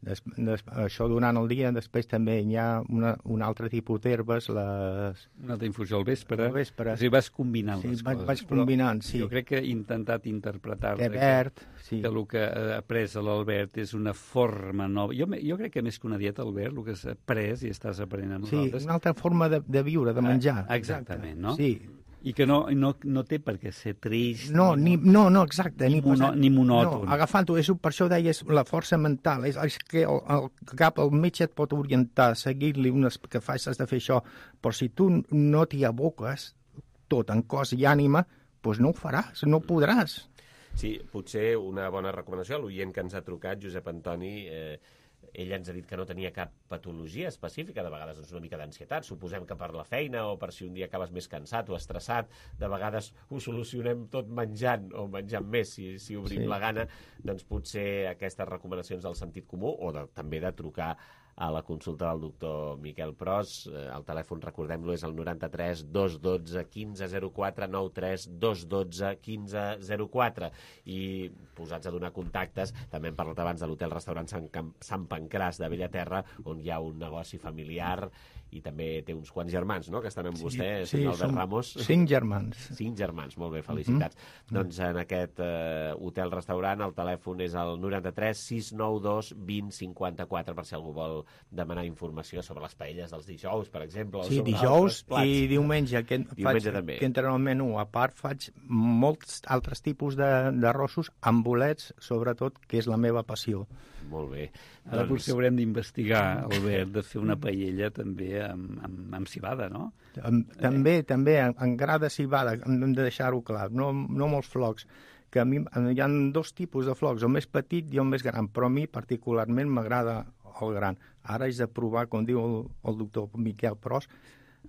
des, des, això durant el dia, després també hi ha una, un altre tipus d'herbes, les... Una altra infusió al vespre. Al vespre. O sigui, vas combinant sí, les vaig, coses. Vaig combinant, sí. Jo crec que he intentat interpretar que, verd, sí. que el que ha après l'Albert és una forma nova. Jo, jo crec que més que una dieta, Albert, el que has après i estàs aprenent amb sí, nosaltres... Sí, una altra forma de, de viure, de menjar. Ah, exactament, no? Sí. I que no, no, no té per què ser trist... No, ni, no, no, exacte. Ni, mono, ni monòton. No, agafant-ho, per això deies la força mental. És, és que el, el cap, el metge et pot orientar, seguir-li unes que facis de fer això, però si tu no t'hi aboques tot en cos i ànima, doncs no ho faràs, no podràs. Sí, potser una bona recomanació a l'oient que ens ha trucat, Josep Antoni... Eh, ell ens ha dit que no tenia cap patologia específica, de vegades doncs, una mica d'ansietat, suposem que per la feina o per si un dia acabes més cansat o estressat, de vegades ho solucionem tot menjant o menjant més, si, si obrim sí. la gana, doncs potser aquestes recomanacions del sentit comú o de, també de trucar a la consulta del doctor Miquel Pros. El telèfon, recordem-lo, és el noranta-tres dos dotze quinze zero quatre, noranta-tres dos dotze quinze zero quatre. I posats a donar contactes, també hem parlat abans de l'hotel-restaurant Sant, Camp... Sant Pancràs de Bellaterra, on hi ha un negoci familiar i també té uns quants germans, no?, que estan amb sí, vostè, sí, Albert Ramos. Cinc germans. Cinc germans, molt bé, felicitats. Mm-hmm. Doncs en aquest eh, hotel-restaurant el telèfon és el noranta-tres sis nou dos vint cinquanta-quatre, per si algú vol demanar informació sobre les paelles dels dijous, per exemple. Sí, o sobre dijous i diumenge, que, diumenge faig, també. que entra en el menú. A part, faig molts altres tipus d'arrossos amb bolets, sobretot, que és la meva passió. Molt bé. Ara doncs... potser haurem d'investigar, Albert, de fer una paella també amb, amb, amb civada, no? També, eh. també, en, en gra de civada, hem de deixar-ho clar, no, no molts flocs, que a mi hi ha dos tipus de flocs, el més petit i el més gran, però a mi particularment m'agrada el gran. Ara és de provar, com diu el, el doctor Miquel Pros,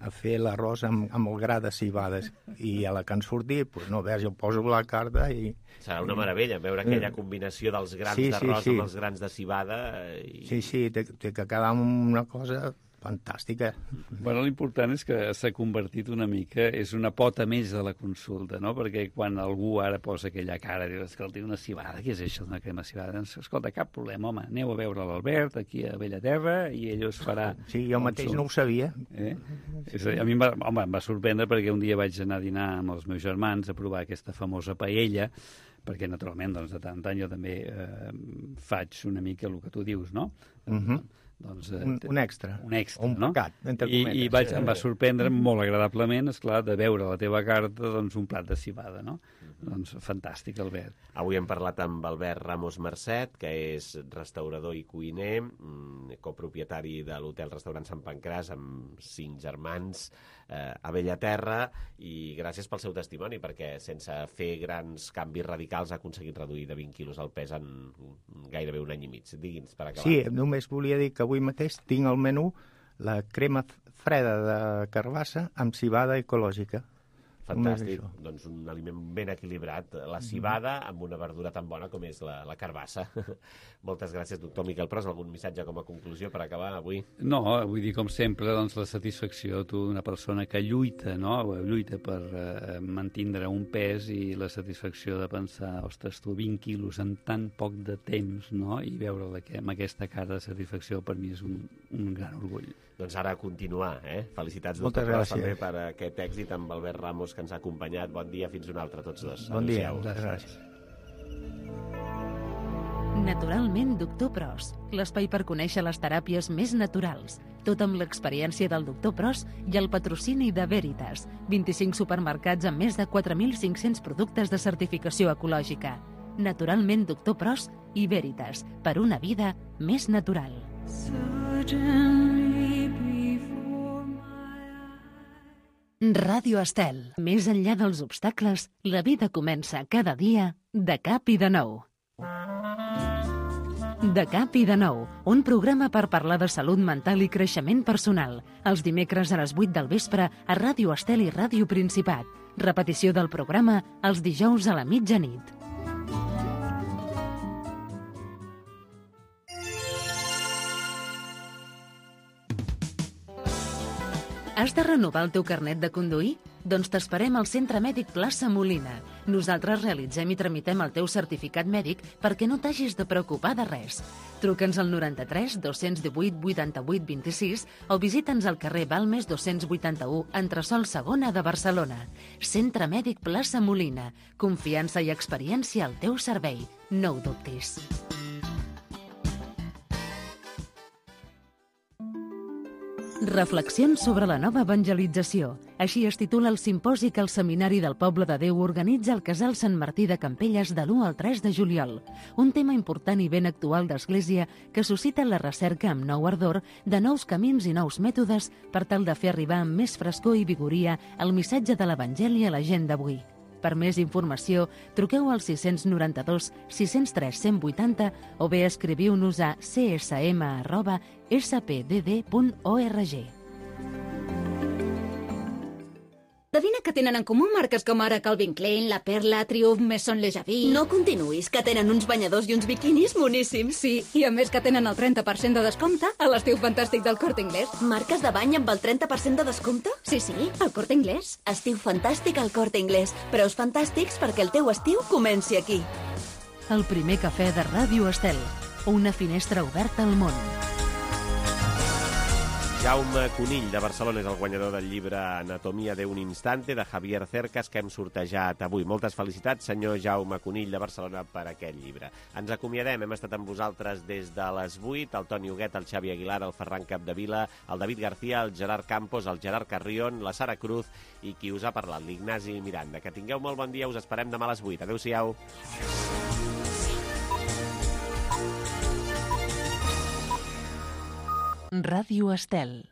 a fer l'arròs amb, amb el gra de civades. I a la que han sortit, doncs no, veus, jo poso la carta i... Serà una meravella veure aquella combinació dels grans sí, d'arròs sí, sí. amb els grans de civada. I... Sí, sí, té, té que quedar una cosa fantàstica. Bueno, l'important és que s'ha convertit una mica, és una pota més de la consulta, no? Perquè quan algú ara posa aquella cara, diu, escolta, una civada, què és això d'una crema civada? Doncs, escolta, cap problema, home, aneu a veure l'Albert aquí a Bellaterra i ell us farà... Sí, jo mateix no ho sabia. Eh? És, a mi em va, home, em va sorprendre perquè un dia vaig anar a dinar amb els meus germans a provar aquesta famosa paella, perquè naturalment doncs, de tant en tant jo també eh, faig una mica el que tu dius, no? Mhm. Uh-huh. Doncs, eh, un, un extra. Un extra, un no? pecat, entre cometes. I, i vaig, em va sorprendre molt agradablement, esclar, de veure a la teva carta doncs, un plat de civada, no? Mm-hmm. Doncs fantàstic, Albert. Avui hem parlat amb Albert Ramos Mercet, que és restaurador i cuiner, copropietari de l'hotel-restaurant Sant Pancràs, amb cinc germans eh, a Bellaterra, i gràcies pel seu testimoni, perquè sense fer grans canvis radicals ha aconseguit reduir de vint quilos el pes en gairebé un any i mig. Digui'ns, per acabar. Sí, només volia dir que avui mateix tinc al menú la crema freda de carbassa amb civada ecològica. Fantàstic, doncs un aliment ben equilibrat, la civada amb una verdura tan bona com és la, la carbassa. Moltes gràcies, doctor Miquel Pros. Algun missatge com a conclusió per acabar avui? No, vull dir, com sempre, doncs, la satisfacció, tu, una persona que lluita, no?, lluita per eh, mantindre un pes, i la satisfacció de pensar, ostres, tu, vint quilos en tan poc de temps, no?, i veure amb aquesta cara de satisfacció per mi és un, un gran orgull. Doncs ara a continuar, eh? Felicitats, Moltes doctor Pros, gràcies. també per aquest èxit amb Albert Ramos, que ens ha acompanyat. Bon dia, fins un altre, tots dos. Bon dia, Adéu-siau. moltes gràcies. Naturalment, doctor Pros, l'espai per conèixer les teràpies més naturals. Tot amb l'experiència del doctor Pros i el patrocini de Veritas. vint-i-cinc supermercats amb més de quatre mil cinc-cents productes de certificació ecològica. Naturalment, doctor Pros i Veritas, per una vida més natural. Ràdio Estel. Més enllà dels obstacles, la vida comença cada dia de cap i de nou. De cap i de nou, un programa per parlar de salut mental i creixement personal. Els dimecres a les vuit del vespre a Ràdio Estel i Ràdio Principat. Repetició del programa els dijous a la mitjanit. Has de renovar el teu carnet de conduir? Doncs t'esperem al Centre Mèdic Plaça Molina. Nosaltres realitzem i tramitem el teu certificat mèdic perquè no t'hagis de preocupar de res. Truca'ns al noranta-tres dos-cents divuit vuitanta-vuit vint-i-sis o visita'ns al carrer Balmes dos-cents vuitanta-u, entresòl segona de Barcelona. Centre Mèdic Plaça Molina. Confiança i experiència al teu servei. No ho dubtis. Reflexions sobre la nova evangelització. Així es titula el simposi que el Seminari del Poble de Déu organitza al Casal Sant Martí de Campelles de l'u al tres de juliol. Un tema important i ben actual d'Església que suscita la recerca amb nou ardor de nous camins i nous mètodes per tal de fer arribar amb més frescor i vigoria el missatge de l'Evangeli a la gent d'avui. Per més informació, truqueu al sis nou dos sis zero tres cent vuitanta o bé escriviu-nos a c s m arroba s p d d punt org. Adivina que tenen en comú marques com ara Calvin Klein, La Perla, Triumph, Maison Le Javis... No continuïs, que tenen uns banyadors i uns biquinis moníssims. Sí, i a més que tenen el trenta per cent de descompte a l'estiu fantàstic del Corte Inglés. Marques de bany amb el trenta per cent de descompte? Sí, sí, al Corte Inglés. Estiu fantàstic al Corte Inglés. Preus fantàstics perquè el teu estiu comenci aquí. El primer cafè de Ràdio Estel. Una finestra oberta al món. Jaume Conill, de Barcelona, és el guanyador del llibre Anatomia de un instante, de Javier Cercas, que hem sortejat avui. Moltes felicitats, senyor Jaume Conill, de Barcelona, per aquest llibre. Ens acomiadem, hem estat amb vosaltres des de les vuit, el Toni Huguet, el Xavi Aguilar, el Ferran Capdevila, el David García, el Gerard Campos, el Gerard Carrion, la Sara Cruz i qui us ha parlat, l'Ignasi Miranda. Que tingueu molt bon dia, us esperem demà a les vuit. Adéu-siau. Ràdio Estel.